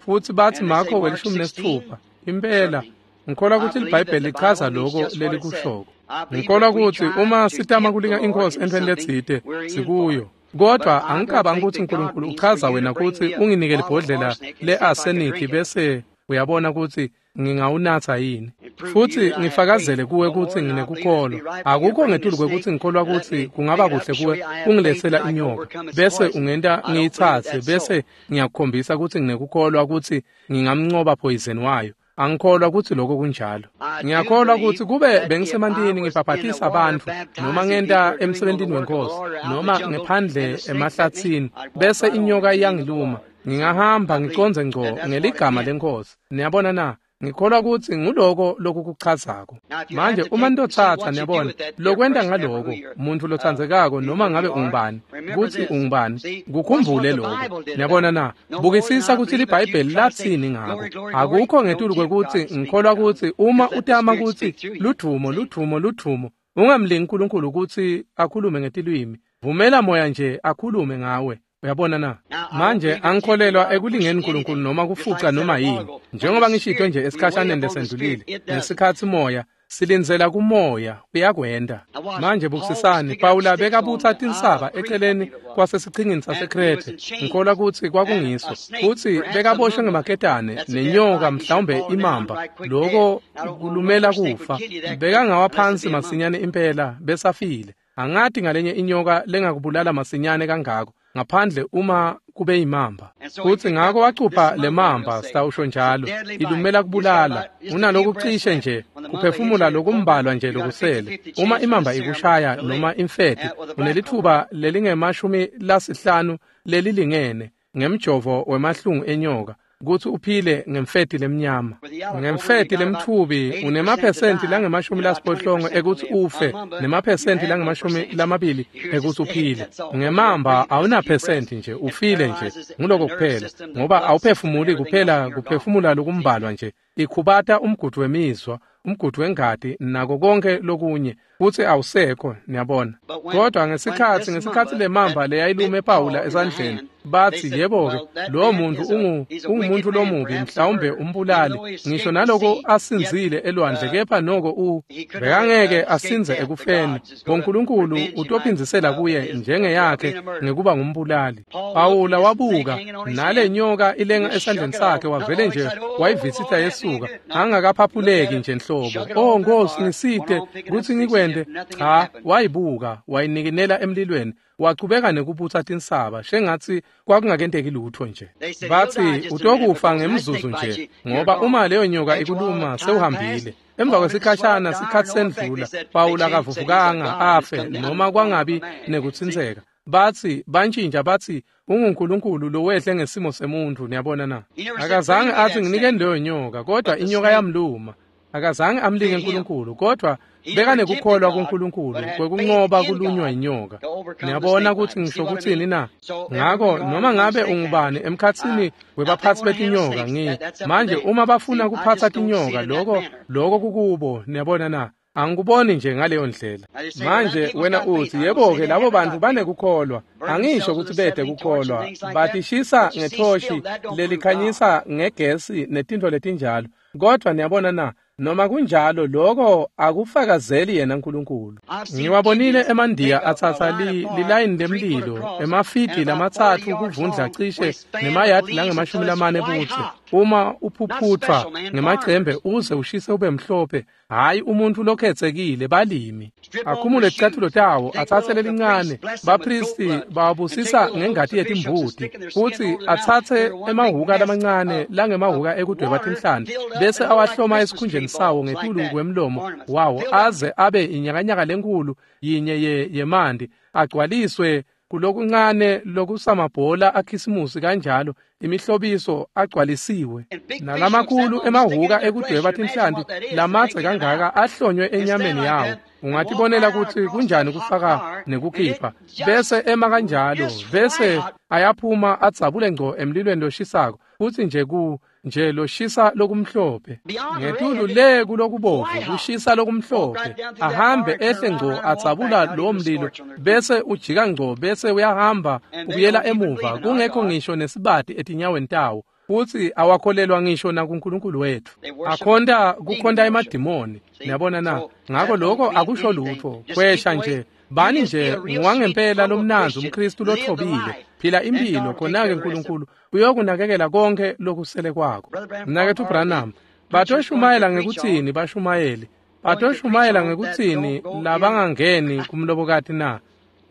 futsi batsi Marko welishumi nesitfupha, impela, ngikholwa kutsi liBhayibheli lichaza loko lelikushoko. Ngikholwa kutsi uma sitama kulinga iNkhosi entfweni letsite, sikuyo. Kodvwa angicabangi kutsi uNkulunkulu uchaza wena kutsi unginike libhodlela le-arsenic bese uyabona kutsi ngingawunatsa yini. Futsi ngifakazele kuwe kutsi nginekukholwa. Akukho ngetulu kwekutsi ngikholwa kutsi kungaba kuhle kuwe ungiletsela inyoka, bese ungenta ngiyitsatse, bese ngiyakukhombisa kutsi nginekukholwa kutsi ngingamncoba poison wayo. Angikholwa kutsi lokho kunjalo. Ngiyakholwa kutsi kube bengisemantini ngibhabhatisa bantfu noma ngenta emsebentini weNkhosi noma ngephandle emahlatsini bese inyoka iyangiluma, ngingahamba ngicondze ngco ngeligama leNkhosi. Niyabona na? Ngikholwa kutsi nguloko lokukuchazako. Manje uma nitotsatsa, niyabona, lokwenta ngaloko, muntfu lotsandzekako noma ngabe ungubani, kutsi ungubani, kukhumbule lokho. Niyabona na? Bukisisa kutsi liBhayibheli latsini ngako. Akukho ngetulu kwekutsi ngikholwa kutsi uma utama kutsi ludvumo, ludvumo, ludvumo, ungamlingi uNkulunkulu kutsi akhulume ngetilwimi. Vumela moya nje akhulume ngawe. Uyabona na? Manje angikholelwa ekulingeni uNkulunkulu noma kufuca noma yini. Njengoba ngishito nje esikhashaneni lesendlulile, ngesikhatsi moya Silindzela kumoya uyakwenda. Manje bukisisani, Pawula bekabutsa tinsaba eceleni kwasesichingini saseKrethe, ngikholwa kutsi kwakungiso, futsi bekaboshwe ngemaketane nenyoka mhlawumbe imamba, loko kulumela kufa. Bekangawa phansi masinyane impela besafile. Angati ngalenye inyoka lengakubulala masinyane kangako ngaphandle uma kube imamba. Futsi ngako wacupha le mamba, sitawusho njalo, ilumela kubulala. Unalokucishe nje kuphefumula lokumbalwa nje lokusele. Uma imamba ikushaya noma imfeti, unelithuba lelingemashumi lasihlanu lelilingene ngemjovo wemahlungu enyoka kutsi uphile ngemfeti lemnyama. Ngemfeti lemtfubi unemaphesenti langemashumi lasiphohlongo ekutsi ufe nemaphesenti langemashumi lamabili ekutsi uphile. Ngemamba awunaphesenti nje, ufile nje, nguloko kuphela, ngoba awuphefumuli kuphela kuphefumula lokumbalwa nje. Ikhubata umgudu wemizwa, umgudu wengati nako konke lokunye, futsi awusekho, niyabona. Kodwa ngesikhatsi ngesikhatsi lemamba leyayilume Pawula esandleni, batsi yebo-ke, lowo muntu ungu ungumuntu lomubi, mhlawumbe umbulali, ngisho naloko asinzile elwandle, kepha noko u bekangeke asinze ekufeni. BoNkulunkulu utophindzisela kuye njengeyakhe ngekuba ngumbulali. Pawula wabuka nale nyoka ilenga esandleni sakhe, wavele nje wayivisitha yesuka, angakaphaphuleki nje nhlobo. Oh Nkosi, ngisite kutsi ngikwente. Cha, wayibuka, wayinikinela emlilweni, wachubeka nekubutsa tinsaba shengatsi kwakungakenteki lutho nje. Batsi utokufa ngemzuzu nje, ngoba uma leyo nyoka ikuluma sewuhambile. Emva kwesikhashana sikhatsi sendlula, Pawula akavuvukanga afe noma kwangabi nekutsintseka. Batsi bantshintsha batsi unguNkulunkulu lowehle ngesimo semuntu, niyabona na. Akazange atsi nginikeni leyo nyoka, kodwa inyoka yamluma. Akazange amlinge uNkulunkulu, kodwa bekanekukholwa kuNkulunkulu kwekunqoba kulunywa inyoka. Niyabona kutsi ngisho kutsini na? Ngako noma ngabe ungubani emkhatsini webaphatsi betinyoka, ngi manje uma bafuna kuphatsa tinyoka, loko loko kukubo, niyabona na? Angikuboni nje ngaleyo ndlela. Manje wena utsi yebo-ke, labo bantu banekukholwa. Angisho kutsi bete kukholwa, batishisa ngethoshi lelikhanyisa ngegesi netintfo letinjalo. Kodwa niyabona na, noma kunjalo loko akufakazeli yena uNkulunkulu. Ngiwabonile emandiya atsatsa li, lilayini lemlilo emafidi lamatsatfu kuvundla cishe nemayadi langemashumi lamane butse. Uma uphuphuthwa ngemacembe uze ushise ube mhlophe, hayi umuntu lokhetsekile, balimi. Akhumule ticatfulo tawo, atsatse lelincane, bapristi bawabusisa ngengati yetimbuti, futsi atsatse emahhuka lamancane langemahhuka ekudweba tinhlanti, bese awahloma esikhunjeni sawo ngetulu kwemlomo wawo aze abe inyakanyaka lenkulu yinye ye yemanti, agcwaliswe kulokuncane lokusamabhola akhisimusi kanjalo, imihlobiso agcwalisiwe. Nalamakhulu emahhuka ekudweba tinhlanti lamadze kangaka ahlonywe enyameni yawo. Ungatibonela kutsi kunjani kufaka nekukhipha, bese ema kanjalo, bese ayaphuma adzabule ngco emlilweni loshisako, futsi nje ku nje loshisa lokumhlophe ngetulu le kulokubovu kushisa lokumhlophe, ahambe ehle ngco adzabula lowo mlilo, bese ujika ngco bese uyahamba ubuyela emuva, kungekho ngisho nesibati etinyaweni tawo. Futsi awakholelwa ngisho nakuNkulunkulu wethu. Akhonta kukhonta emadimoni, niyabona na? Ngako lokho akusho lutho, kwesha nje. Bani nje ngwangempela lomnanzi umKristu lothobile, phila impilo, khona-ke uNkulunkulu uyokunakekela konke lokusele kwakho. Mnaketfu Branham, batoshumayela ngekutsini bashumayeli? Batoshumayela ngekutsini labangangeni kumlobokati na?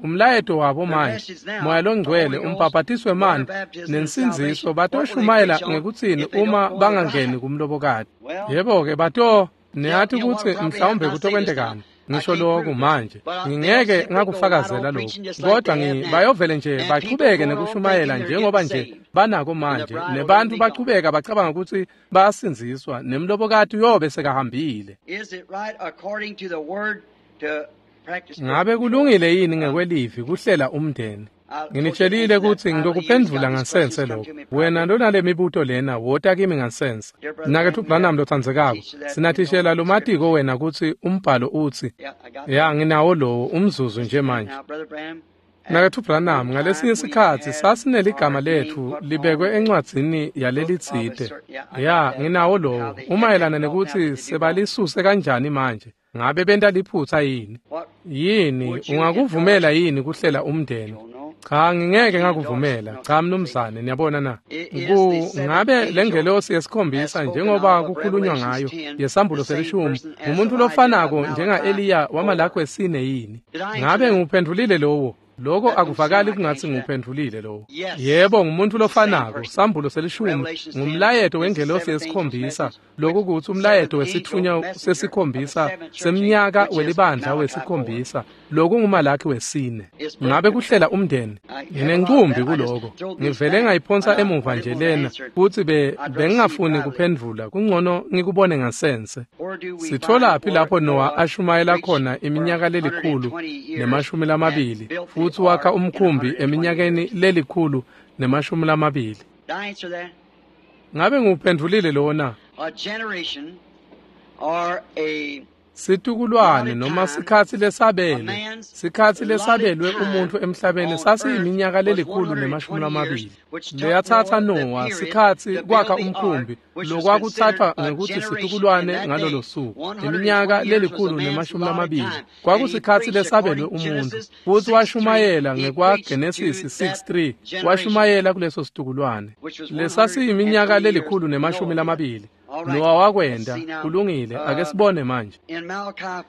Umlayeto wabo manje, Moya loNgcwele, umbhabhatiswe emanti nensindziso, batoshumayela ngekutsini uma bangangeni kumlobokati? Yebo-ke, bato niyati kutsi mhlawumbe kutokwendekani. Ngisho lokhu manje, ngingeke ngakufakazela lokhu, kodwa ngi bayovele nje bachubeke nekushumayela njengoba nje banako manje, nebantu bachubeka bacabanga ukuthi bayasindziswa, nemlobokati uyobe sekahambile. Ngabe kulungile yini ngekwelivi kuhlela umndeni? Nginitshelile kutsi ngitokuphendvula ngansense lokho. Wena lonale mibuto lena, wota kimi ngansense. Mnaketfu Branham lotsandzekako, sinathishela lomatiko wena kutsi umbhalo utsi, ya nginawo lowo umzuzu nje manje. Mnaketfu Branham, ngalesinye sikhatsi sasineligama letfu libekwe encwadzini yalelitsite. Ya, nginawo lowo. Umayelana nekutsi sebalisuse kanjani manje. Ngabe benta liphutsa yini? Yini, ungakuvumela yini kuhlela umndeni? Cha, ngingeke ngakuvumela. Cha, mnumzane, niyabona na? Ku ngabe lengelosi yesikhombisa njengoba kukhulunywa ngayo yesambulo selishumi ngumuntu lofanako njenga-Eliya waMalaki wesine yini? Ngabe nguphendvulile lowo? Lokho akuvakali kungatsi nguphendvulile lowo. Yebo, ngumuntu lofanako. Sambulo selishumi ngumlayeto wengelosi yesikhombisa, lokhu kutsi umlayeto wesitfunywa sesikhombisa semnyaka welibandla wesikhombisa, lokhu nguMalaki wesine. Ngabe kuhlela umndeni? Nginencumbi kuloko. Ngivele ngayiphonsa emuva nje lena futsi be bengingafuni kuphendvula, kungcono ngikubone ngasense. Sitholaphi lapho Noah ashumayela khona iminyaka lelikhulu nemashumi lamabili futsi wakha umkhumbi eminyakeni lelikhulu nemashumi lamabili? Ngabe nguphendvulile lona? Situkulwane noma sikhatsi lesabelwe, sikhatsi lesabelwe umuntfu emhlabeni sasiyiminyaka lelikhulu nemashumi lamabili. Leyatsatsa Noah sikhatsi kwakha umkhumbi, lokwakutsathwa ngekutsi situkulwane ngalolo suku. Iminyaka lelikhulu nemashumi lamabili kwakusikhatsi lesabelwe umuntfu, futsi washumayela ngekwaGenesis six three, washumayela kuleso situkulwane lesasiyiminyaka lelikhulu nemashumi lamabili. Noah wakwenta. Kulungile, ake sibone manje.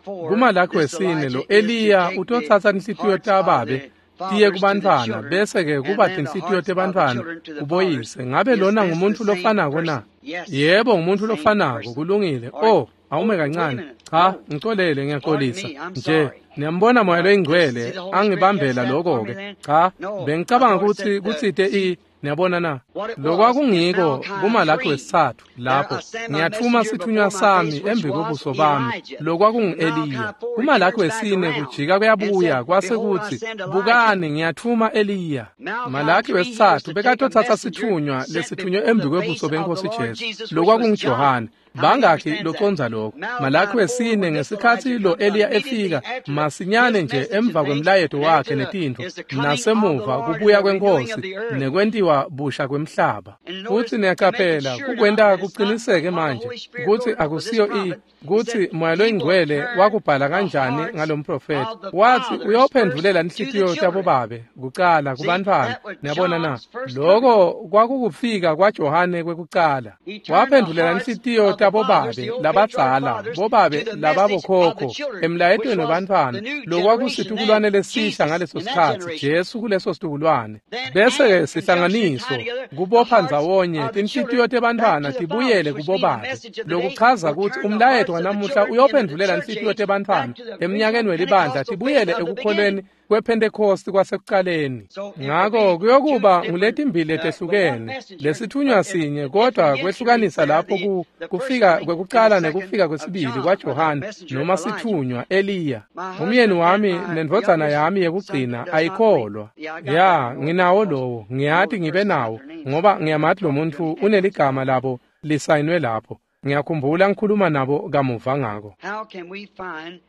KuMalaki wesine lo Eliya utotsatsa inhlitiyo tababe tiye kubantfwana, bese-ke kuba tinhlitiyo tebantfwana kuboyise. Ngabe lona ngumuntu lofanako na? Yebo, ngumuntu lofanako. Kulungile. Oh, awume kancane. Cha, ngicolele, ngiyaxolisa. Nje, niyambona Moya loyiNgcwele angibambela lokho-ke. Cha, bengicabanga kutsi kutsite i niyabona na? Lokwakungiko kuMalaki wesitsatfu lapho ngiyatfuma sithunywa sami embi kwebuso bami, lokwakungu-Eliya. KuMalaki wesine kujika kuyabuya kwase kutsi, bukani, ngiyatfuma Eliya. Malaki wesitsatfu bekatotsatsa sithunywa lesithunywe embi kwebuso benkosi Jesu, lokwakunguJohane. Bangakhi locondza lokho? Malaki wesine ngesikhatsi lo Eliya efika masinyane nje emva kwemlayeto wakhe netintfo, nasemuva kubuya kwenkosi nekwentiwa busha kwemhlaba. Futsi niyaqaphela kukwenta kuqiniseke manje kutsi akusiyo i kutsi Moya loyiNgcwele wakubhala kanjani ngalomprofethi. Wathi uyophendvulela inhlitiyo tabobabe kucala kubantfwana. Niyabona na? Lokho kwakukufika kwaJohane kwekucala. Waphendvulela inhlitiyo tabobabe labadzala, bobabe lababokhokho emlayetweni webantfwana, lokwakusitukulwane lesisha ngaleso sikhatsi, Jesu kuleso situkulwane. Bese-ke sihlanganiso kubopha ndzawonye tinhlitiyo tebantfwana tibuyele kubobabe, lokuchaza kutsi umlayeto wanamuhla uyophendvulela inhlitiyo tebantfwana emnyakeni welibandla tibuyele ekukholweni kwePhentekosti kwasekucaleni. Ngako kuyokuba nguletimbili letehlukene, lesithunywa sinye, kodwa kwehlukanisa lapho ku kufika kwekucala nekufika kwesibili kwaJohane noma sithunywa Eliya. Umyeni wami nendvodzana yami yekugcina ayikholwa. Ya, nginawo lowo, ngiyati ngibe nawo, ngoba ngiyamati lo muntfu uneligama labo lisayinwe lapho. Ngiyakhumbula ngikhuluma nabo kamuva ngako.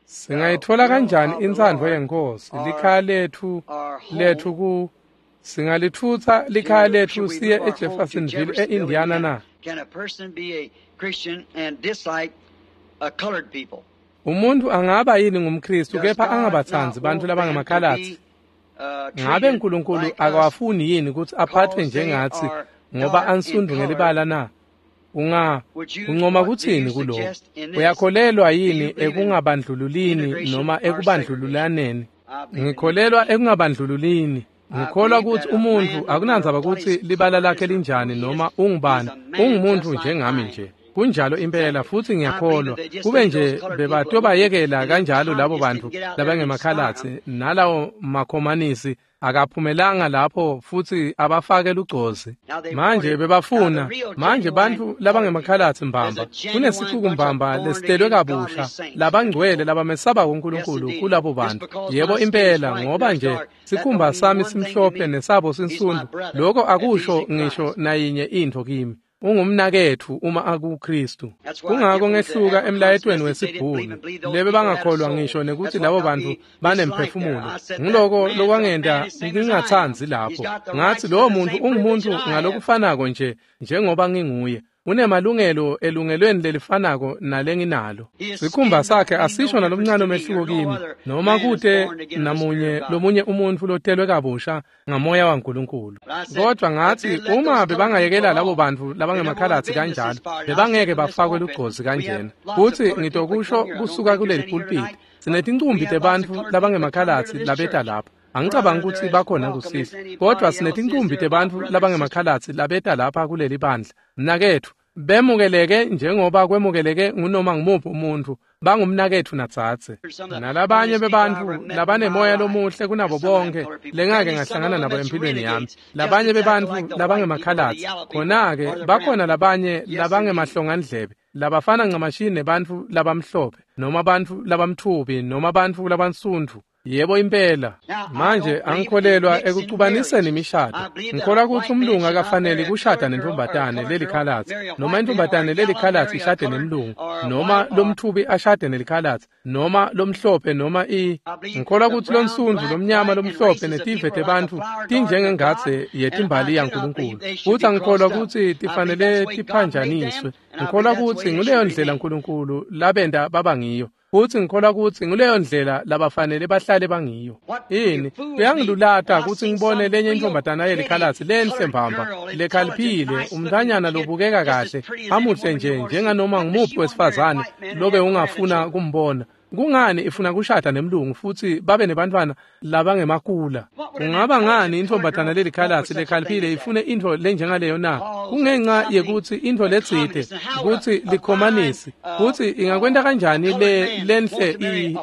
Singayitfola kanjani intsandvo yenkosi? Likhaya letfu letfu ku singalitfutsa likhaya letfu siye eJeffersonville eIndiana na? Umuntu angaba yini ngumKristu kepha angabatsandzi bantfu labangemakhalatsi? Ngabe uNkulunkulu akawafuni yini kutsi aphathwe njengatsi ngoba ansundu ngelibala na? Unga uncoma kutsini kuloko? Uyakholelwa yini ekungabandlululini noma ekubandlululaneni? Ngikholelwa ekungabandlululini. Ngikholwa kutsi umuntfu akunandzaba kutsi libala lakhe linjani noma ungubani, ungumuntu njengami nje. Kunjalo impela, futsi ngiyakholwa kube nje bebatobayekela kanjalo labo bantu labangemakhalatsi nalawo makhomanisi akaphumelanga lapho futsi abafake lugcozi. Manje bebafuna, manje bantfu labangemakhalatsi mbamba, kunesicuku mbamba lesitelwe kabusha, labangcwele labamesabako uNkulunkulu kulabo bantu. Yebo impela, ngoba nje sikhumba sami simhlophe nesabo sinsundu, lokho akusho ngisho nayinye intfo kimi. Ungumnaketfu uma akuKristu. Kungako ngehluka emlayetweni wesibhunu lebe bangakholwa ngisho nekuthi labo bantu banemphefumulo. Ngiloko lokwangenta ngingatsandzi lapho. Ngathi lowo muntu ungumuntu ngalokufanako nje njengoba nginguye. Unemalungelo elungelweni lelifanako nalenginalo. Sikhumba sakhe asisho nalomncane umehluko kimi noma kute namunye lomunye umuntu lotelwe kabusha ngamoya waNkulunkulu. Kodwa ngathi uma bebangayekela labo bantu labangemakhalatsi kanjalo bebangeke bafakwe lugcozi kanjena. Futhi ngitokusho kusuka kuleli pulpit, sinetincumbi tebantfu labangemakhalatsi labeta lapha. Angicabangi ukuthi bakhona kusisi, kodwa sinetincumbi tebantfu labangemakhalatsi labeta lapha kuleli bandla. Mnaketfu, bemukeleke njengoba kwemukeleke ngunoma ngumuphi umuntu, bangumnaketfu nadzadze. Nalabanye bebantfu labanemoya lomuhle kunabo bonke lengake ngahlangana nabo empilweni yami. Labanye bebantfu labangemakhalatsi, khona-ke bakhona labanye labangemahlongandlebe, labafana ncamashini nebantfu labamhlophe, noma bantfu labamtfubi, noma bantfu labansundvu. Yebo impela. Manje angikholelwa ekucubaniseni imishado. Ngikholwa ukuthi umlungu akafanele kushada nentombatane lelikhalatsi, noma intombatane lelikhalatsi ishade nemlungu, noma lomthubi ashade nelikhalatsi, noma lomhlophe noma i. Ngikholwa ukuthi lonsundvu, lomnyama, lomhlophe netive tebantfu tinjengengadze yetimbali yaNkulunkulu. Futhi angikholwa ukuthi tifanele tiphanjaniswe. Ngikholwa ukuthi nguleyo ndlela uNkulunkulu labenda baba ngiyo. Futhi ngikholwa ukuthi nguleyo ndlela labafanele bahlale bangiyo. Yini kuyangilulata ukuthi ngibone lenye intombatana yelikhalatsi lenhle mbamba lekhaliphile, umntanyana lobukeka kahle, amuhle nje njenganoma ngumuphi wesifazane lobe ungafuna kumbona. Kungani ifuna kushada nemlungu futhi babe nebantwana labangemakula? Kungaba ngani intombatana lelikhalatsi lekhaliphile ifune intfo lenjengaleyo na? Kungenxa yekuthi intfo letsite kutsi likhomanisi, kutsi ingakwenta kanjani le lenhle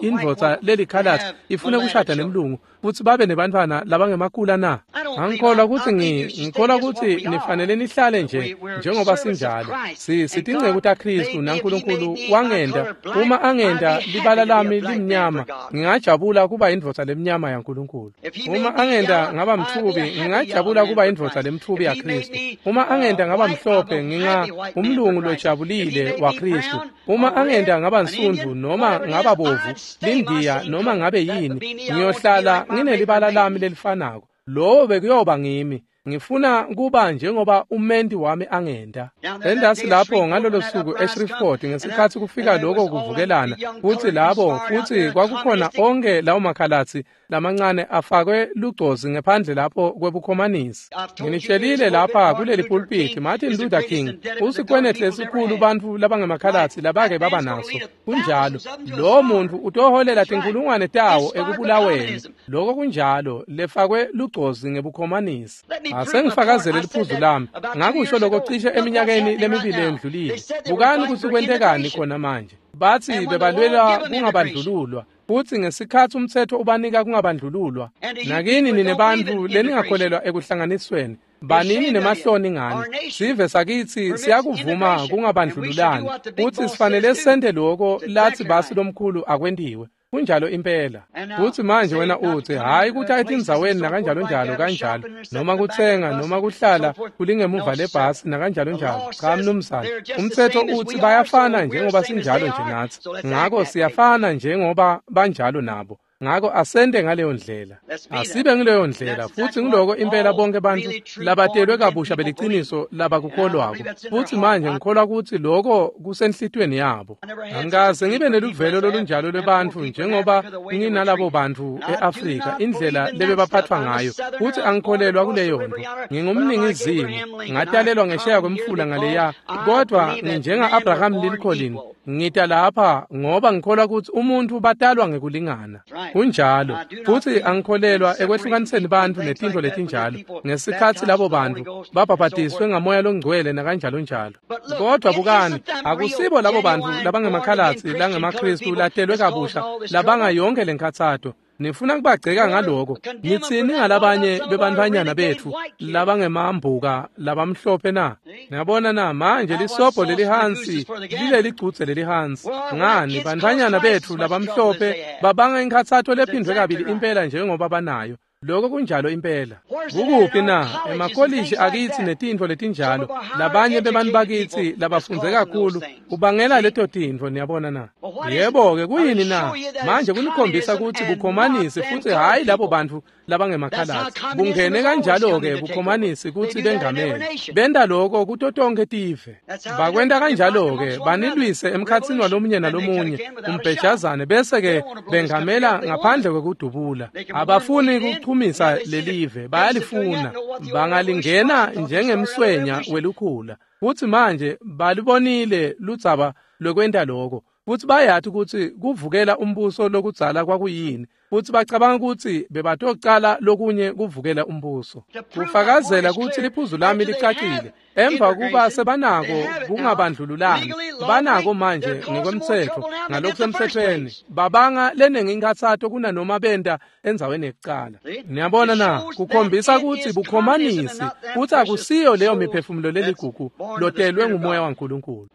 indvodza lelikhalatsi ifune kushada nemlungu futhi babe nebantwana labangemakula na? Angikholwa ukuthi ngikholwa ukuthi nifanele nihlale nje njengoba sinjalo. Si sitinceku taKristu naNkulunkulu wangenda uma angenda libala lami limnyama, ngingajabula kuba indvodza lemnyama yaNkulunkulu. Uma angenda ngaba mthubi, ngingajabula kuba indvodza lemthubi yaKristu. Uma angenda ngaba mhlophe, nginga umlungu lojabulile waKristu. Uma angenda ngaba nsundvu noma ngaba bovu, lindiya noma ngabe yini, ngiyohlala nginelibala lami lelifanako. Lowo bekuyoba ngimi. Ngifuna kuba njengoba umenti wami angenda. Endasi lapho ngalolo suku eShreveport ngesikhathi kufika lokho kuvukelana, futhi labo futhi kwakukhona onke lawo makhalatsi lamancane afakwe lugcozi ngephandle lapho kwebukhomanisi. Nginitshelile lapha kuleli pulpit, Martin Luther King usikwenehle esikhulu bantfu labangemakhalatsi labake baba naso. Kunjalo, lo muntu utoholela tinkulungwane tawo ekubulaweni. Lokho kunjalo, lefakwe lugcozi ngebukhomanisi. Asengifakazele liphuzu lami. Ngakusho lokho cishe eminyakeni lemibili endlulile. Bukani kutsi kwentekani khona manje. Bathi bebalwela kungabandlululwa, futhi ngesikhathi umthetho ubanika kungabandlululwa. Nakini nine bantfu leningakholelwa ekuhlanganisweni, banini nemahloni ngani. Sive sakithi siyakuvuma kungabandlululani, futhi sifanele sente lokho lathi basi lomkhulu akwentiwe. Kunjalo impela. Futhi manje wena uthi hayi ukuthi etindzaweni nakanjalo njalo kanjalo, noma kuthenga noma kuhlala kulingemuva lebhasi nakanjalo njalo. Cha mnumzane, umthetho uthi bayafana njengoba sinjalo nje nathi. Ngako siyafana njengoba banjalo nabo. Ngako asente ngaleyo ndlela. Asibe ngileyo ndlela, futhi ngiloko impela bonke bantu labatelwe kabusha beliciniso labakukholwako. Futhi manje ngikholwa ukuthi lokho kusenhlitweni yabo. Angikaze ngibe neluvelo lolunjalo lwebantfu njengoba nginalabo bantu eAfrika, indlela lebebaphathwa ngayo. Futhi angikholelwa kuleyo nto. Ngingumningizimu, ngatalelwa ngesheya kwemfula ngaleya, kodwa nginjenga Abraham Lincoln. Ngita lapha ngoba ngikholwa ukuthi umuntu batalwa ngekulingana. Kunjalo. Futhi angikholelwa ekwehlukaniseni bantu netintfo letinjalo ngesikhathi labo bantu babhabhadiswe ngamoya longcwele nakanjalo njalo. Kodwa bukani, akusibo labo bantu labangemakhalatsi langemaKristu latelwe kabusha labanga yonke lenkhatsato. Nifuna kubagceka ngaloko. Nitsini ngalabanye bebantfwanyana betfu labangemambuka labamhlophe na? Niyabona na, manje lisobho lelihansi lileligcudze lelihansi. Ngani bantfwanyana betfu labamhlophe babanga inkhatsato lephindwe kabili impela njengoba banayo. Lokho kunjalo impela. Kukuphi na? Emakolishi akithi netintfo letinjalo. Labanye bebantu bakithi labafundze kakhulu kubangela leto tintfo, niyabona na? Yebo-ke, kuyini na? Manje kunikhombisa kutsi bukhomanisi futsi hhayi labo bantfu labangemakhalasi. Bungene kanjalo-ke bukhomanisi kutsi bengamele. Benta loko kuto tonkhe tive. Bakwenta kanjalo-ke banilwise emkhatsini walomunye nalomunye umbhejazane bese-ke bengamela ngaphandle kwekudubula. Abafuni kuchumisa lelive, bayalifuna. Bangalingena njengemswenya welukhula. Futsi manje balibonile ludzaba lwekwenta loko. Futsi bayati kutsi kuvukela umbuso lokudzala kwakuyini. Futsi bacabanga kutsi bebatocala lokunye kuvukela umbuso. Kufakazela kutsi liphuzu lami licacile. Emva kuba sebanako kungabandlululani, banako manje ngekwemtsetfo, ngalokusemtsetfweni, babanga lenengi inkhatsato kunanoma benta endzaweni yekucala. Niyabona na? Kukhombisa kutsi bukhomanisi futsi akusiyo leyo miphefumulo leligugu lotelwe ngumoya waNkulunkulu.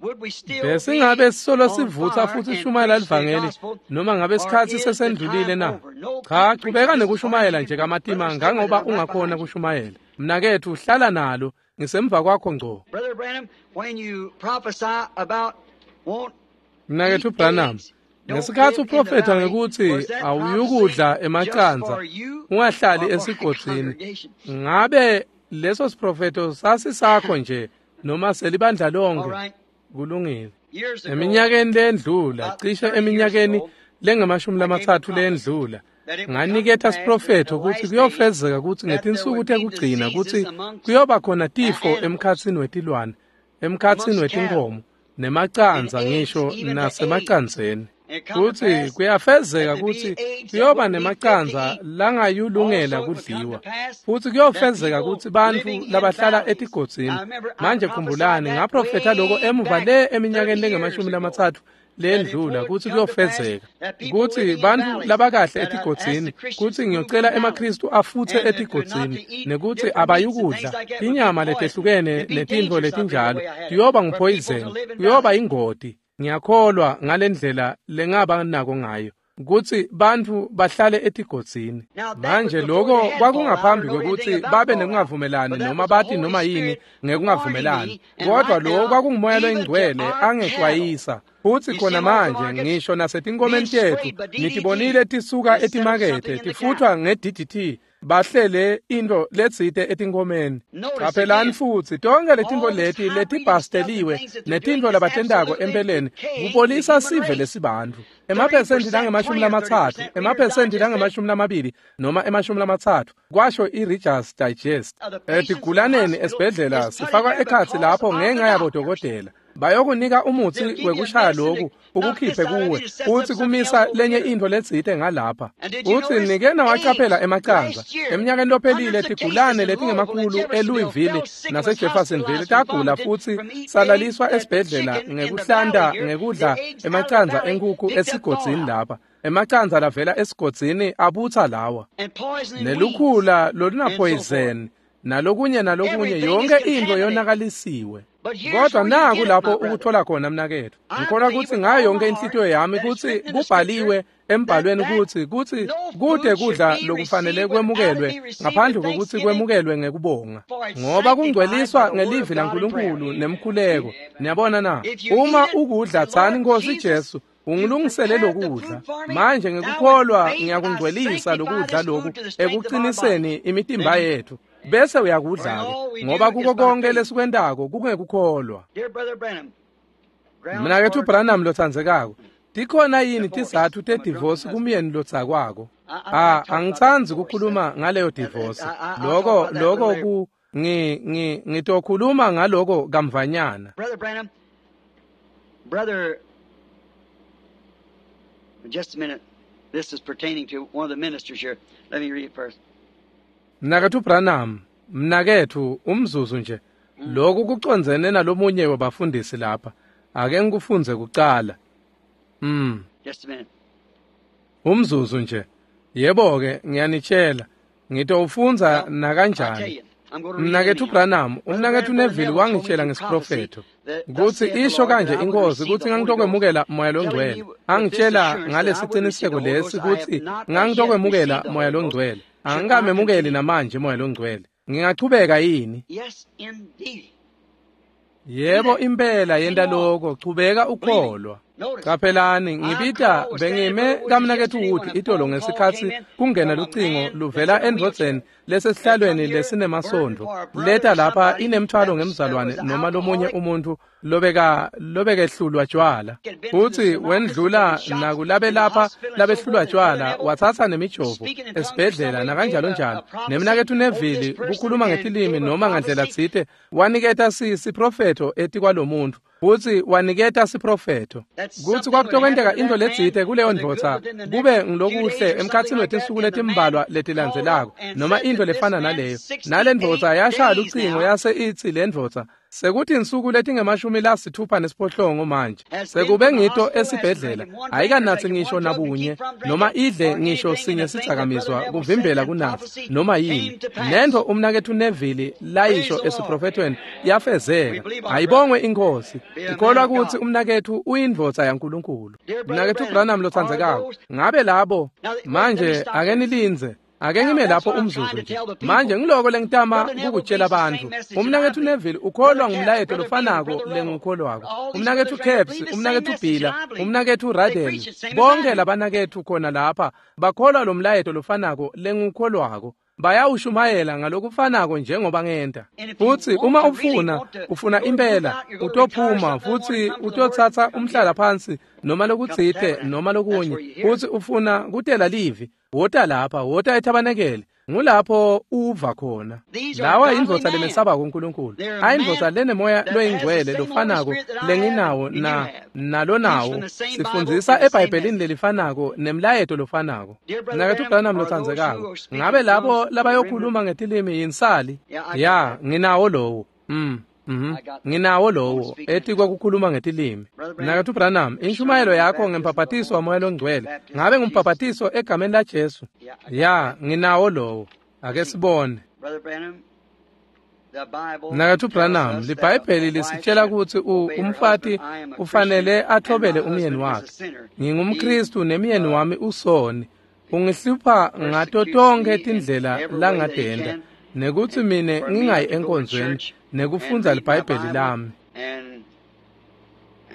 Besingabe sisolo sivutsa futsi sishumayela livangeli noma ngabe sikhatsi sesendlulile na? Cha, chubeka nekushumayela nje kamatima ngangoba ungakhona kushumayela. Mnaketfu, hlala nalo, ngisemva kwakho ngco. Brother Branham, when you prophesy about won't Mnaketfu Branham, ngesikhatsi uprofetha ngekutsi awuyukudla emacandza, ungahlali esigodzini, ngabe leso siprofetho sasisakho nje noma selibandla lonke? Kulungile. Eminyakeni lendlula, cishe eminyakeni lengamashumi lamatsatfu lendlula, nganiketa siprofetho kutsi kuyofezeka kutsi ngetinsuku tekugcina kutsi kuyoba khona tifo emkhatsini wetilwane, emkhatsini wetinkhomo, nemacandza ngisho nasemacandzeni. Kutsi kuyafezeka kutsi kuyoba nemacandza langayulungela kudliwa. Futsi kuyofezeka kutsi bantfu labahlala etigodzini. Manje khumbulani, ngaprofetha loko emuva le eminyakeni lengamashumi lamatsatfu lendlula kutsi kuyofezeka kutsi bantfu labakahle etigodzini, kutsi ngiyocela emaKhristu afutse etigodzini nekutsi abayukudla tinyama letehlukene netintfo letinjalo, tiyoba nguphoyizeni, kuyoba ingoti. Ngiyakholwa ngalendlela lengaba nako ngayo kutsi bantfu bahlale etigodzini. Manje loko kwakungaphambi kwekutsi babe nekungavumelani noma bati noma yini ngekungavumelani, kodwa loko kwakungumoya loyingcwele angexwayisa. Futsi khona manje ngisho nasetinkomeni tetfu nitibonile tisuka etimakethe tifutfwa nge-D D T, bahlele intfo letsite etinkomeni. Caphelani futsi tonkhe letintfo leti letibhasteliwe netintfo labatentako empeleni kubolisa sive lesibantfu. Emaphesenti langemashumi lamatsatfu, emaphesenti langemashumi lamabili noma emashumi lamatsatfu, kwasho i-Reader's Digest. Etigulaneni esibhedlela sifakwa ekhatsi lapho ngenxa yabodokotela. Bayokunika umutsi wekushaya loku ukukhiphe kuwe futsi kumisa lenye intfo letsite ngalapha. Utsi nike nawacaphela emacandza. Eminyakeni lophelile tigulane letingemakhulu eLouisville naseJeffersonville tagula futsi salaliswa esibhedlela ngekuhlanta ngekudla emacandza enkhukhu esigodzini lapha. Emacandza lavela esigodzini abutsa lawa. Nelukhula lolunaphoyizeni nalokunye nalokunye, yonke intfo yonakalisiwe. Kodwa naku lapho ukuthola khona mnaketfu. Ngikholwa kutsi ngayo yonke inhlitiyo yami kutsi kubhaliwe embhalweni kutsi kutsi kude kudla lokufanele kwemukelwe ngaphandle kokuthi kwemukelwe ngekubonga, ngoba kungcweliswa ngelivi laNkulunkulu nemkhuleko. Niyabona na? Uma ukudla, tsani, Nkosi Jesu, ungilungisele lokudla. Manje ngekukholwa ngiyakungcwelisa lokudla loku ekuqiniseni imitimba yethu. Bese uyakudla-ke, ngoba kuko konke lesikwentako kungekukholwa. Mnaketfu Branham lotsandzekako, tikhona yini tizatfu tedivosi kumyeni lotsakwako? Ah, angitsandzi kukhuluma ngaleyo divosi. Loko loko ku ngi ngi ngitokhuluma ngaloko kamvanyana. Brother Branham, brother, just a minute. This is pertaining to one of the ministers here. Let me read it first. Mnaketfu Branham, mnaketfu, umzuzu nje. Lokhu kucondzene nalomunye wabafundisi lapha. Ake ngikufundze kucala. Mm. Just a minute. Umzuzu nje. Yebo ke, ngiyanitshela. Ngitowufundza nakanjani. Mnaketfu Branham, umnaketfu Neville wangitshela ngesiprofetho kutsi isho kanje inkosi kutsi ngangitokwemukela moya longcwele. Angitshela ngalesiciniseko lesi kutsi ngangitokwemukela moya longcwele. Angikamemukeli namanje Moya loNgcwele. Ngingachubeka yini? Yes, indeed. Yebo impela yenta lokho, chubeka ukholwa. Qaphelani, ngibita bengime kamnaketfu Wood itolo ngesikhatsi kungena lucingo luvela endvodzeni lesesihlalweni lesinemasondvo. Leta lapha inemthwalo ngemzalwane noma lomunye umuntfu lobeka lobekehlulwa tjwala. Futsi wendlula nakulabe lapha labehlulwa tjwala watsatsa nemijovo esibhedlela nakanjalo njalo. Nemnaketfu Neville kukhuluma ngetilimi noma ngandlela tsite waniketa siprofetho etikwalomuntfu. Futsi waniketa siprofetho kutsi kwakutokwenteka intfo letsite kuleyo ndvodza kube ngilokuhle emkhatsini wetinsuku letimbalwa letilandzelako noma intfo lefana naleyo. Nale ndvodza yashaya lucingo yase itsi le ndvodza sekuthi insuku letingemashumi lasithupha nesiphohlongo manje sekube ngito esibhedlela ayikanatsi ngisho nabunye noma idle ngisho sinye sidzakamizwa kuvimbela kunatsa noma yini. Nentfo umnaketfu Neville layisho esiprofethweni yafezeka. Ayibongwe iNkhosi. Ikholwa kutsi umnaketfu uyindvodza yaNkulunkulu. Mnaketfu Branham lotsandzekako, ngabe labo manje ake nilindze. Ake ngime lapho umzuzu nje. Manje ngiloko lengitama kukutshela bantfu. Umnaketfu Neville ukholwa ngumlayeto lofanako lengukholwako. Umnaketfu Caps, umnaketfu Bhila, umnaketfu Radel, bonke labanaketfu khona lapha bakholwa lo mlayeto lofanako lengukholwako. Bayawushumayela ngalokufanako njengoba ngenta. Futsi uma ufuna, ufuna impela, utophuma futsi utotsatsa umhlala phansi noma lokutsite noma lokunye. Futsi ufuna kutela livi, wota lapha, wota ethabanekele. Ngulapho uva khona. Lawa indvodza lemesabako uNkulunkulu. Ayindvodza lenemoya loyingcwele lofanako lenginawo na nalonawo. Sifundzisa eBhayibhelini lelifanako nemlayeto lofanako. Mnaketfu Branham lotsandzekako, ngabe labo labayokhuluma ngetilimi yinsali? Ya, nginawo lowo. Mm. Mhm. Nginawo lowo etikwa kukhuluma ngetilimi. Mnaketfu Branham, inshumayelo yakho ngembhaphathiso waMoya loNgcwele. Ngabe ngumbhaphathiso egameni la Jesu? Ya, nginawo lowo. Ake sibone. Brother Branham, the Bible Mnaketfu Branham, tells us that liBhayibheli a wife lisitshela should kutsi u- obey her umfati husband. I am a ufanele Christian and athobele my umyeni husband is a wakhe. sinner. NgingumKristu nemyeni wami usoni. Ungihlupha ngato Persecutes tonkhe me in tindlela every way that he langatenta can. nekutsi mine For me ngingayi to go to enkonzweni church and nekufundza read my liBhayibheli Bible lami. and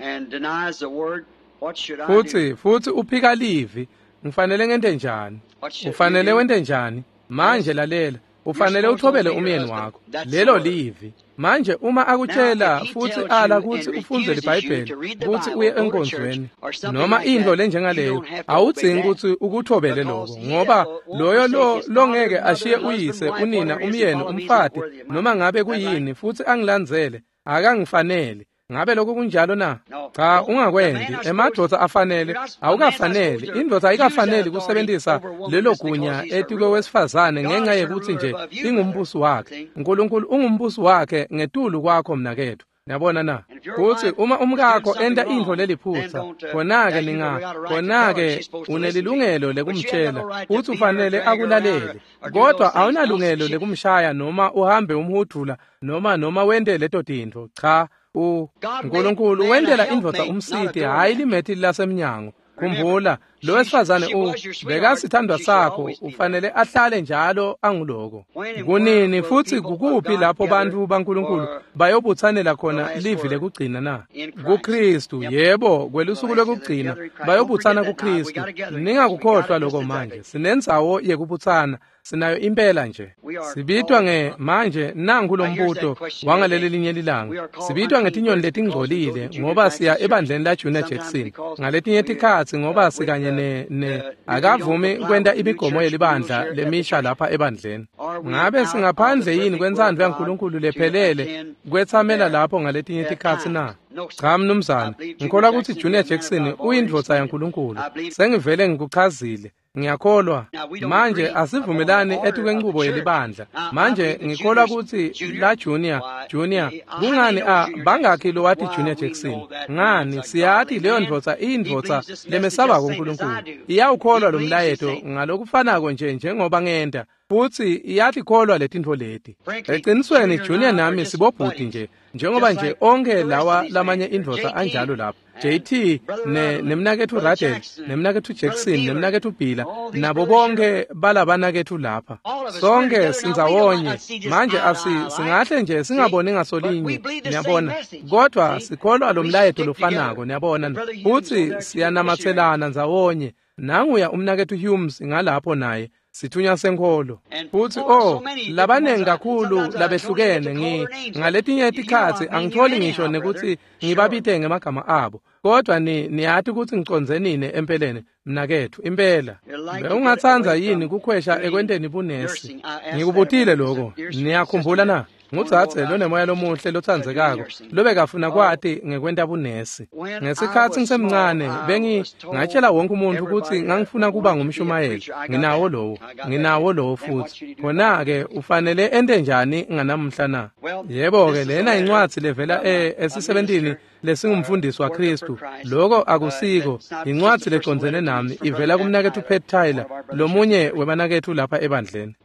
and denies the word, what should I do? Futsi futsi uphika livi. Ngifanele ngente njani? What should you Ufanele do? wente njani? Manje lalela, ufanele You're supposed to uthobele obey your umyeni husband. wakho. That's the Lelo word. livi. Manje uma Now, akutshela if he futhi tells ala you kutsi and ufundze refuses you liBhayibheli to read the kutsi Bible, uye go to church enkonzweni or something noma like intfo that, you lenjengaleyo, don't have to obey awudzingi that. kutsi ukuthobele Because lokho he ngoba that won't loyo forsake lo his father, longeke mother, ashiye husband, uyise, wife, unina, whatever it is, and umyeni, follow me is not umfati worthy of mine. noma ngabe Is that right? kuyini futhi angilandzele akangifanele. Ngabe lokho kunjalo na? No. Cha, Don't, the man ungakwendi. are supposed Emadvodza afanele, you're not, a man's not supposed awukafaneli. to Indvodza use that ayikafaneli authority kusebenzisa over a woman lelo just because gunya he's her etikwe ruler. wesifazane God ngenxa is her yekutsi ruler nje above you, brother. ingumbusi wakhe. See? uNkulunkulu ungumbusi wakhe ngetulu kwakho mnaketfu. Niyabona na? And if your Futsi wife uma is doing umkakho something enta intfo wrong, then leliphutsa, don't, uh, now khona-ke you ninga got a right to tell her khona-ke she's supposed to listen to you. unelilungelo But you ain't got lekumtshela no right to kutsi beat her, ufanele drag her around, or, akulalele. or do Kodwa those things. No, awunalungelo she, lekumshaya noma uhambe umhudvula noma noma wente leto tintfo. Cha, u God made uNkulunkulu man a wentela indvodza helpmate, not a umsiti, hhayi doormat. limethi lasemnyango. Remember, Khumbula, lo she, wesifazane she u was your sweetheart. bekasithandwa She should sakho, always be that. ufanele ahlale njalo anguloko. When and where Kunini will futhi people of kukuphi God lapho gather bantfu baNkulunkulu for bayobutsanela the khona last livi word? lekugcina na? In Christ. KuKristu, Yep. yebo, The kwelusuku last, the lwekugcina gathering Christ. Don't forget bayobutsana that now. We kuKristu. got a gathering place. We got Ningakukhohlwa it just lokho manje. exactly. Sinendzawo yekubutsana, sinayo impela nje. We are Sibitwa called. nge manje nangu Now here's that lombuto question wangaleli today. linye We lilanga. are called Sibitwa unclean ngetinyoni birds because we go to letingcolile Junior ngoba Jackson siya Church. ebandleni la Junior Sometimes Jackson. because Ngaletinye we tikhatsi ngoba uh, with sikanye the, ne ne the we don't akavumi comply kwenta with the new imigomo church rules yelibandla here at the lemisha church. lapha ebandleni. Are we Ngabe out of the singaphandle yini perfect will of kwentsandvo God yaNkulunkulu to lephelele attend kwetsamela there lapho ngaletinye at tikhatsi times? na? No, sir. Cha I mnumzane, believe Junior ngikholwa kutsi Jackson to be Junior a man of Jackson God. I've already uyindvodza explained it. yaNkulunkulu. I believe Sengivele ngikuchazile. Ngiyakholwa. Now we don't Manje agree upon the asivumelani order of the etikwenchubo church. yelibandla. Now I Manje believe that ngikholwa Junior's kutsi Junior. la Junior, Why, Junior, eh, how many kungani know a Junior Jackson? bangakhi lowati Why Junior we Jackson? know that Ngani man's a siyati godly leyo man. ndvodza He iyindvodza believes this message just lemesabako same as I uNkulunkulu. do. He Iyawukholwa lo believes the mlayeto same. ngalokufanako nje njengoba ngenta. Futsi iyatikholwa letintfo leti. Eqinisweni Junior nami sibobhuti nje, njengoba nje onke lawa lamanye indvodza anjalo lapha. J T ne nemnaketfu Radel, nemnaketfu Jackson, nemnaketfu Bila, nabo bonke balabanaketfu lapha. Sonke sindzawonye. Manje asi singahle nje singaboni ngasolinye, niyabona. Kodwa sikholwa lo mlayeto lofanako, niyabona. Futsi siyanamatselana ndzawonye. Nanguya umnaketfu Humes ngalapho naye. Sithunywa senkholo. Futsi oh, labanengi kakhulu labehlukene ngi ngaletinye tikhatsi angitholi ngisho nekuthi ngibabite ngemagama abo. Kodwa ni niyati ukuthi ngiconze nini empeleni mnaketfu impela. Bewungatsandza yini kukhwesha ekwenteni bunesi? Ngikubutile lokho. Niyakhumbula na? Ngudzadze lonemoya lomuhle lotsandzekako lobekafuna kwati ngekwenta bunesi. Ngesikhatsi ngisemncane bengi ngatshela wonke umuntu ukuthi ngangifuna kuba ngumshumayeli. Nginawo lowo, nginawo lowo futhi. Khona-ke ufanele ente njani nganamhla na? Yebo-ke lena incwadzi levela e esisebentini lesingumfundisi waKristu. Lokho akusiko, incwadzi lecondzene nami ivela kumnaketfu Pat Tyler, lomunye webanaketfu lapha ebandleni.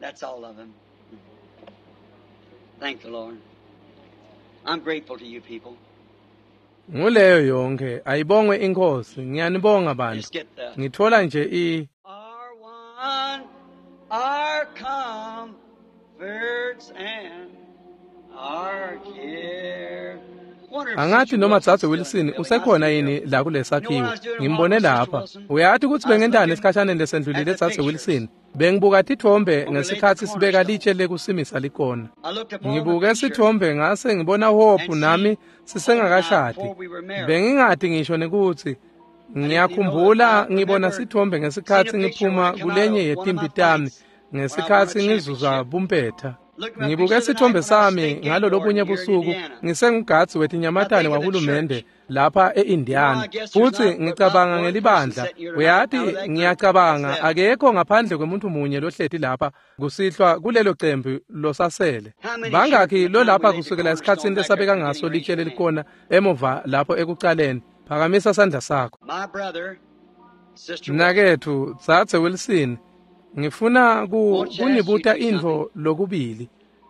Thank the Lord. I'm grateful to you people. Nguleyo yonke ayibongwe inkosi. Ngiyanibonga bantu. Ngithola nje i Our one, our comforts and our care. Angathi noma Dzadze Wilson usekhona yini la kulesakhiwo. Ngimbone lapha. Uyati ukuthi bengentani esikhashaneni lesendlulile Dzadze Wilson? Bengibuka tithombe ngesikhatsi sibeka litshe lekusimisa likona. Ngibuke sithombe ngase ngibona Hope nami sisengakashadi. Bengingati ngisho nekuthi ngiyakhumbula ngibona sithombe ngesikhatsi ngiphuma kulenye yetimpi tami ngesikhatsi ngizuza bumpetha. Ngibuke sithombe sami ngalo lobunye busuku ngisengugadzi wetinyamatane wahulumende lapha e-Indiana. Futsi ngicabanga ngelibandla. Uyati ngiyacabanga akekho ngaphandle kwemuntu munye lohleti lapha kusihlwa kulelo cembu losasele. Bangakhi lo lapha kusukela esikhatsini lesabeka ngaso litshe lelikona emuva lapho ekucaleni? Phakamisa sandla sakho. Mnaketfu Dzadze Wilson, ngifuna ku kunibuta intfo lokubili.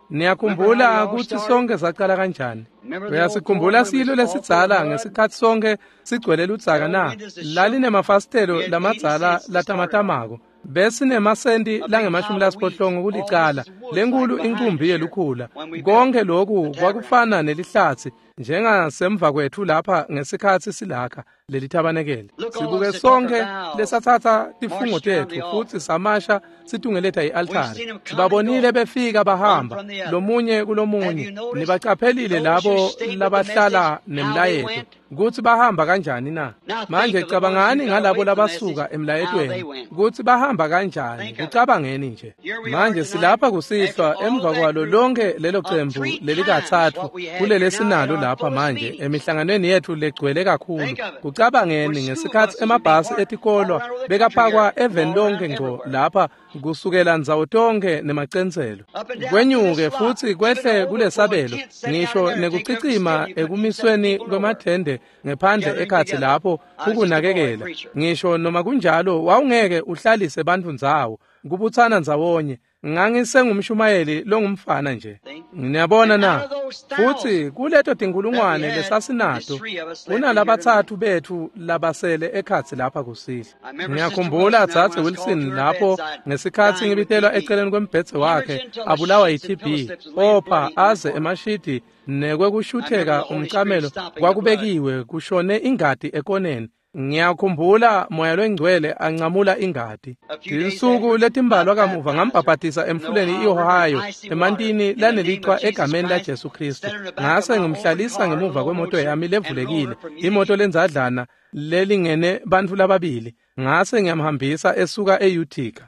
Niyakhumbula ukuthi sonke sacala kanjani? Uyasikhumbula silo lesidzala ngesikhatsi sonke sigcwele ludzaka na? Lalinemafasitelo lamadzala latamatamako. Besinemasenti langemashumi lasiphohlongo kulicala, lenkulu inkumbi yelukhula. Konke lokhu kwakufana nelihlatsi njengasemva kwethu lapha ngesikhatsi silakha lelithabanekele. Sibuke sonke lesatsatsa tifungo tetfu futsi samasha situngeleta i-altari. Sibabonile befika bahamba lomunye kulomunye. Nibacaphelile labo labahlala nemlayeto kutsi bahamba kanjani na? Manje cabangani ngalabo labasuka emlayetweni kutsi bahamba kanjani. Kucabangeni nje. Manje silapha kusihlwa emva kwalo lonke lelo cembu lelikatsatfu kulelesinalo lapha manje emihlanganweni yetfu legcwele kakhulu. Kucabangeni ngesikhatsi emabhasi etikolwa bekapakwa eveni lonke ngco lapha kusukela ndzawo tonke nemacenselo. Kwenyuke futsi kwehle kulesabelo ngisho nekucicima ekumisweni kwemathende ngephandle ekhatsi lapho kukunakekela. Ngisho noma kunjalo wawungeke uhlalise bantfu ndzawo kubutsana ndzawonye. Ngangisengumshumayeli longumfana nje. Niyabona na? Futsi kuleto tinkulungwane lesasinato kunalabatsatfu betfu labasele ekhatsi lapha kusihlwa. Ngiyakhumbula Dzadze Wilson lapho ngesikhatsi ngibitelwa eceleni kwembhedze wakhe abulawa yi-T B, opha aze emashidi nekwekushutheka umcamelo kwakubekiwe kushone ingati ekoneni. Ngiyakhumbula moya lwengcwele ancamula ingati. Tinsuku letimbalwa kamuva ngambhabhatisa emfuleni i-Ohio emantini lanelichwa egameni laJesu Kristu. Ngase ngimhlalisa ngemuva kwemoto yami levulekile, imoto lenzadlana lelingene bantfu lababili. Ngase ngiyamhambisa esuka e-Utica.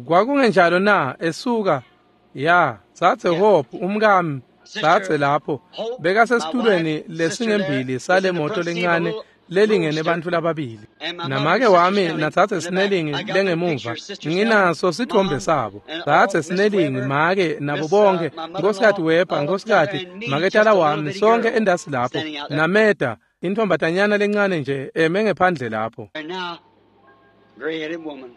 Kwakungenjalo na esuka ya Dzadze Hope umkami Dzadze lapho bekasesitulweni lesingembili sale moto lencane lelingene bantfu lababili. Namake wami naDzadze Snelling lengemuva nginaso sithombe sabo. Dzadze Snelling, make nabo bonke, Nkosikazi Weber, Nkosikazi maketala wami, sonke endasi lapho. Nameda intombatanyana lencane nje eme ngephandle lapho. Gray-headed woman.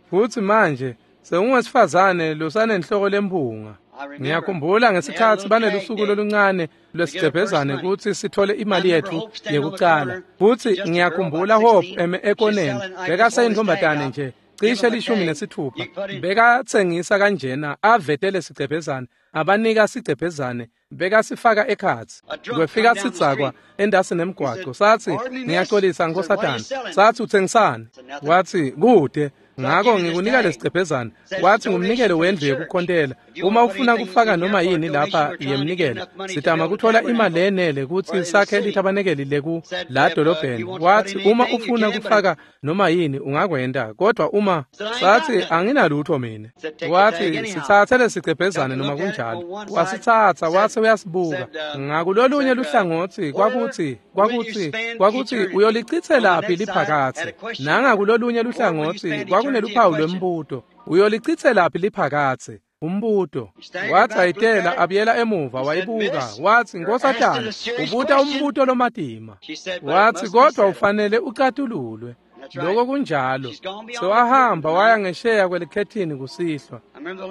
Futsi manje sewungwesifazane losanenhloko lempunga. Ngiyakhumbula ngesikhatsi banelusuku loluncane lwesigcebhezane kutsi sithole imali yetfu yekucala. Futsi ngiyakhumbula Hope eme ekoneni bekaseyintfombatane nje cishe lishumi nesithupha. Bekatsengisa kanjena avetele sigcebhezane abanika sigcebhezane bekasifaka ekhatsi. Kwefika sidzakwa endasi nemgwaco satsi ngiyaxolisa nkosatana. Satsi utsengisani? Watsi kude. Ngako ngikunika lesigcebhezane. Watsi ngumnikelo wendlu yekukhontela. Uma ufuna kufaka noma yini lapha yemnikelo, sitama kuthola imali lenele kutsi sakhe lithabanekeli leku la dolobheni. Watsi uma ufuna kufaka noma yini ungakwenta, kodwa uma satsi anginalutho mina. Watsi sitsatse lesigcebhezane noma kunjalo. Wasitsatsa watsi uyasibuka. Ngakulolunye luhlangotsi kwakutsi kwakutsi kwakutsi uyolicitselaphi liphakatsi. Nangakulolunye luhlangotsi kwakuneluphawu lwembuto. Uyolicitselaphi liphakatsi? Umbuto. Wathi ayitela abuyela emuva wayibuka. Watsi nkosatana ubuta umbuto lomatima. Watsi kodwa ufanele ucatululwe. Lokho kunjalo. Sewahamba waya ngesheya kwelikhethini kusihlwa.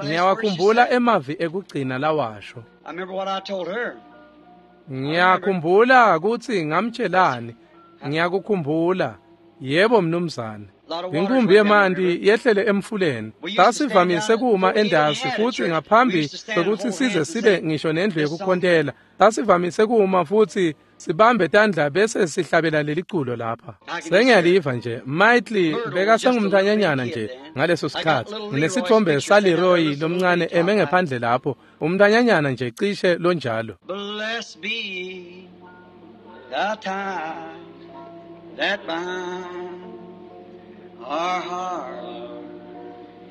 Ngiyawakhumbula emavi ekugcina lawasho. Ngiyakhumbula kutsi ngamtshelani. Ngiyakukhumbula. Yebo mnumzane. Inkumbi yemanti yehlele emfuleni. Sasivamise kuma endasi futsi ngaphambi kwekutsi size sibe ngisho nendlu yekukhontela. Sasivamise kuma futsi sibambe tandla bese sihlabela leliculo lapha. Sengiyaliva nje Mightly bekasengumntanyanyana nje ngaleso sikhatsi. Nginesithombe saLeroy lomncane eme ngephandle lapho. Umntanyanyana nje cishe lonjalo. Blessed be the time that binds our heart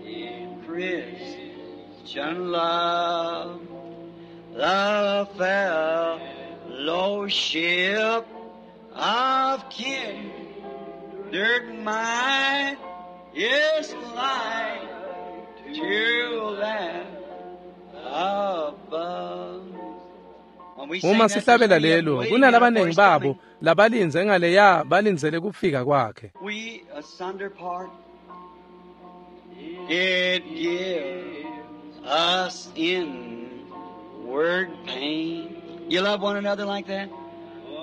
in Christian love, the fellowship of kindred mind is like to that above. Uma sihlabela lelo kunalabanengi babo labalindze ngaleya balindzele kufika kwakhe. We asunder part, it gives us inward pain. You love one another like that?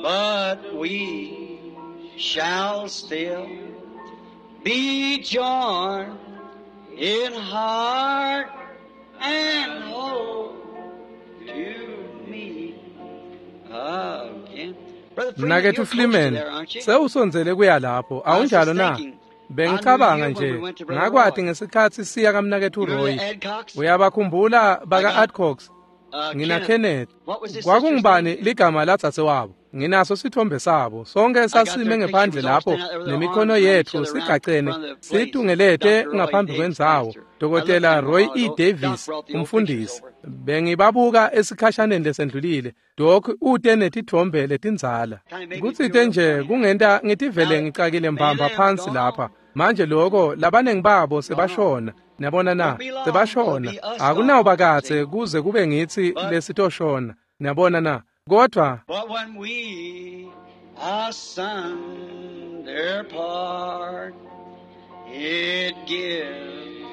But we shall still be joined in heart and hope to meet again. Mnaketfu Freeman, sewusondzele kuya lapho, awunjalo na? Bengicabanga nje, ngakwati ngesikhatsi siya kamnaketfu Roy. Uyabakhumbula baka Adcox? Ngina Kenneth. Kwakungubani ligama ladzadze wabo? Nginaso sithombe sabo. Sonke sasime ngephandle lapho nemikhono yetfu sigacene situngelete ngaphambi kwendzawo. Dokotela Roy E. Davis, umfundisi. Bengibabuka esikhashaneni lesendlulile. Doc ute netithombe letindzala. Kutsite nje kungenta ngitivele ngicakile mbamba phansi lapha. Manje lokho labanengi babo sebashona. Niyabona na? Sebashona. Akunawuba katse kuze kube ngitsi lesitoshona. Niyabona na? Kodwa But when we asunder part, it gives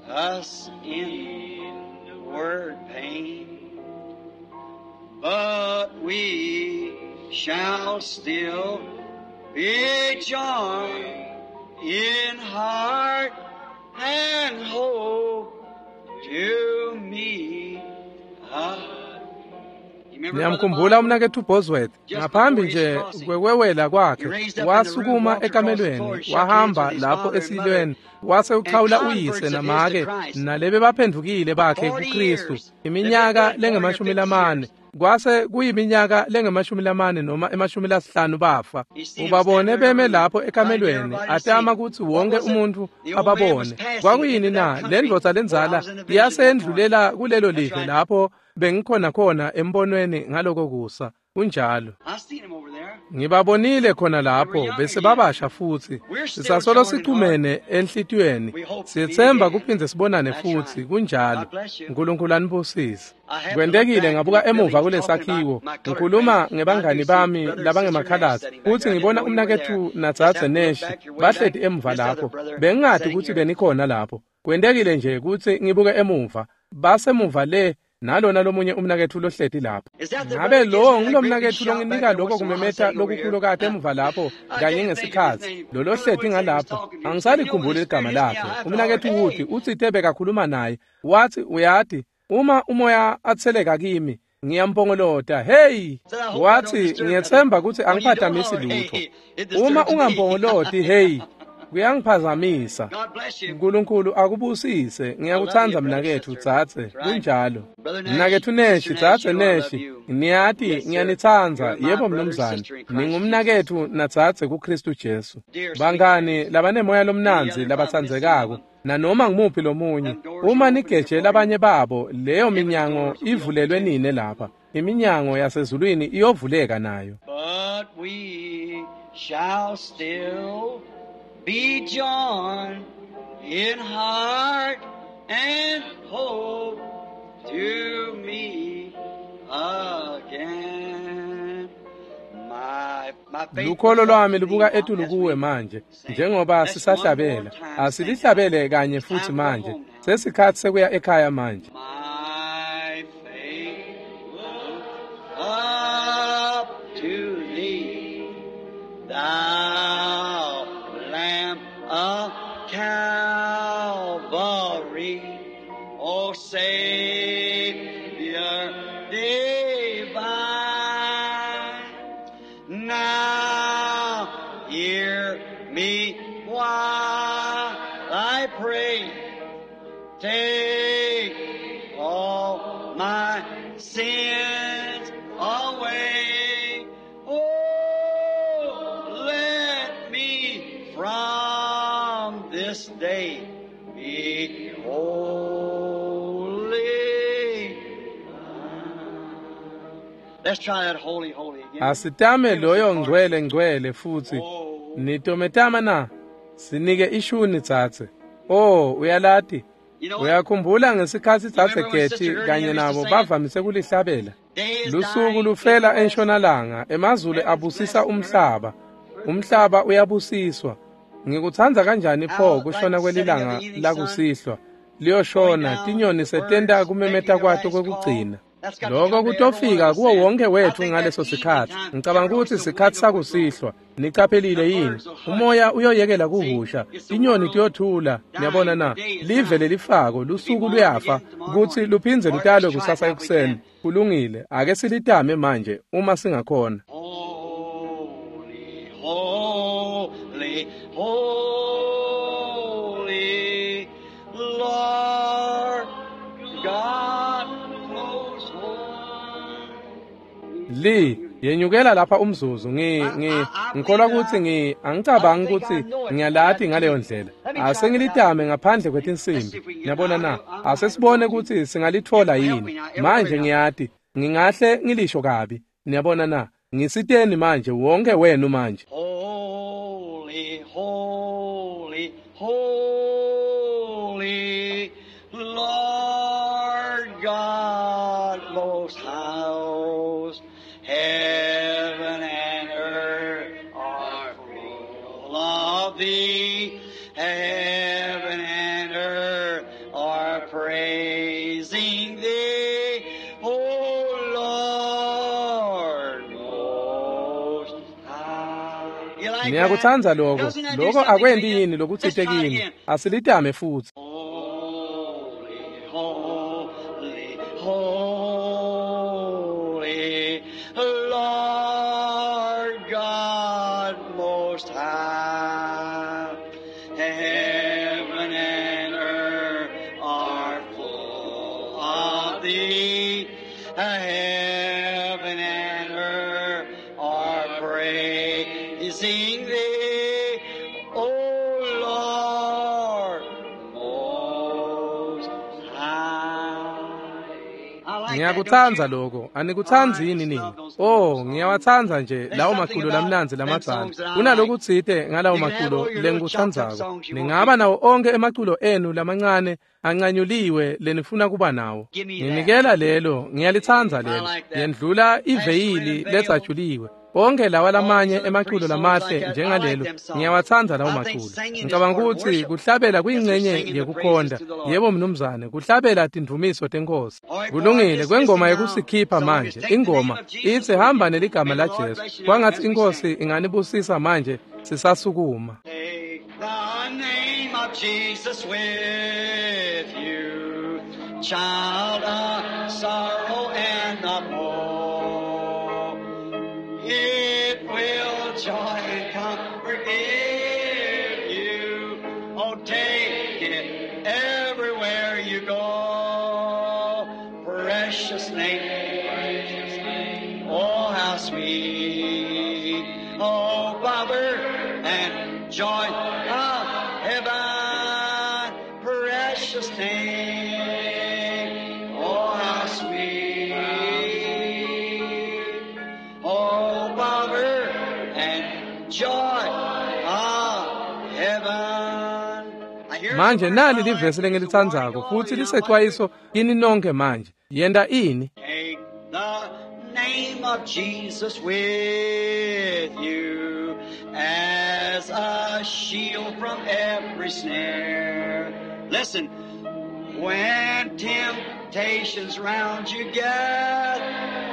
us inward pain. But we shall still be joined in heart and hope to meet again. Ngiyamkhumbula umnaketfu Bosworth ngaphambi nje kwekwewela kwakhe wasukuma ekamelweni wahamba lapho esilweni wase uchawula uyise namake nalebe baphendukile bakhe kuKristu iminyaka lengemashumi lamane kwase kuyiminyaka lengemashumi lamane noma emashumi lasihlanu bafa. Ubabone beme lapho ekamelweni atama kutsi wonke umuntu ababone. Kwakuyini na? Le ndvodza lendzala yasendlulela kulelo live lapho bengikhona khona embonweni ngaloko kusa. Kunjalo. I seen him over there. Ngibabonile khona lapho bese babasha futsi sisasolo sichumene enhlitiyweni siyetsemba kuphindze sibonane futsi kunjalo. Nkulunkulu anibusise. Kwentekile ngabuka emuva kulesakhiwo ngikhuluma ngebangani bami labangemakhalasi futsi ngibona umnaketfu nadzadze Neshi bahleti emuva lapho. Bengingati kutsi benikhona lapho. Kwentekile nje kutsi ngibuke emuva basemuva le nalona lomunye umnaketfu lohleti lapho. Ngabe lowo ngulomnaketfu longinika lokho kumemeta lokukhulu kade emuva lapho kanye ngesikhatsi lo lohleti ngalapho angisalikhumbuli igama lakhe. Umnaketfu Wood utsite bekakhuluma naye wathi uyati uma umoya atseleka kimi ngiyampongolota. Hey, wathi ngiyethemba kutsi angiphatamisi lutho. Uma ungampongoloti hey kuyangiphazamisa. Nkulunkulu akubusise. Ngiyakutsandza mnaketfu dzadze. Kunjalo. Mnaketfu Neshi, dzadze Neshi, niyati ngiyanitsandza. Yebo mnumzane, ningumnaketfu nadzadze kuKristu Jesu. Bangani labanemoya lomnandzi labatsandzekako nanoma ngumuphi lomunye, uma nigeje labanye babo, leyo minyango ivulelwe nine lapha. Iminyango yasezulwini iyovuleka nayo. But we shall still be joined in heart and hope to meet again. My, my faith Lukholo lwami lubuka etulu kuwe manje njengoba sisahlabela. Asilihlabele kanye futhi manje. Sesikhathi sekuya ekhaya manje. My faith looks up to thee, thou Lamb of Calvary, O Savior divine. Now hear me while I pray. Take all my sins away. Oh, let me from this day be holy. Let's try that holy, holy again. Asitame loyo ngcwele ngcwele futhi. Nitometama na? Sinike ishuni dzadze. Oh, uyalati. You know what? Uyakhumbula ngesikhatsi dzadze Getty kanye nabo bavamise kulihlabela. Lusuku lufela entshonalanga, emazulu abusisa umhlaba. Umhlaba uyabusiswa. Ngikutsandza kanjani pho kushona kwelilanga lakusihlwa. Liyoshona tinyoni setenta kumemeta kwato kwekugcina. Lokho kutofika kuwo wonke wethu ngaleso sikhatsi. Ngicabanga ukuthi sikhatsi sakusihlwa. Nicaphelile yini? Umoya uyoyekela kuhusha, tinyoni tiyothula. Niyabona na? Live lelifako, lusuku luyafa kutsi luphindze lutalwe kusasa ekuseni. Kulungile, ake silitame manje uma singakhona. Holy, holy, holy, Lord God most high. Li yenyukela lapha umzuzu ngi ngi ngikholwa ukuthi ngi angicabangi ukuthi ngiyalati ngaleyo ndlela. Asengilitame ngaphandle kwetinsimbi. Niyabona na? Asesibone ukuthi singalithola yini. Manje ngiyati ngingahle ngilisho kabi. Niyabona na? Ngisiteni manje wonke wenu manje. Holy, holy, holy, Lord God most high, heaven and earth are full of thee. Heaven and earth are praising thee, O Lord most high. You like that? Ngiyakutsandza lokho. Doesn't that do Lokho something to akwendi you? yini Let's lokutsite try it kini. again. Asilitame futhi. Holy, holy, holy, Lord God Most High. Heaven and earth are full of thee. Heaven and earth are praising thee, O Lord Most High. I like that. Ngiyakutsandza lokho, anikutsandzi yini nini? Oh, ngiyawatsandza nje lawo maculo lamnandzi lamadzala. Kunalokutsite ngalawo maculo lengikutsandzako. Ningaba nawo onkhe emaculo enu lamancane ancanyuliwe lenifuna kuba nawo. Nginikela lelo, ngiyalitsandza lelo. Yendlula iveyili letsajuliwe. Onke lawa lamanye emaculo lamahle njengalelo, ngiyawatsandza lawo maculo. Ngicabanga ukuthi kuhlabela kuyingcenye yekukhonta. Yebo mnumzane, kuhlabela tindvumiso tenkosi. Kulungile kwengoma yekusikhipha manje. Ingoma ithi hamba neligama la Jesu. Kwangathi inkosi inganibusisa manje sisasukuma. Take the name of Jesus with you, child of sorrow and of woe. It will joy and comfort give you. Oh, take it everywhere you go. Precious name, precious name. Oh, how sweet. Oh, power and joy of heaven. Precious name. Oh, how sweet. Oh, power and joy of heaven. I hear Manje the nali word livesi lengilitsandzako futhi lisecwayiso kini nonke manje. Yenta ini? Take the name of Jesus with you as a shield from every snare. Listen, when temptations round you get,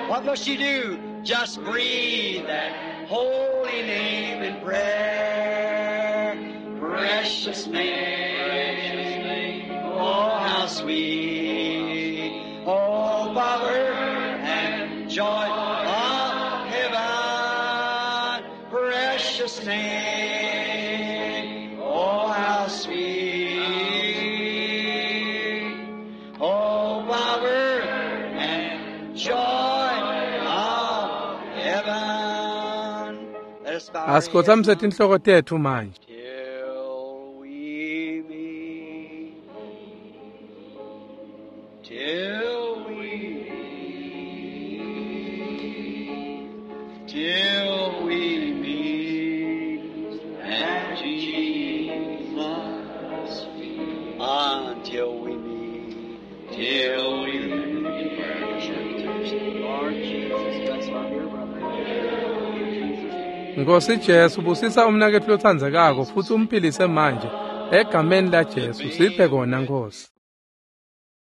what must you do? Just breathe that holy name in prayer. Precious name, oh how sweet, oh power and joy of heaven, precious name, oh how sweet, oh power and joy of heaven. Let us bow our heads Asikhothamise now. tinhloko tetfu manje. Till we meet, till we meet, till we meet at Jesus' feet. Until we meet, till we meet. Lord Jesus, bless my dear brother. In Jesus' name. Nkosi Jesu busisa umnaketfu lotsandzekako futsi umphilise manje egameni la Jesu siphe kona Nkosi.